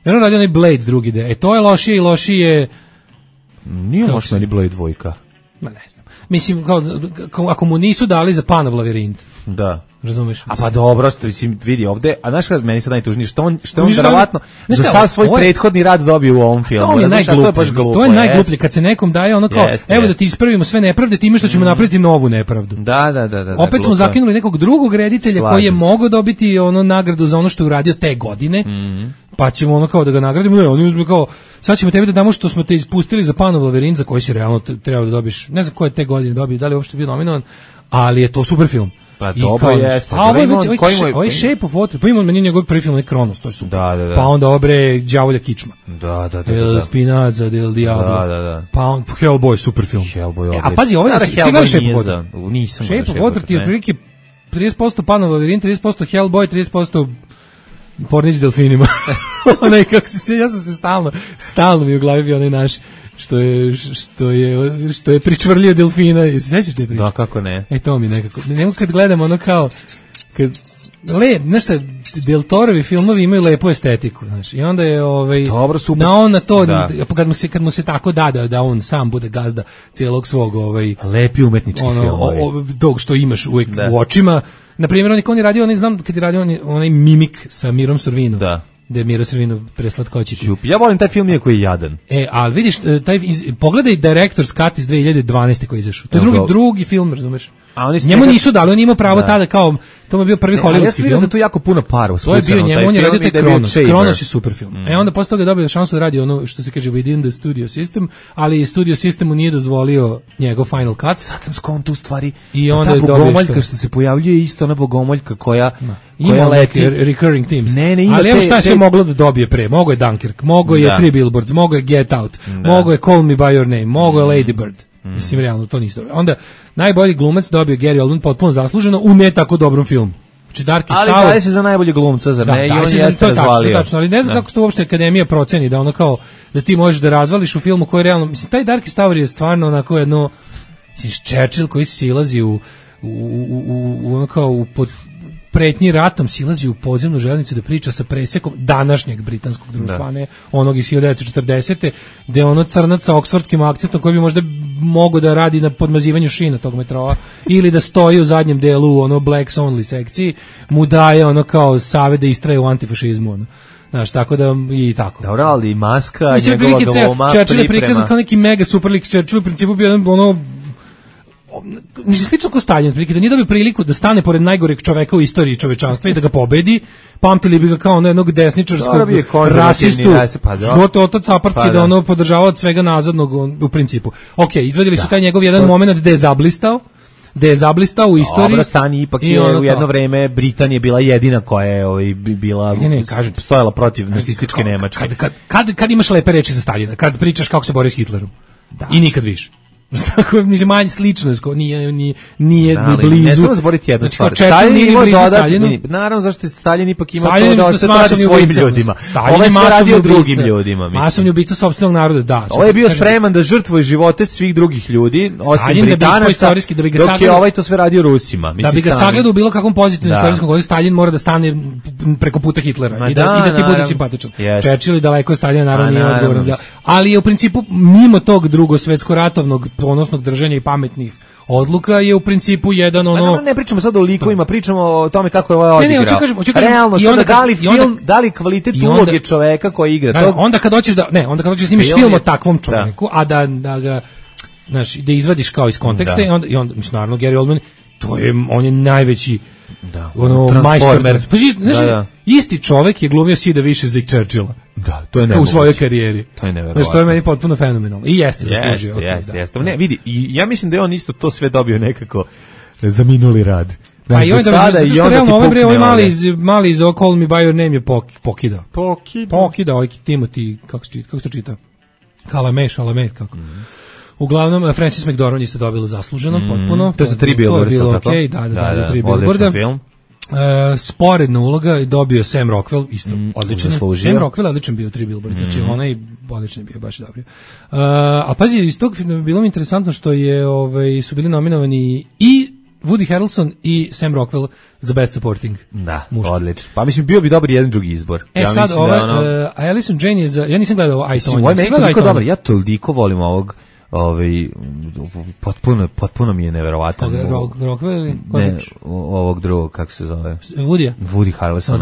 jedno radi onaj Blade drugi de. To je lošije i lošije. Nije loš meni Blade 2. Ma ne znam. Mislim, ako mu nisu dali za Panov lavirint. Da. Razumeš? A pa dobro, mislim, vidi ovde, a znaš kada meni sad najtužnije, što on verovatno za sav svoj prethodni rad dobio u ovom filmu. To je najgluplje. To je najgluplje kad se nekom daje ono kao, evo da ti ispravimo sve nepravde, time što ćemo napraviti novu nepravdu. Da. Opet smo zakinuli nekog drugog reditelja koji je mogao dobiti ono nagradu za ono što je uradio te godine. Pa ćemo ono kao da ga nagradimo, ne, oni uzme kao, sad ćemo tebi da damo što smo te ispustili za Panov lavirint, za koji si realno trebao da dobiš, ne znam koje te godine dobio, da li je uopšte bio nominovan, ali je to super film. Pa dobro jeste. A ovaj Shape of Water, pa imamo meni njegov prvi film, Kronos, to je super. Da. Pa onda obre Đavolja kičma. Da. Del Spinaza, del Diablo. Da. Pa on Hellboy, super film. Hellboy. A pazi, ovaj Shape of Water. Nisam. Shape of Water ti je otprilike 30% Panov lavirint, 30% Hellboy, 30% Pornić delfinima. Onaj kako ja sam se stalno mi u glavi bio onaj naš što je pričvrlio delfina. Sećaš te priče? Da, kako ne. To mi nekako. Nemo kad gledamo ono kao nešto Del Torovi filmovi imaju lepu estetiku, znaš. I onda je dobro, super. Na to kad mu se tako da on sam bude gazda cijelog svog lepi umetnički film. Dog što imaš uvijek u očima. Na primjer, on je radio, znam kad je radio onaj Mimik sa Mirom Sorvinom. Da. Da je Miro Sorvino preslatkoćiti. Ja volim taj film iako je jadan. Ali vidiš, pogledaj Director's Cut iz 2012. koji je izašao. To je drugi film, razumeš? Njemu nisu dali, on ima pravo tada kao, to je bio prvi hollywoodski film. Ja sam da tu jako puno para to je bio njemu, on je radio taj Kronos. Kronos je super film. Onda posle toga dobio šansu da radi ono što se kaže within the studio system, ali studio system mu nije dozvolio njegov final cut. Sad sam skon tu stvari. I onda je bogomoljka što se pojavljuje isto ona bogomoljka koja leti recurring themes. Ali evo šta se moglo da dobije pre. Mogo je Dunkirk, mogo je Three Billboards, mogo je Get Out, mogo je Call Me By Your Name, mogo je Lady Bird. Mislim, realno, to nisi dobro. Onda, najbolji glumac dobio Gary Oldman potpuno zasluženo u ne tako dobrom filmu. Znači, Darkest Hour... Ali daje se za najbolji glumca, zar ne? I on jeste razvalio. Tačno, ali ne znam kako se to uopšte Akademija proceni, da ono kao, da ti možeš da razvališ u filmu koji je realno... Mislim, taj Darkest Hour je stvarno onako jedno... Mislim, Churchill koji silazi u ono kao, pretnji ratom silazi u podzemnu železnicu da priča sa presekom današnjeg britanskog društva, ne onog iz 1940. gde ono crnac sa oksfordskim akcentom koji bi možda mogao da radi na podmazivanju šina tog metroa ili da stoji u zadnjem delu u ono blacks only sekciji, mu daje ono kao savjet da istraje u antifašizmu. Ono. Znaš, tako da i tako. Dobro, ali maska, njegova doma, Churchill je prikazan kao neki mega super lik. Churchill u principu bio ono mislim, slično ko Stalin, da nije dobio priliku da stane pored najgoreg čoveka u istoriji čovečanstva i da ga pobedi, pamtili bi ga kao jednog desničarskog rasistu, otac apartheid, da ono podržavao od svega nazadnog u principu. Ok, izvadili su taj njegov jedan moment gde je zablistao u istoriji. Dobro, stani, ipak je u jedno vreme Britanija bila jedina koja je bila stojala protiv nacističke Nemačke. Kad imaš lepe reči za Staljina, kad pričaš kako se bori s Hitlerom. I nikad više. Tako mislim manje slično, nije ni blizu. Ne treba zaboraviti jednu stvar. Staljin ima Staljinu. Naravno, zašto Staljin ipak ima Staljin to da ostaje svojim ljudima. Ovo je sve radio drugim ljudima, mislim. Masovni ubica sopstvenog naroda, da. Ovo je bio spreman da žrtvuje živote svih drugih ljudi, osim Britanaca, dok je ovaj to sve radio Rusima. Da bi ga sagledao u bilo kakvom pozitivnom istorijskom kontekstu, Staljin mora da stane preko puta Hitlera i da ti bude simpatičan. Churchill daleko od Staljina naravno nije odgovoran za, ali je u principu mimo tog drugosvetsko-ratovnog ponosnog držanja i pametnih odluka je u principu jedan ono... Ne pričamo sad o likovima, pričamo o tome kako je ovaj odigrao. Hoću kažem, realno, sada da li kvalitet uloge čoveka koji igra. Onda kad hoćeš da snimiš film o takvom čoveku, a da ga da izvadiš kao iz konteksta i onda mislim, naravno, Gary Oldman, on je najveći majstor. Isti čovek je glumio Sida više za Churchilla. Da, to je nemoguće. U svojoj karijeri. To je neverovatno. Znači, to je meni potpuno fenomenalno. I jeste zaslužio. Jeste. Ne, vidi, ja mislim da je on isto to sve dobio nekako za minuli rad. Pa i onda ovaj mali iz Call Me By Your Name je pokidao. Pokidao, ovaj Timothy, kako se to čita? Chalamet, kako? Uglavnom, Frances McDormand isto dobila zasluženo, potpuno. To je za 3 Billboarda. To je bilo okej, da, za 3 Billboarda. Film. Sporedna uloga dobio Sam Rockwell, isto odličan. Sam Rockwell odličan bio 3 Billboarda, znači onaj odličan bio, baš dobro. A pazi, iz tog filma bilo mi interesantno što je su bili nominovani i Woody Harrelson i Sam Rockwell za Best Supporting. Da, odlično. Pa mislim, bio bi dobar jedan drugi izbor. Sad Allison Jane je ja nisam gledao ovo iTunes. Ovo je meni toliko dobar, ja toliko volim ovog potpuno mi je neverovatan. Ovog drugog, kako se zove? Woody Harrelson.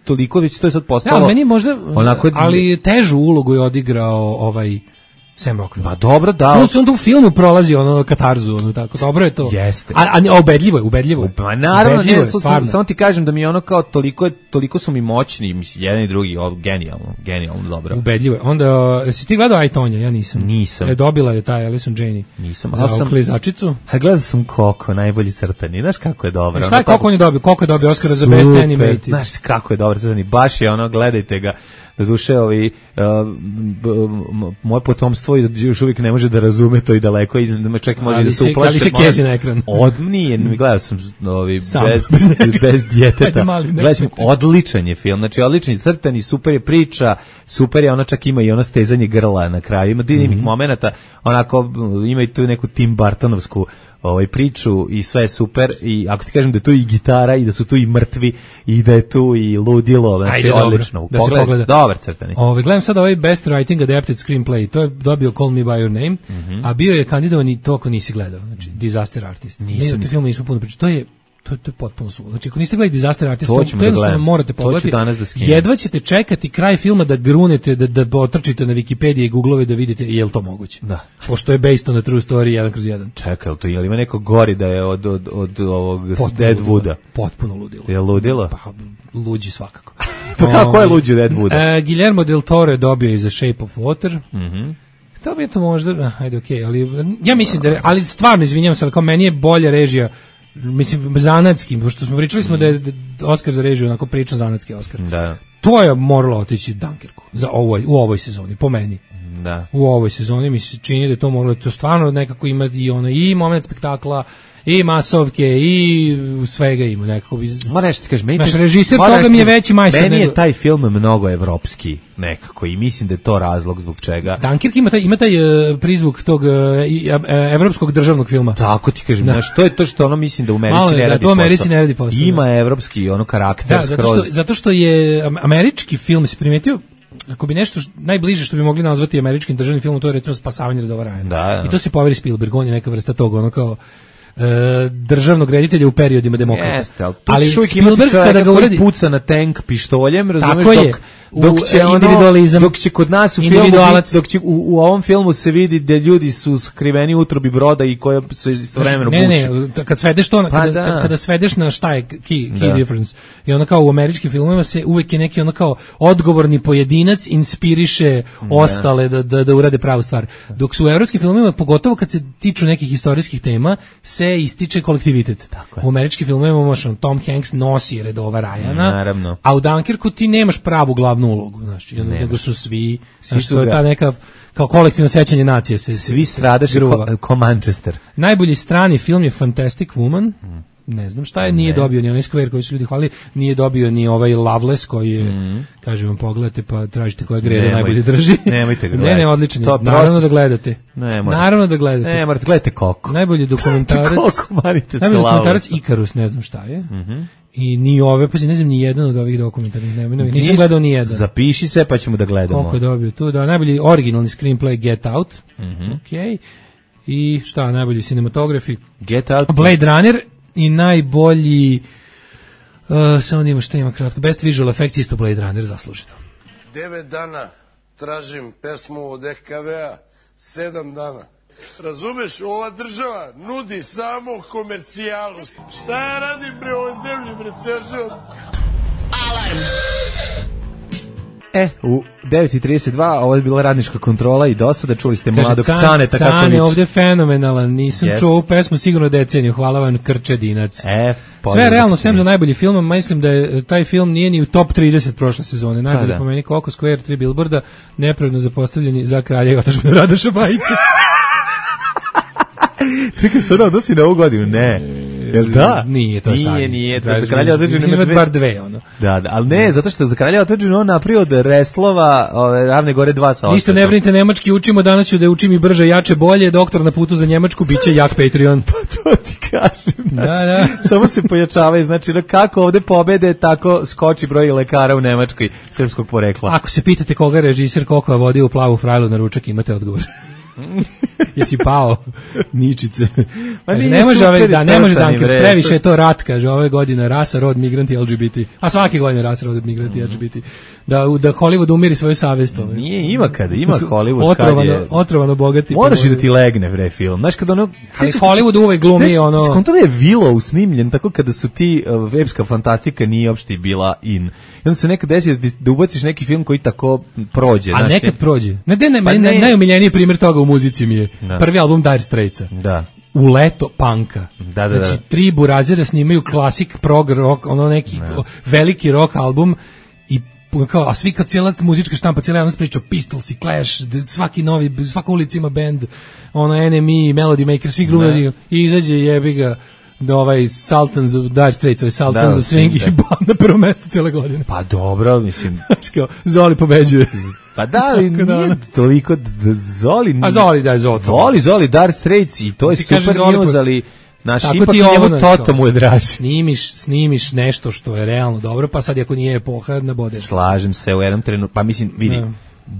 Toliko već to je sad postalo. Ja, meni možda, ali težu ulogu je odigrao Sam Rockwell. Pa dobro, da. Što on tu u filmu prolazi katarzu, tako, dobro je to. Jeste. A ubedljivo je. Pa naravno, samo ti kažem da mi je kao toliko su mi moćni, mislim, jedan i drugi, genijalno dobro. Ubedljivo je. Onda, jesi ti gledao I, Tonya? Ja nisam. Nisam. Dobila je taj Allison Janney. Nisam. Za klizačicu. Gledao sam Coco, najbolji crtani. Znaš kako je dobro. Šta je Coco on je dobio? Coco je dobio Oscara za Best Animated. Znaš kako je dobro crtani. Baš je gledajte ga. Da duše, moje potomstvo još uvijek ne može da razume to i daleko, čak može da se uplaše. Ali se kezi na ekran. Nije, gledao sam bez djeteta. Odličan je film, znači odličan je crtani, super je priča, super je, ona čak ima i stezanje grla na kraju, ima dinamih momenata, onako ima i tu neku Tim Burtonovsku priču i sve je super, i ako ti kažem da je tu i gitara i da su tu i mrtvi i da je tu i ludilo, znači odlično. Da se pogleda. Dobar crtani. Gledam sad Best Writing Adapted Screenplay, to je dobio Call Me By Your Name, a bio je kandidovan i to ako nisi gledao, znači Disaster Artist. Nisam. Film nismo puno pričali, to je potpuno suvo. Znači, ako niste gledali Disaster Artist, to jednostavno morate pogledati. Jedva ćete čekati kraj filma da grunete, da otrčite na Wikipedije i Googlove da vidite je li to moguće. Da. Pošto je based on a true story 1/1. Čekaj, je li ima neko gori da je od ovog Deadwooda? Potpuno ludilo. Je ludilo? Pa, luđi svakako. Pa kako je luđi Deadwooda? Guillermo del Toro je dobio i za Shape of Water. To bi je to možda, ajde okej, ali ja mislim da, ali stvarno izvinjavam se, ali kao meni je bolja režija, mislim, zanatski, pošto smo pričali da je Oskar za režiju onako pričan zanatski Oskar. Da. To je moralo otići Dunkerku u ovoj sezoni, po meni. Da. U ovoj sezoni mi se čini da je to moglo, to stvarno nekako ima i moment spektakla, i masovke, i svega ima nekako. Ma nešto ti kažeš, naš režiser toga mi je veći majstor. Meni je taj film mnogo evropski nekako i mislim da je to razlog zbog čega. Dunkirk ima taj prizvuk tog evropskog državnog filma. Tako ti kažem, znaš, to je to što mislim da u Americi ne radi posao. Ima evropski karakter skroz. Zato što je američki film, se primetio, ako bi nešto najbliže što bi mogli nazvati američkim državnim filmom, to je recimo Spasavanje redova Ryana. Da. I to se poveri Spielberg, on je neka vrsta toga, kao državnog reditelja u periodima demokrata. Jeste, ali Spielberg kada ga uradi puca na tank pištoljem, razumeš, dok će kod nas u filmu, dok će u ovom filmu se vidi da ljudi su skriveni u utrobi broda i koja se istovremeno buši. Ne, kad svedeš to, kada svedeš na šta je key difference, i onda kao u američkim filmovima se uvek je neki kao odgovorni pojedinac inspiriše ostale da urade pravu stvar. Dok su u evropskim filmovima, pogotovo kad se tiču nekih istorijskih tema, se se ističe kolektivitet. U američkim filmovima imaš Tom Hanks nosi redova Ryana, naravno. A u Dunkirku ti nemaš pravu glavnu ulogu, znači, nego su svi to je ta neka kao kolektivno sećanje nacije se svi stradaš ko Manchester. Najbolji strani film je Fantastic Woman. Ne znam šta je, nije dobio ni onaj Square koji su ljudi hvalili, nije dobio ni ovaj Loveless koji je, kažem vam, pogledajte pa tražite koja greda najbolje drži. Nemojte ga gledati. Ne, odličan je. Naravno da gledate. Naravno da gledate. Ne, morate gledajte Koko. Najbolji dokumentarac. Najbolji dokumentarac Ikarus, ne znam šta je. I ni ove, pa ne znam ni jedan od ovih dokumentarnih, nisam gledao ni jedan. Zapiši se pa ćemo da gledamo. Koliko je dobio tu, da, najbolji originalni screenplay Get Out. Okej. I šta, najbolji cinematografi Get Out. Blade Runner. I najbolji samo da ima šta ima kratko Best Visual Effects isto Blade Runner zasluženo. 9 dana tražim pesmu od EKV-a, 7 dana. Razumeš, ova država nudi samo komercijalu. Šta ja radim bre ovoj zemlji, bre, ceo život? Alarm! U 9:32 ovo je bila radnička kontrola i dosada čuli ste mladog Caneta kako Cane je ovdje fenomenalan, nisam čuo ovu pesmu sigurno deceniju, hvala vam Krčedinac. Sve realno, sem za najbolji film, mislim da je taj film nije ni u top 30 prošle sezone, najbolji po meni Coco Square, 3 Billboarda, nepravedno zapostavljeni za kralja i otadžbinu Radoša Bajića. Čekaj, se ono odnosi na ovu godinu, ne. Jel da? Nije, to je stanje. Nije, za kralja otadžbinu ima bar dve, ono. Da, ali ne, zato što za kralja otadžbinu on napravio od Restlova, Ravne gore 2 sa osvetom. Ništa ne brinite, nemački učimo, danas ću da učim i brže, jače, bolje, doktor na putu za Njemačku, bit će jak Patreon. Pa to ti kažem. Da. Samo se pojačavaju, znači kako ovde pobede, tako skoči broj lekara u Nemačkoj srpskog porekla. Ako se pitate koga režiser Kokova vodi u Plavu frajlu na ručak, imate odgovor. Jesi pao Ničice. Ne može ne može Dunker, previše je to rat, kaže, ove godine rasa, rod, migranti, LGBT. A svake godine rasa, rod, migranti, LGBT. Da Hollywood umiri svoju savest. Nije, ima Hollywood kad je otrovano bogati. Moraš i da ti legne bre film. Znaš kad ono, ali Hollywood uvek glumi ono. Skonto je Willow snimljen tako kada su ti epska fantastika nije uopšte bila in. I onda se nekad desi da ubaciš neki film koji tako prođe. A nekad prođe. Najomiljeniji primjer toga u muzici mi je prvi album Dire Straitsa. Da. U leto punka. Znači, 3 burazira snimaju klasik prog rock, ono neki veliki rock album i kao, a svi kao cijela muzička štampa, cijela javnost priča Pistols i Clash, svaki novi, svaka ulica ima band, ono NME, Melody Maker, svi glumari i izađe jebi ga da Sultans of Dire Straits, Sultans of Swing i na prvo mesto cijele godine. Pa dobro, mislim. Zoli pobeđuje. Pa da, ali nije toliko Zoli. A Zoli da je Zoli. Zoli, Dire Straits i to je super news, ali naš ipak njemu Toto mu je draži. Snimiš nešto što je realno dobro, pa sad ako nije epoha, nabodeš. Slažem se u jednom trenutku, pa mislim, vidi,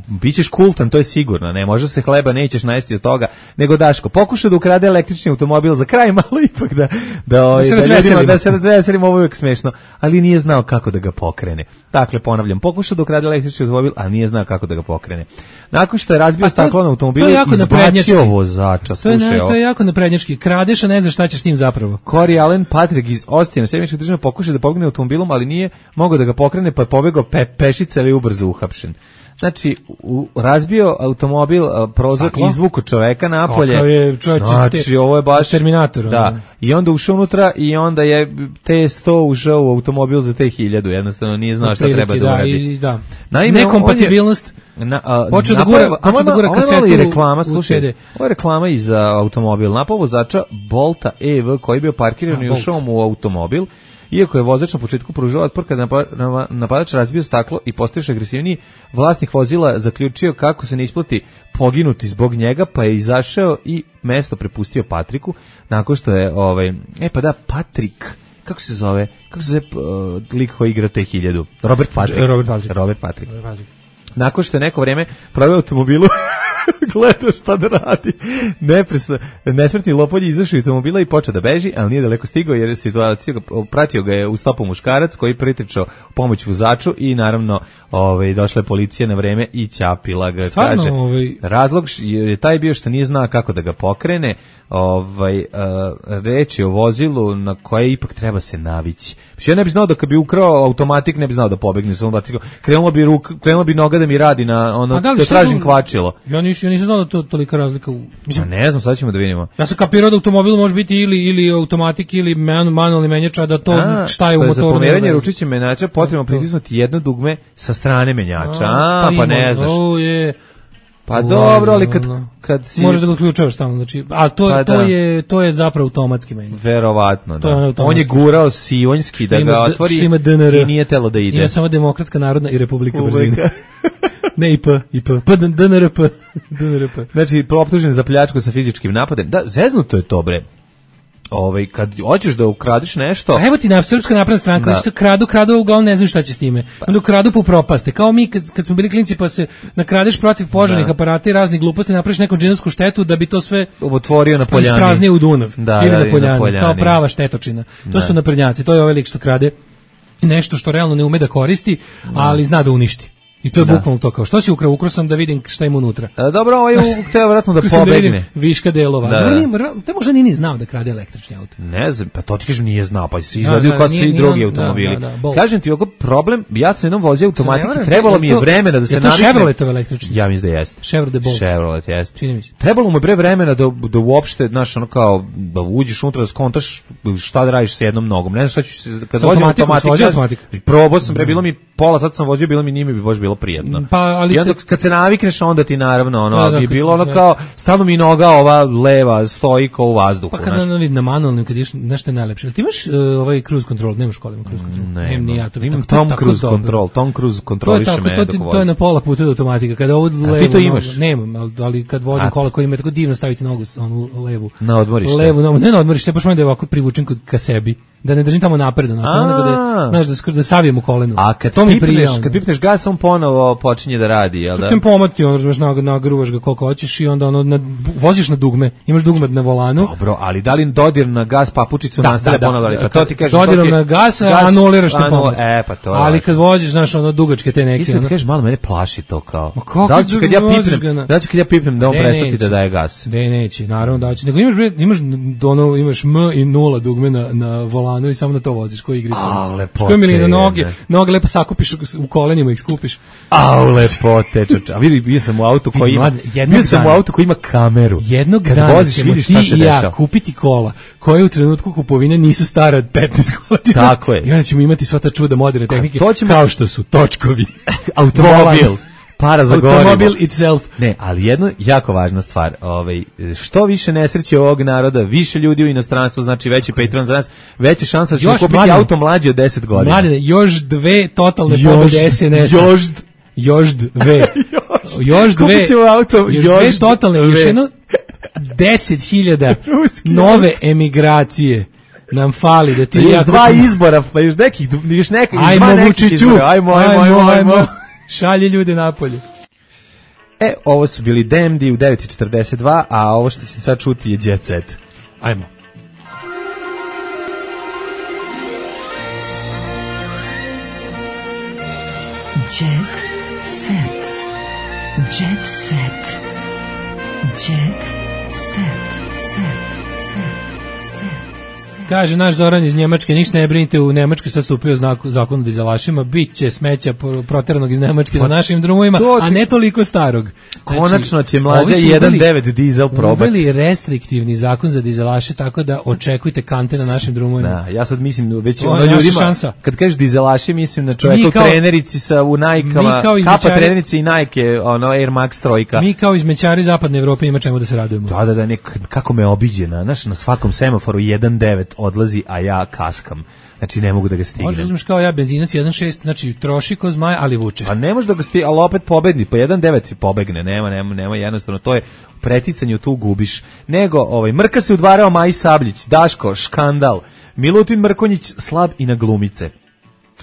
bićeš kultan, to je sigurno, ne, možda se hleba nećeš najesti od toga, nego Daško, pokušao da ukrade električni automobil za kraj, malo ipak da se razveselimo, ovo je uvijek smešno, ali nije znao kako da ga pokrene. Dakle, ponavljam, pokušao da ukrade električni automobil, ali nije znao kako da ga pokrene. Nakon što je razbio staklo na automobilu, izbacio vozača, slušaj. To je jako naprednjački, kradeš, a ne znaš šta ćeš s njim zapravo. Corey Allen Patrick iz Ostina, Sjemenička država, pokušao da pobegne automobilom, ali nije mogao da ga pokrene, pa je pobegao pešice, ali ubrzo uhapšen. Znači, razbio automobil, prozor, izvuko čoveka napolje. Znači, ovo je baš Terminator. Da. I onda ušao unutra i onda je T100 ušao u automobil za T1000. Jednostavno nije znao šta treba da uradi. Da. Nekompatibilnost. Počeo da gura kasetu u CD. Ovo je reklama i za automobil. Napao vozača Bolta EV koji je bio parkiran i ušao mu u automobil. Iako je vozač na početku pružao otpor kada napadač razbio staklo i postao još agresivniji, vlasnik vozila zaključio kako se ne isplati poginuti zbog njega, pa je izašao i mesto prepustio Patriku, nakon što je Patrik, kako se zove lik koji igra T1000? Robert Patrick. Nakon što je neko vreme proveo automobilu, gledao šta da radi. Nesmrtni lopolj izašao iz automobila i počeo da beži, ali nije daleko stigao jer pratio ga je u stopu muškarac koji pritrčao pomoć vozaču i naravno došla je policija na vreme i ćapila ga. Stvarno, razlog je taj bio što nije znao kako da ga pokrene. Reč je o vozilu na koje ipak treba se navići. Ja ne bi znao da kad bi ukrao automatik ne bi znao da pobegne sa automatika. Krenulo bi noga da mi radi na ono da tražim kvačilo. Ja nisam znao da to tolika razlika u... Mislim, ne znam, sad ćemo da vidimo. Ja sam kapirao da automobil može biti ili automatik ili manualni menjač, a da to šta je u motoru. Za pomeranje ručiće menjača potrebno pritisnuti jedno dugme sa strane menjača. Pa ne znaš. Pa dobro, ali kad si... Možeš da ga uključavaš tamo, znači, a to je zapravo automatski menjač. Verovatno, da. On je gurao Sionjski da ga otvori i nije telo da ide. Ima samo Demokratska narodna i Republika brzine. Ne IP. DNRP. Znači, optužen za pljačku sa fizičkim napadem. Da, zeznuto je to, bre. Kad hoćeš da ukradeš nešto... A evo ti na Srpska napredna stranka, se kradu, uglavnom ne znaju šta će s time. Onda kradu po propaste. Kao mi kad smo bili klinci pa se nakradeš protiv požarnih aparata i raznih gluposti, napraviš neku džinovsku štetu da bi to sve otvorio na Poljani. Ispraznio u Dunav. Ili na Poljani. Kao prava štetočina. To su naprednjaci. To je ovaj lik što krade nešto što realno ne ume da koristi, ali zna da uništi. I to je bukvalno to kao, što si ukrao sam da vidim šta ima unutra. Dobro, ovo je hteo vjerojatno da pobegne. Viška delova. To možda nije ni znao da krade električni auto. Ne znam, pa to ti kažem nije znao, pa si izvadio kao svi drugi automobili. Kažem ti, ovako problem, ja sam jednom vozio automatike, trebalo mi je vremena da se naviknem. Je to Chevroletov električni? Ja mislim da jeste. Chevrolet jeste. Trebalo mu bre vremena da uopšte, znaš, ono kao, da uđeš unutra, da skontaš šta da radiš sa jednom nogom. Ne znam šta ću se, kad vozim automatik, probao sam, bre, bilo mi pola, sad sam vozio, bilo mi nije bi baš bilo prijetno. I onda kad se navikneš, onda ti naravno bi bilo ono kao stalno mi noga ova leva stoji kao u vazduhu. Pa kada na manualnim kad ideš nešto najlepše. Ti imaš ovaj cruise control, nemaš školima cruise control. Imam Tom Cruise control. Tom Cruise kontroliše me dok vozim. To je na pola puta do automatika. Kada ovo levo. Ti to imaš? Nemam, ali kad vozim kola koji ima tako divno staviti nogu onu levu. Na odmorište. Levu, ne na odmorište, baš da je ovako privučen ka sebi. Da ne držim tamo napred, nego da savijem u kolenu. A kad pipneš gas, on ponovo počinje da radi, jel da? Kad pomati, nagruvaš ga koliko hoćeš i onda voziš na dugme, imaš dugme na volanu. Dobro, ali da li dodir na gas papučicu nastavlja ponovo? Pa to ti kažeš, dodirom na gas, anuliraš te pomet. Pa ali kad voziš, znaš, dugačke te neke. Iskreno ti kažeš, malo mene plaši to kao. Da li ću kad ja pipnem da on prestati da daje gas? Neće, naravno da će. Nego imaš M i 0 dugme na volanu i samo na to voziš, koji igricu. Što mi na noge lepo sakupiš u kolenima, ih skupiš. Lepote, čoče. A vidi, bio sam u autu koji ima kameru. Jednog dana ćemo ti i ja kupiti kola koje u trenutku kupovine nisu stare od 15 godina. Tako je. I onda ćemo imati sva ta čuda moderne tehnike, kao što su točkovi, automobil, para za gorivo. Automobil itself. Ne, ali jedna jako važna stvar, što više nesreće ovog naroda, više ljudi u inostranstvu, znači veći Patreon za nas, veća šansa da ćemo kupiti auto mlađi od 10 godina. Mladine, još 2 totalne pobjede SNS-a. Još dve. Kupit ćemo auto, još 2 totalne, još jedno 10.000 nove emigracije nam fali da ti još 2 izbora, pa još nekih ajmo Vučiću, ajmo. Šalje ljude napolje. Ovo su bili Demdi u 9.42, a ovo što ćete sad čuti je Jet Set. Ajmo. Jet Set. Jet Set. Jet Set. Kaže naš Zoran iz Njemačke, ništa ne brinite, u Njemačkoj sad stupio zakon o dizelašima, bit će smeća proteranog iz Njemačke na našim drumovima, a ne toliko starog. Konačno će mlađa 1.9 dizel probati. Uveli restriktivni zakon za dizelaše, tako da očekujte kante na našim drumovima. Da, ja sad mislim, već ljudima, kad kažeš dizelaši, mislim na čovjeka u trenerici u Nike-ama, kapa trenerici i Nike, Air Max trojka. Mi kao izmećari zapadne Evrope ima čemu da se radujemo. Da, kako me obiđe, na svakom semaforu 1.9 odlazi, a ja kaskam. Znači ne mogu da ga stignem. Možeš uzmeš kao ja benzinac 1.6, znači troši ko zmaj, ali vuče. Pa ne može da ga stigne, ali opet pobedni, po 1.9 pobegne, nema jednostavno, to je preticanje, tu gubiš. Nego, Mrka se udvarao Maji Sabljić, Daško, škandal, Milutin Mrkonjić slab i na glumice.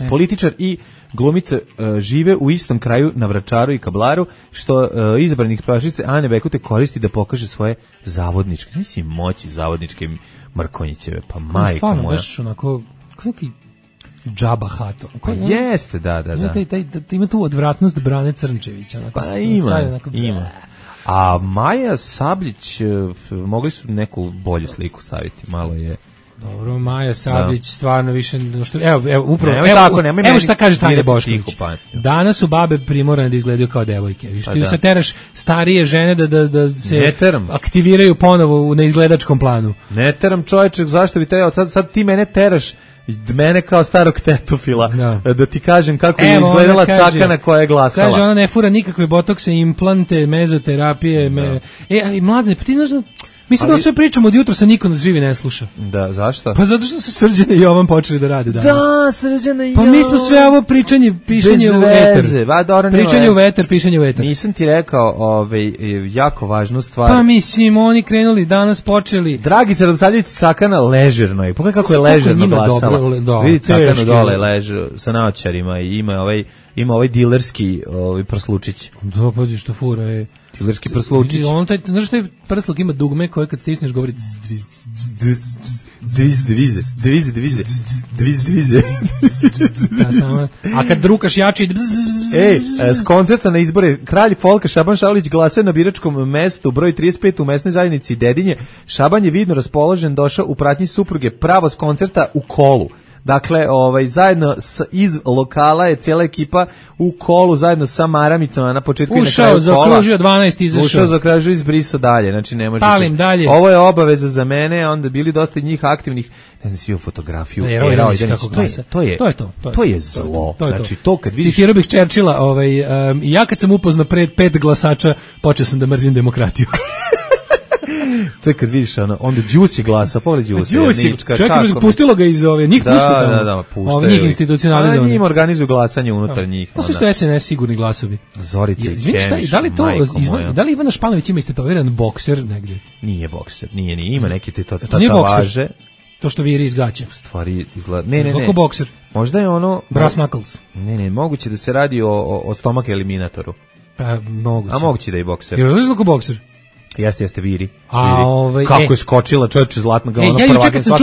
Političar i glumice žive u istom kraju na Vračaru i Kablaru, što izabranih prašice Ane Bekute koristi da pokaže svoje zavodničke. Znači si moći zavodničke Mrkonjićeve, pa majko stvarno, moja. Stvarno, baš onako, neki džaba hato. Pa jeste, da. Ima tu odvratnost Brane Crnčevića. Onako, pa ima. A Maja Sabljić, mogli su neku bolju sliku staviti, malo je Dobro, Maja Sablić stvarno više što nemoj evo šta kaže Tanja Bošković. Danas su babe primorane da izgledaju kao devojke. Vi što ti se teraš starije žene da se aktiviraju ponovo na izgledačkom planu. Ne teram čovječek, zašto bi te sad ti mene teraš mene kao starog tetofila, da ti kažem kako je izgledala cakana koja je glasala. Kaže, ona ne fura nikakve botokse, implante, mezoterapije. Ali mladine, pa ti znaš da... Mislim da sve pričamo od jutra sa niko nas živi ne sluša. Da, zašto? Pa zato što su Srđana i Jovan počeli da rade danas. Da, Srđana i Jovan. Pa mi smo sve ovo pišanje u veter. Pričanje u veter, pišanje u veter. Nisam ti rekao jako važnu stvar. Pa mislim, oni krenuli, danas počeli. Dragica Radosavljević Cakana ležerno je. Pogledaj kako je ležerno glasala. Vidi Cakanu dole leže sa naočarima i ima ovaj dilerski prslučić. Da, pazi što fura je. Dilerski prslučić. Znaš što je prsluk ima dugme koje kad stisneš govori dvize. A kad drukaš jači s koncerta na izbore kralj folka Šaban Šaulić glasuje na biračkom mestu broj 35 u mesnoj zajednici Dedinje. Šaban je vidno raspoložen, došao u pratnji supruge pravo s koncerta u kolu. Dakle, zajedno iz lokala je cijela ekipa u kolu zajedno sa maramicama na početku i na kraju kola. Ušao, zakružio 12, izašao. Ušao, zakružio, izbrisao dalje. Znači, ne može. Palim dalje. Ovo je obaveza za mene, onda bili dosta njih aktivnih. Ne znam, svi u fotografiju. To je zlo. Znači, to kad vidiš... Citirao bih Churchilla, ja kad sam upoznao pred 5 glasača, počeo sam da mrzim demokratiju. To je kad vidiš onda Đusi glasa, pogledaj Đusi. Čekaj, pustilo ga iz njih pušta tamo. Da, puštaju. Njih institucionalizovani. Njim organizuju glasanje unutar njih. To su što SNS sigurni glasovi. Zorica i Kemiš. Da li Ivana Španović ima istetoviran bokser negdje? Nije bokser, nije. Ima neki tatovaže. To što viri iz gaća. Stvari izgleda. Ne. Kako bokser? Možda je ono... Brass knuckles. Ne, moguće da se radi o stomak eliminatoru. Pa, moguće. A moguće da je bokser. Jer je kako bokser? Jeste viri. Kako je skočila čovječe zlatna ga ono prvaka.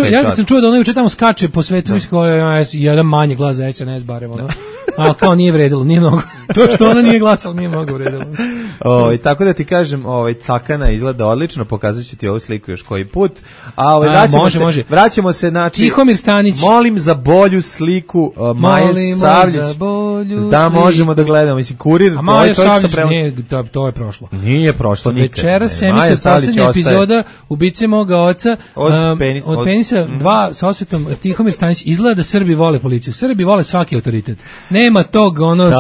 Ja kad sam čuo da ona juče tamo skače po svetu, mislim kao jedan manji glas za SNS barem ono. A kao nije vredilo, nije mnogo. To što ona nije glasala nije mnogo vredilo. Tako da ti kažem, Cakana izgleda odlično, pokazat ću ti ovu sliku još koji put. Vraćamo se na Tihomir Stanić. Molim za bolju sliku Maje Savljić. Da možemo da gledamo. Mislim, Kurir, Maja Savljić, to je prošlo. Nije prošlo nikad. Večeras emite poslednja epizoda Ubice moga oca od penisa 2 sa osvetom. Tihomir Stanić izgleda da Srbi vole policiju. Srbi vole svaki autoritet. Nema tog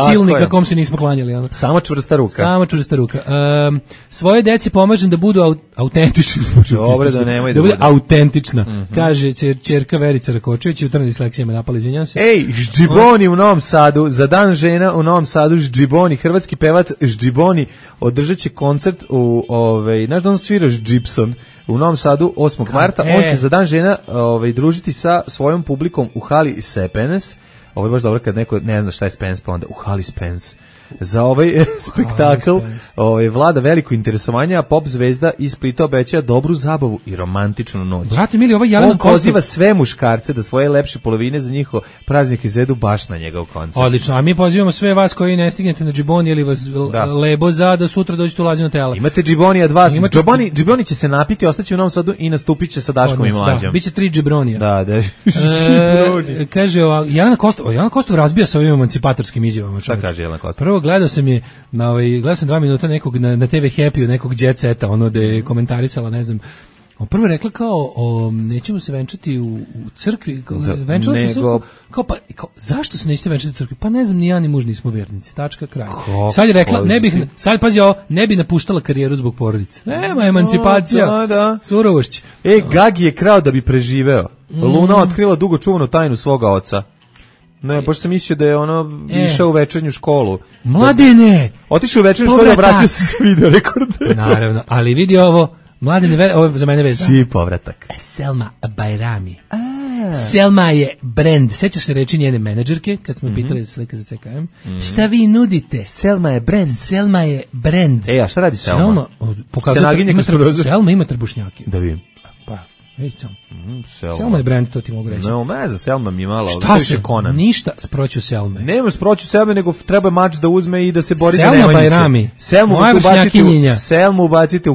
silnika kom se nismo klanjali. Samo čvrsta ruka. Svoje deci pomažem da budu autentični. Dobro, da nemoj da bude autentična. Kaže ćerka Verica Rakočević, jutra na dislekcijama napala, izvinjam se. Ej, Ždžiboni u Novom Sadu, za dan žena u Novom Sadu, Ždžiboni, hrvatski pevac Ždžiboni održat će koncert u, znaš da on sviraš Gibson u Novom Sadu 8. marta, on će za dan žena družiti sa svojom publikom u hali Sepenes. Ovo je baš dobro kad neko ne zna šta je Spence, pa onda u hali Spence. Za ovaj spektakl vlada veliko interesovanje, a pop zvezda iz Splita obećava dobru zabavu i romantičnu noć. Brate mili, ovaj Jelena Kostov... On poziva sve muškarce da svoje lepše polovine za njihov praznik izvedu baš na njegov koncert. Odlično, a mi pozivamo sve vas koji ne stignete na Džiboni ili vas lebo za da sutra dođete u Lazino tela. Imate Džiboni od vas. Džiboni će se napiti, ostaće u Novom Sadu i nastupit će sa Daškom i Mlađom. Da, biće 3 Džibronija. Da. Kaže, Jelena Kostov razbija sa ovim emancipatorskim izjavama. Šta kaže Jelena Kostov? Gledao sam 2 minuta nekog na TV Happy, nekog Jet Seta, ono da je komentarisala, ne znam, prvo je rekla kao, nećemo se venčati u crkvi, venčala se kao, zašto se nećete venčati u crkvi? Pa ne znam, ni ja ni muž nismo vernici, tačka, kraj. Sad je rekla, ne bi napuštala karijeru zbog porodice. Nema emancipacija, surovošć. Gagi je krao da bi preživeo. Luna otkrila dugo čuvanu tajnu svoga oca. Ne, baš sam mislio da je išao u večernju školu. Mladene! Otišao u večernju školu, vratio se s video rekorde. Naravno, ali vidi ovo, Mladene, ovo je za mene veza. Čiji povratak. Selma Bajrami. Selma je brand. Sećaš se reči njene menadžerke, kad smo pitali za slika za CKM? Šta vi nudite? Selma je brand. Selma je brand. A šta radi Selma? Selma ima trbušnjake. Da vidim. Selma je brand, to ti mogu reći. Ne znam, Selma mi je malo. Šta se? Ništa sproću Selme. Nema sproću Selme, nego treba mač da uzme i da se bori Selma za Nemanjiće. Bajrami. Selmu ubacite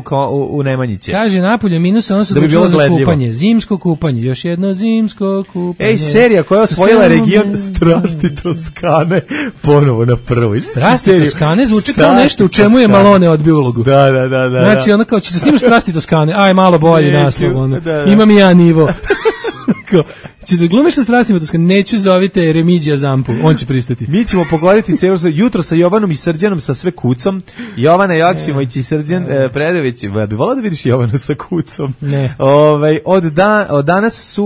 u Nemanjiće. Kaže, napolje minus, ono se odlučilo za kupanje. Zimsko kupanje, još jedno zimsko kupanje. Ej, serija koja je osvojila region Strasti Toskane, ponovo na prvoj. Strasti Toskane zvuči kao nešto u čemu je Malone odbio ulogu. Da. Znači, ono kao, ćete snimaš Strasti Toskane, aj malo bolji naslov, ono. Imam i ja nivo. Ćete glumiš sa Strastima Toskane, neću zovite Remigija Zampu, on će pristati. Mi ćemo pogoditi jutro sa Jovanom i Srđanom sa sve kucom. Jovana Joksimović i Srđan Predović. Bi volao da vidiš Jovanu sa kucom. Ne. Od danas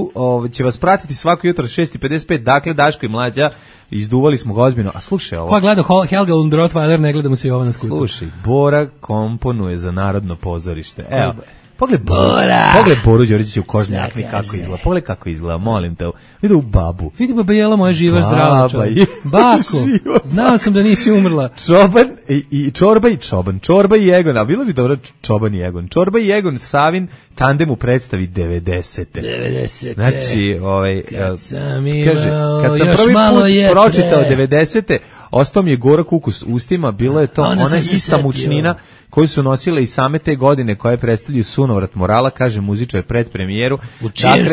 će vas pratiti svako jutro 6:55. Dakle, Daško i Mlađa izduvali smo ga ozbiljno. A slušaj ovo. Ko gleda Helga und Rottweiler, ne gleda mu se Jovana s kucom. Slušaj, Bora komponuje za Narodno pozorište. Evo. Pogled Boru Đorđevića u kožnoj jakni kako izgleda. Pogledaj kako izgleda, molim te. Vidi u babu. Vidi baba Jela moja živa, zdrava čovjek. Bako, znao sam da nisi umrla. Čoban i Čorba i Čoban. Čorba i Egon, a bilo bi dobro Čoban i Egon. Čorba i Egon Savin tandem u predstavi 90. Znači, kad sam prvi put pročitao 90. ostao mi je gorak ukus ustima, bilo je to ona ista mučnina koju su nosile i same te godine koje predstavljaju Sunovrat morala, kaže muzičar pred premijeru.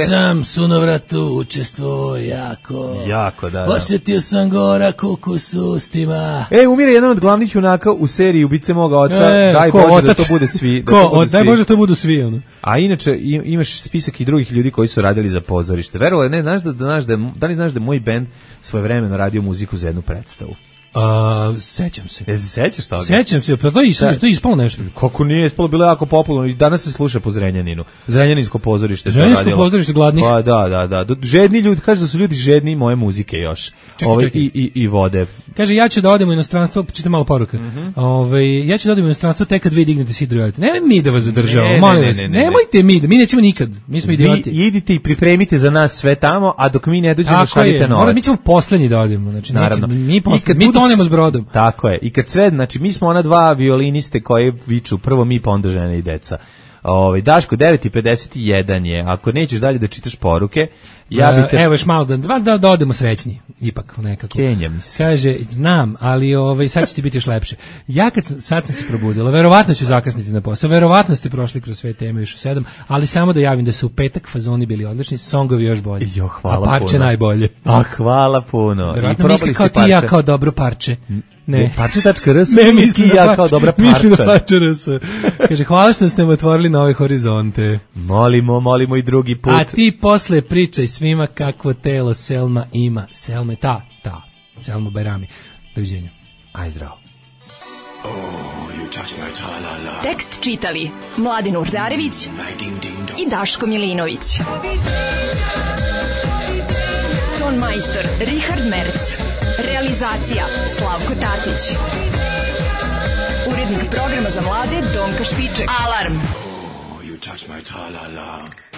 Sam Sunovratu učestvovao jako, da. Osjetio sam gorak ukus ustima. Umire jedan od glavnih junaka u seriji Ubice moga oca, daj Bože da to bude svi. Daj Bože da to budu svi. Ono. A inače imaš spisak i drugih ljudi koji su radili za pozorište. Verovali, ne, da li znaš da moj bend svojevremeno radio muziku za jednu predstavu? Sećam se. Sećaš toga? Sećam se, pa to je ispalo nešto. Kako nije ispalo, bilo jako popularno i danas se sluša po Zrenjaninu. Zrenjaninsko pozorište. Zrenjaninsko pozorište gladnih. Pa da. Žedni ljudi, kaže da su ljudi žedni moje muzike još. Čekaj. I vode. Kaže, ja ću da odem u inostranstvo, čitam malo poruka. Ja ću da odem u inostranstvo tek kad vi dignete si drojate. Nemoj mi da vas zadržavamo, molim vas. Nemojte mi nećemo nikad. Mi smo idioti. Vi idite i pripremite za nas sve tamo, a dok mi ne dođemo šaljite novac. Mi ćemo poslednji da odemo, znači mi tonemo s brodom. Tako je. I kad sve, znači mi smo ona dva violiniste koji viču prvo mi pa onda žene i deca. Daško 9:51 je. Ako nećeš dalje da čitaš poruke, ja bih evo još malo da odemo srećni ipak nekako. Kenjam se. Kaže, znam, ali sad će ti biti još lepše. Ja sad sam se probudila, verovatno ću zakasniti na posao. Verovatno ste prošli kroz sve teme još u 7, ali samo da javim da su u petak fazoni bili odlični, songovi još bolji. Hvala a parče puno. Najbolje. Hvala puno. Verovatno misli kao ti ja kao dobro parče. Ne. Parče.rs ne misli da ja kao dobra parča. Misli da parče.rs. Kaže, hvala što ste me otvorili nove horizonte. Molimo i drugi put. A ti posle pričaj svima kakvo telo Selma ima. Selma ta. Selma Bajrami. Doviđenja. Aj zdravo. Tekst čitali Mladin Urdarević i Daško Milinović. Ton majstor Richard Merc. Realizacija Slavko Tatić. Urednik programa za mlade Donka Špiček. Alarm. You touch my tra-la-la.